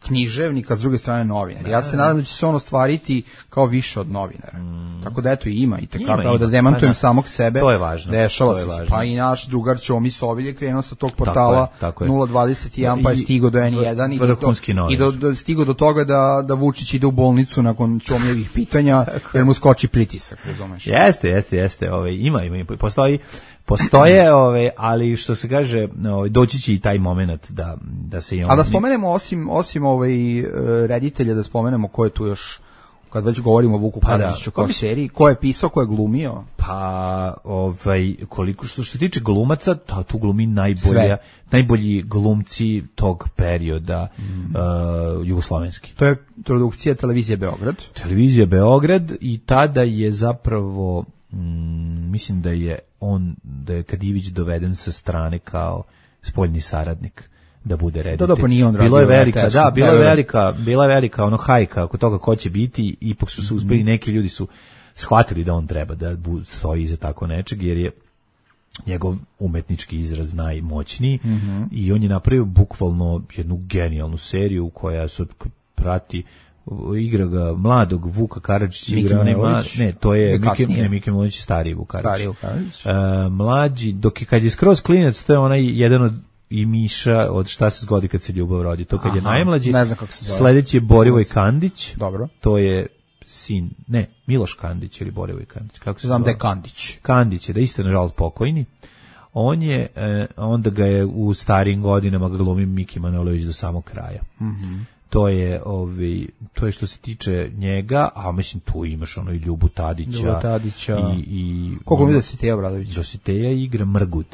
književnika, s druge strane novinar. Ja se nadam da će se on ostvariti kao više od novinara. Tako da eto ima i tako da demantujem samog sebe. To je važno. Dešava se. Pa i naš drugar Ćomi Sovilj je krenuo sa tog portala 021 pa je stigao do N1 i stigao do toga da Vučić ide u bolnicu nakon Ćomijevih pitanja jer mu skoči pritisak, razumeš? Jeste. Ima, postoje, ali što se kaže, doći će i taj moment da se i on... A da spomenemo, osim reditelja, da spomenemo ko je tu još, kad već govorimo o Vuku Karadžiću kao seriji, ko je pisao, ko je glumio? Pa, koliko što se tiče glumaca, tu glumi najbolji glumci tog perioda jugoslovenski. To je produkcija Televizije Beograd. Televizija Beograd i tada je zapravo... mislim da je Kadijević doveden sa strane kao spoljni saradnik da bude reditelj. Pa nije on radio. Bila je velika hajka oko toga ko će biti, ipak su se uspeli, neki ljudi su shvatili da on treba da stoji iza tako nečeg, jer je njegov umetnički izraz najmoćniji i on je napravio bukvalno jednu genijalnu seriju koja se prati, igra ga mladog Vuka Karadžića, to je Miki Manojlović stariji Vuk Karadžić. Mlađi, kad je skroz klinac, to je onaj jedan od i Miša od Šta se zgodi kad se ljubav rodi. To kad je najmlađi. Ne znam kako se zove. Sledeći je Borivoj Kandić. Dobro. To je sin, Miloš Kandić ili Borivoj Kandić. Kako se znam da je Kandić. Kandić je, da isto nažalost pokojni. On je, onda ga je u starijim godinama glumi Miki Manojlović do samog kraja. To je što se tiče njega, a mislim tu imaš i Ljubu Tadića. I koliko mi Dositeja Obradović? Dositeja igra Mrgud.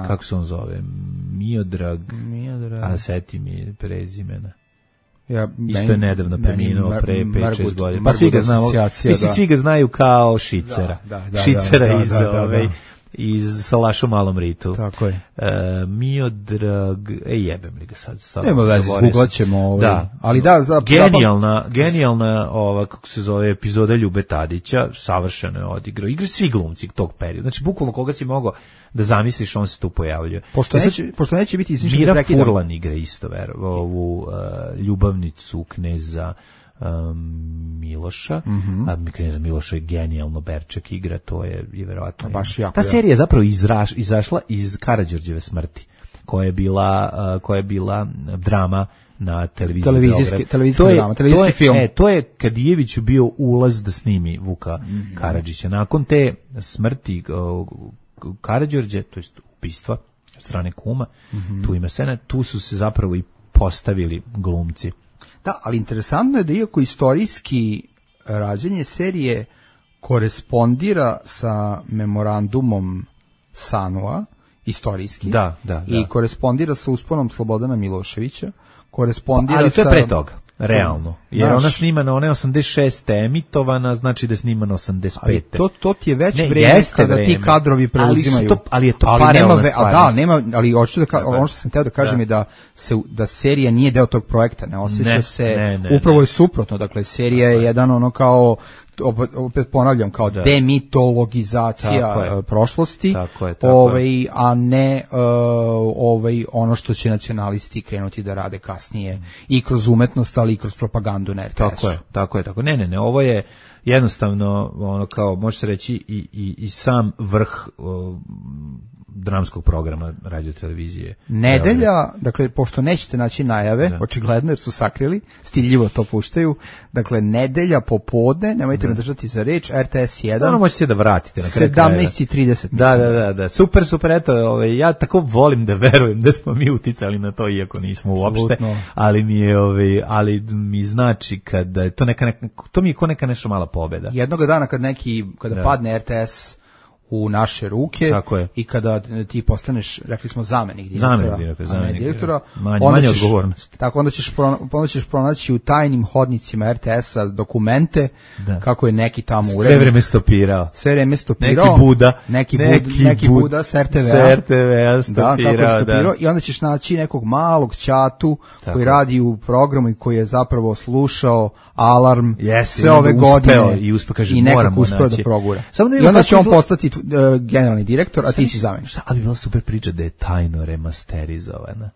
Kako se on zove? Miodrag. A seti mi prezimena. Isto je nedavno preminuo pre 5-6 godina. Pa svi ga znamo. Mislim, svi ga znaju kao Šicera. Šicera iz Salaša u Malom ritu. Tako je. Miodrag, jebem li ga sad. Nema veze, zgooglat ćemo. Ali genijalna kako se zove, epizoda Ljube Tadića, savršeno je odigrao. Igra svi glumci tog perioda. Znači, bukvalno koga si mogao da zamisliš, on se tu pojavljuje. Pošto neće biti Mira Furlan igra isto, ovu ljubavnicu kneza Miloša, kneza Miloša je genijalno, Berček igra, to je verovatno. Ta serija je zapravo izašla iz Karađorđeve smrti, koja je bila drama na televiziji. Televizijski film. To je Kadijeviću bio ulaz da snimi Vuka Karadžića. Nakon te smrti Karađorđe, to jest ubistva od strane kuma, tu ima scena, tu su se zapravo i postavili glumci. Da, ali interesantno je da iako istorijski rađenje serije korespondira sa memorandumom Sanua, istorijski, i korespondira sa usponom Slobodana Miloševića, korespondira ali to je pre toga. Realno. Jer ona snimana, ona je 86. emitovana, znači da je snimana 85. Ali to ti je već vreme kada ti kadrovi preuzimaju. Ali je to paralelna stvar. Ali hoću ono što sam teo da kažem je da serija nije deo tog projekta, ne osjeća se, upravo je suprotno, dakle serija je jedan ono kao, opet ponavljam, kao demitologizacija prošlosti, a ne ono što će nacionalisti krenuti da rade kasnije i kroz umetnost, ali i kroz propagandu na RTS-u. Tako je. Ne, ovo je jednostavno ono kao, može se reći, i sam vrh dramskog programa radiotelevizije. Nedelja, dakle, pošto nećete naći najave, očigledno jer su sakrili, stiljivo to puštaju, dakle, nedelja popodne, nemojte me držati za reč, RTS 1. Ono možete se da vratite na kraju. 17:30. Da. Super, eto, ja tako volim da verujem da smo mi uticali na to, iako nismo uopšte, ali mi znači kada je to mi je ko neka nešto mala pobeda. Jednoga dana kada padne RTS u naše ruke i kada ti postaneš, rekli smo, zamenik direktora, manje odgovornost. Tako, onda ćeš pronaći u tajnim hodnicima RTS-a dokumente kako je neki tamo urednik. Sve vreme stopirao. Neki Buda s RTV-a stopirao. I onda ćeš naći nekog malog ćatu koji radi u programu i koji je zapravo slušao Alarm sve ove godine i nekako uspeo da progura. I onda će on postati generalni direktor, a ti si zamenik. Ali bi bila super priča da je tajno remasterizovana.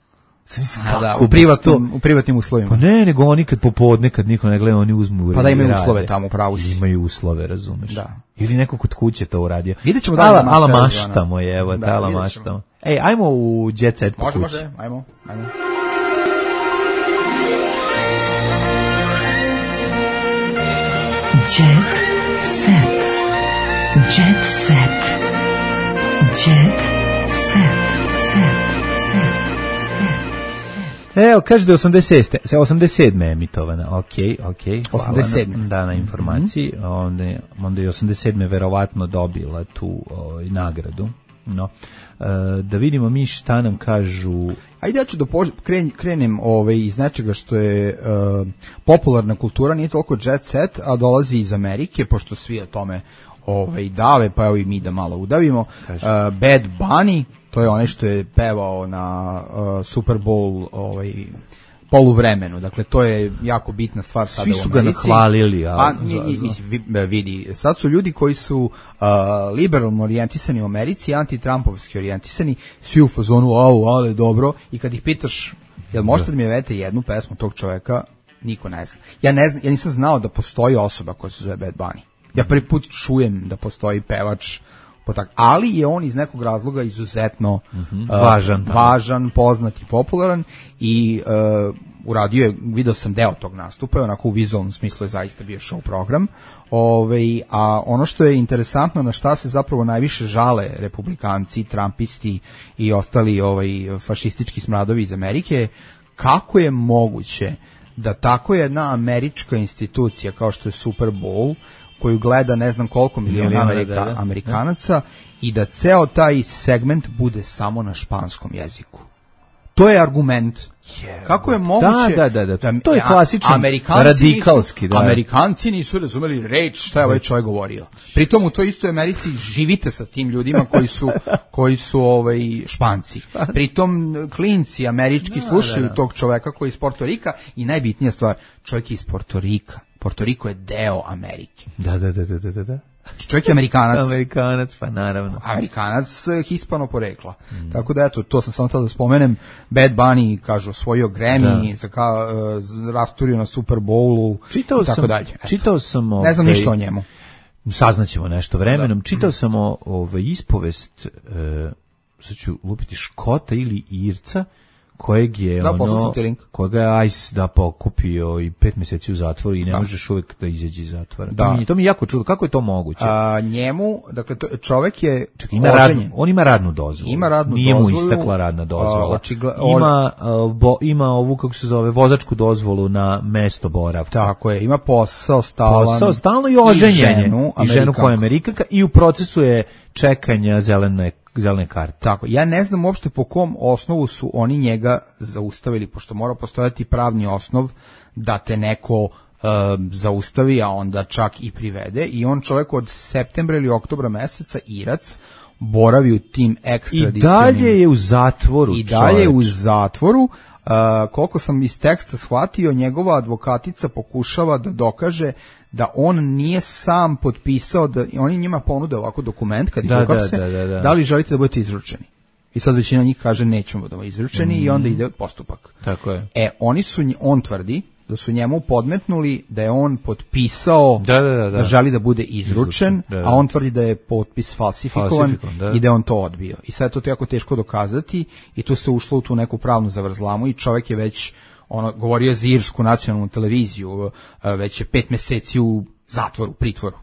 U privatnim uslovima. Pa ne, nego oni kad popodne, kad niko ne gleda, oni uzmu. Pa da imaju uslove tamo, pravo si. Imaju uslove, razumeš. Ili neko kod kuće to uradio. Vidjet ćemo da Ala maštamo je, evo, ala maštamo. Ej, ajmo u Jet Set po kući. Može, ajmo. Jet Set. Jet Set. Jet Set. Evo, kaže da je 87. emitovana. Okej. 87. Da, na informaciji. Onda je 87. verovatno dobila tu nagradu. No. Da vidimo mi šta nam kažu. Ajde, ja ću da krenem iz nečega što je popularna kultura, nije toliko jet set, a dolazi iz Amerike, pošto svi o tome dave, pa evo i mi da malo udavimo. Bad Bunny, to je onaj što je pevao na Super Bowl poluvremenu, dakle to je jako bitna stvar sada u Americi. Svi su ga nahvalili. Vidi, sad su ljudi koji su liberalno orijentisani u Americi, anti-trumpovski orijentisani, svi u fazonu, ale dobro, i kad ih pitaš, jel možete da mi javete jednu pesmu tog čoveka, niko ne zna. Ja nisam znao da postoji osoba koja se zove Bad Bunny. Ja prvi put čujem da postoji pevač, ali je on iz nekog razloga izuzetno važan, poznat i popularan i uradio je, video sam deo tog nastupa, onako u vizualnom smislu je zaista bio show program, a ono što je interesantno, na šta se zapravo najviše žale republikanci, trumpisti i ostali fašistički smradovi iz Amerike, kako je moguće da tako jedna američka institucija kao što je Super Bowl, koju gleda ne znam koliko miliona Amerikanaca, i da ceo taj segment bude samo na španskom jeziku. To je argument. Kako je moguće Da. To je klasičan radikalski. Amerikanci nisu razumeli reč šta je ovaj čovjek govorio. Pritom u toj istoj Americi živite sa tim ljudima koji su Španci. Pritom klinci američki slušaju tog čovjeka koji je iz Porto Rika i najbitnija stvar, čovjek je iz Porto Rika. Porto Riko je deo Amerike. Da. Čovjek je Amerikanac. Amerikanac, pa naravno. Amerikanac hispano porekla. Tako da eto, to sam samo tada da spomenem. Bad Bunny, kažu, osvojio Grammy, rasturio na Super Bowlu i tako dalje. Čitao sam... Ne znam ništa o njemu. Saznaćemo nešto vremenom. Čitao sam ispovest, sad ću lupiti, Škota ili Irca, kojeg je kojega je ICE pokupio i 5 mjeseci u zatvoru i ne možeš uvijek da izađe iz zatvora. To mi je jako čudo. Kako je to moguće? Njemu, dakle, čovjek je on ima radnu dozvolu. Nije mu istekla radna dozvola. Ima ovu, kako se zove, vozačku dozvolu na mesto boravka. Tako je, ima posao stalno i oženjenje. I ženu koja je Amerikanka i u procesu je čekanja zelene karte. Tako, ja ne znam uopšte po kom osnovu su oni njega zaustavili, pošto mora postojati pravni osnov da te neko zaustavi, a onda čak i privede, i on čovjek od septembra ili oktobra meseca, Irac, boravi u tim ekstradicionim... I dalje je u zatvoru. Koliko sam iz teksta shvatio, njegova advokatica pokušava da dokaže da on nije sam potpisao, da oni njima ponude ovako dokument kad ih uhapse, da li želite da budete izručeni. I sad većina njih kaže nećemo da budemo izručeni i onda ide postupak. Tako je. On tvrdi da su njemu podmetnuli da je on potpisao da želi da bude izručen, a on tvrdi da je potpis falsifikovan i da je on to odbio. I sad je to jako teško dokazati i tu se ušlo u tu neku pravnu zavrzlamu i čovjek je već govorio za irsku nacionalnu televiziju, već je 5 mjeseci u zatvoru, pritvoru.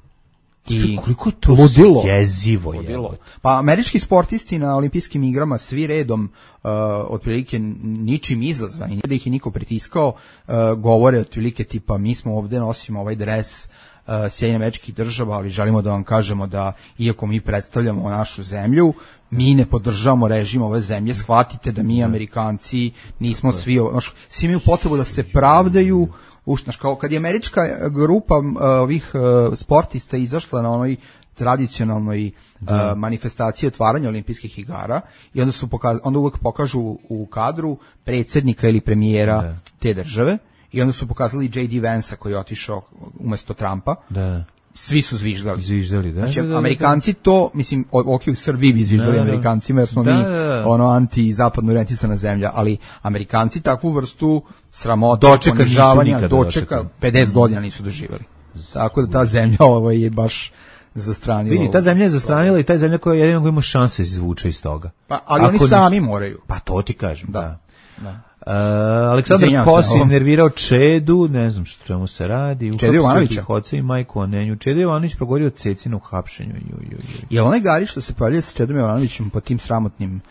I koliko to jezivo je. Pa američki sportisti na olimpijskim igrama svi redom, otprilike ničim izazvani, da ih je niko pritiskao, govore otprilike tipa mi smo ovdje, nosimo ovaj dres Sjedinjenih Američkih Država, ali želimo da vam kažemo da iako mi predstavljamo našu zemlju, mi ne podržavamo režim ove zemlje, shvatite da mi Amerikanci nismo svi imaju potrebu da se pravdaju. Kao kad je američka grupa ovih sportista izašla na onoj tradicionalnoj manifestaciji otvaranja olimpijskih igara i onda uvek pokažu u kadru predsjednika ili premijera te države i onda su pokazali J.D. Vansa koji je otišao umjesto Trumpa. Svi su zviždali. Znači, Amerikanci to, mislim, u Srbiji bi zviždali Amerikancima, jer smo mi anti-zapadno orijentisana zemlja, ali Amerikanci takvu vrstu sramota, ponižavanja, dočeka, 50 godina nisu doživjeli. Tako da ta zemlja je baš zastranila. Vidi, ta zemlja je zastranila i ta zemlja koja jedino ima šanse izvuče iz toga. Ali oni sami moraju. Pa to ti kažem, da. Aleksandar Kos iznervirao Čedu, ne znam što čemu se radi. Čedu Jovanovića. Oca i majku Onenju. Čedu Jovanović progovorio o Cecinu hapšenju. Je li onaj Gari što se pojavljaju sa Čedom Jovanovićem po tim sramotnim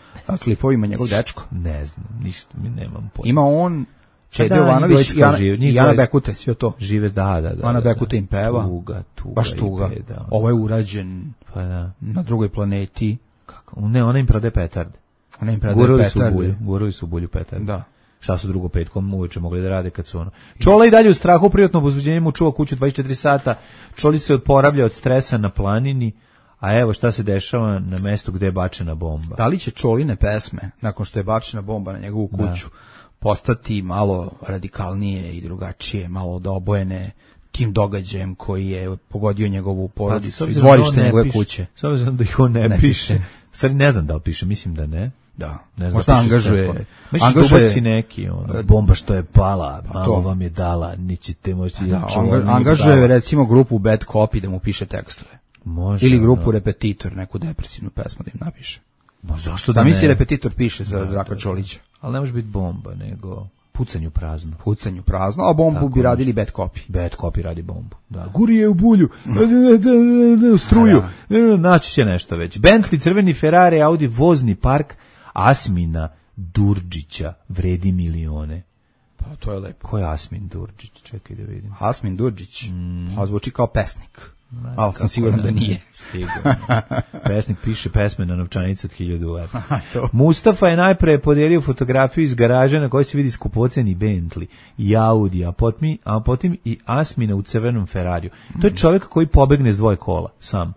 klipovima, njegov dečko? Ne znam, ništa mi nemam pojma. Ima on, Čedo Jovanović i Ana Bekute, sve to. Žive, da. Ana Bekute im peva. Tuga. Baš tuga. Ovo je urađen na drugoj planeti. Kako? Ne, ona im prade petarde. Ona im prade petarde. Gurali su bulju petarde. Da. Šta su drugo petkom uveče mogli da rade kad su Čola i dalje u strahu, privatnom obuzbuđenju mu čuva kuću 24 sata. Čoli se oporavlja od stresa na planini, a evo šta se dešava na mestu gde je bačena bomba. Da li će Čoline pesme, nakon što je bačena bomba na njegovu kuću, postati malo radikalnije i drugačije, malo obojene tim događajem koji je pogodio njegovu porodicu i dvorište njegove kuće? S obzirom da ih on ne piše. Stvari ne znam da li piše, mislim da ne. Da, možda angažuje neki, bomba što je pala, malo vam je dala, nećete moći... Angažuje recimo grupu Bad Copy da mu piše tekstove. Može. Ili grupu Repetitor, neku depresivnu pesmu da im napiše. Zašto da ne? Misli Repetitor piše za Zdravka Čolića. Ali ne može biti bomba, nego... Pucanju prazno, a bombu bi radili Bad Copy. Bad Copy radi bombu. Da. Guri je u bulju, struju, naći će nešto već. Bentley, crveni Ferrari, Audi, vozni park Asmina Durđića vredi milione. Pa to je lepo. Ko je Asmin Durđić? Čekaj da vidim. Asmin Durđić, zvuči kao pesnik. Ali sam siguran da nije. Sigurno. Pesnik piše pesme na novčanicu od 1000 evra. Mustafa je najpre podijelio fotografiju iz garaža na kojoj se vidi skupoceni Bentley i Audi, a potom i Asmina u crvenom Ferrariju. To je čovjek koji pobegne s 2 kola, sam.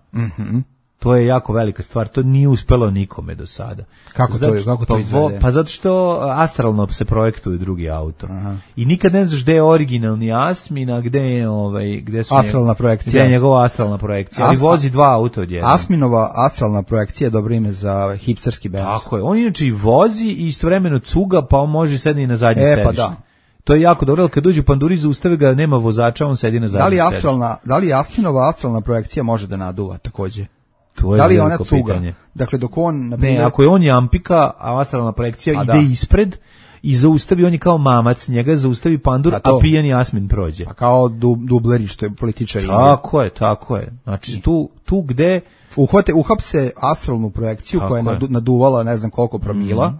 To je jako velika stvar, to nije uspelo nikome do sada. Kako to izvede? Pa zato što astralno se projektuje drugi auto. Aha. I nikad ne znaš gde je originalni Asmin, a gde je gde su astralna projekcija. Gde je njegova astralna projekcija, ali vozi 2 auta odjednom. Asminova astralna projekcija je dobro ime za hipsterski bend. Tako je, on inače i vozi i istovremeno cuga, pa on može sedeti na zadnji sedište. Pa da. To je jako dobro, ali kad dođu panduri zaustavi ga, nema vozača, on sedi na zadnji sedište. Da li Asminova astralna projekcija može da naduva takođe? Da li je ona cuga? Pitanje. Dakle, dok on... Ne, ako je on jampika, a astralna projekcija ide ispred i zaustavi, on je kao mamac, njega zaustavi pandur, a pijani Asmin prođe. A kao dubleri, što je političar. Tako je. Znači, tu gde... Uhapse astralnu projekciju koja je naduvala ne znam koliko promila,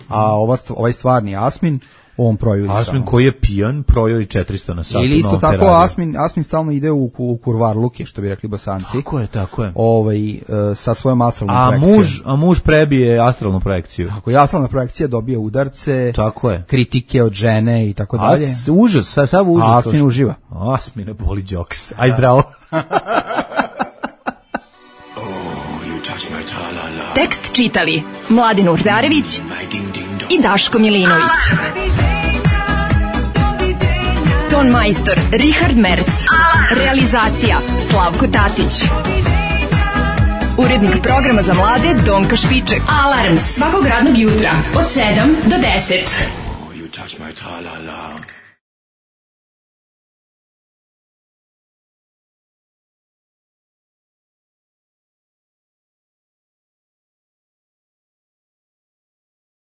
a ovaj stvarni Asmin, on projuri Asmin koji je pijan, projuri 400 na sat. Ili isto tako Asmin stalno ide u kurvarluke, što bi rekli Bosanci. Tako je. Sa svojom astralnom projekcijom. A muž prebije astralnu projekciju. Ako je astralna projekcija dobije udarce, tako je. Kritike od žene i tako dalje. Užas, sav užas. A Asmin uživa. Asmine boli džoks. Aj zdravo. Tekst čitali Mladin Urdarević i Daško Milinović. Ton majstor Richard Merc. Realizacija Slavko Tatić. Urednik programa za mlade Donka Špiček. Alarms svakog radnog jutra od 7 do 10.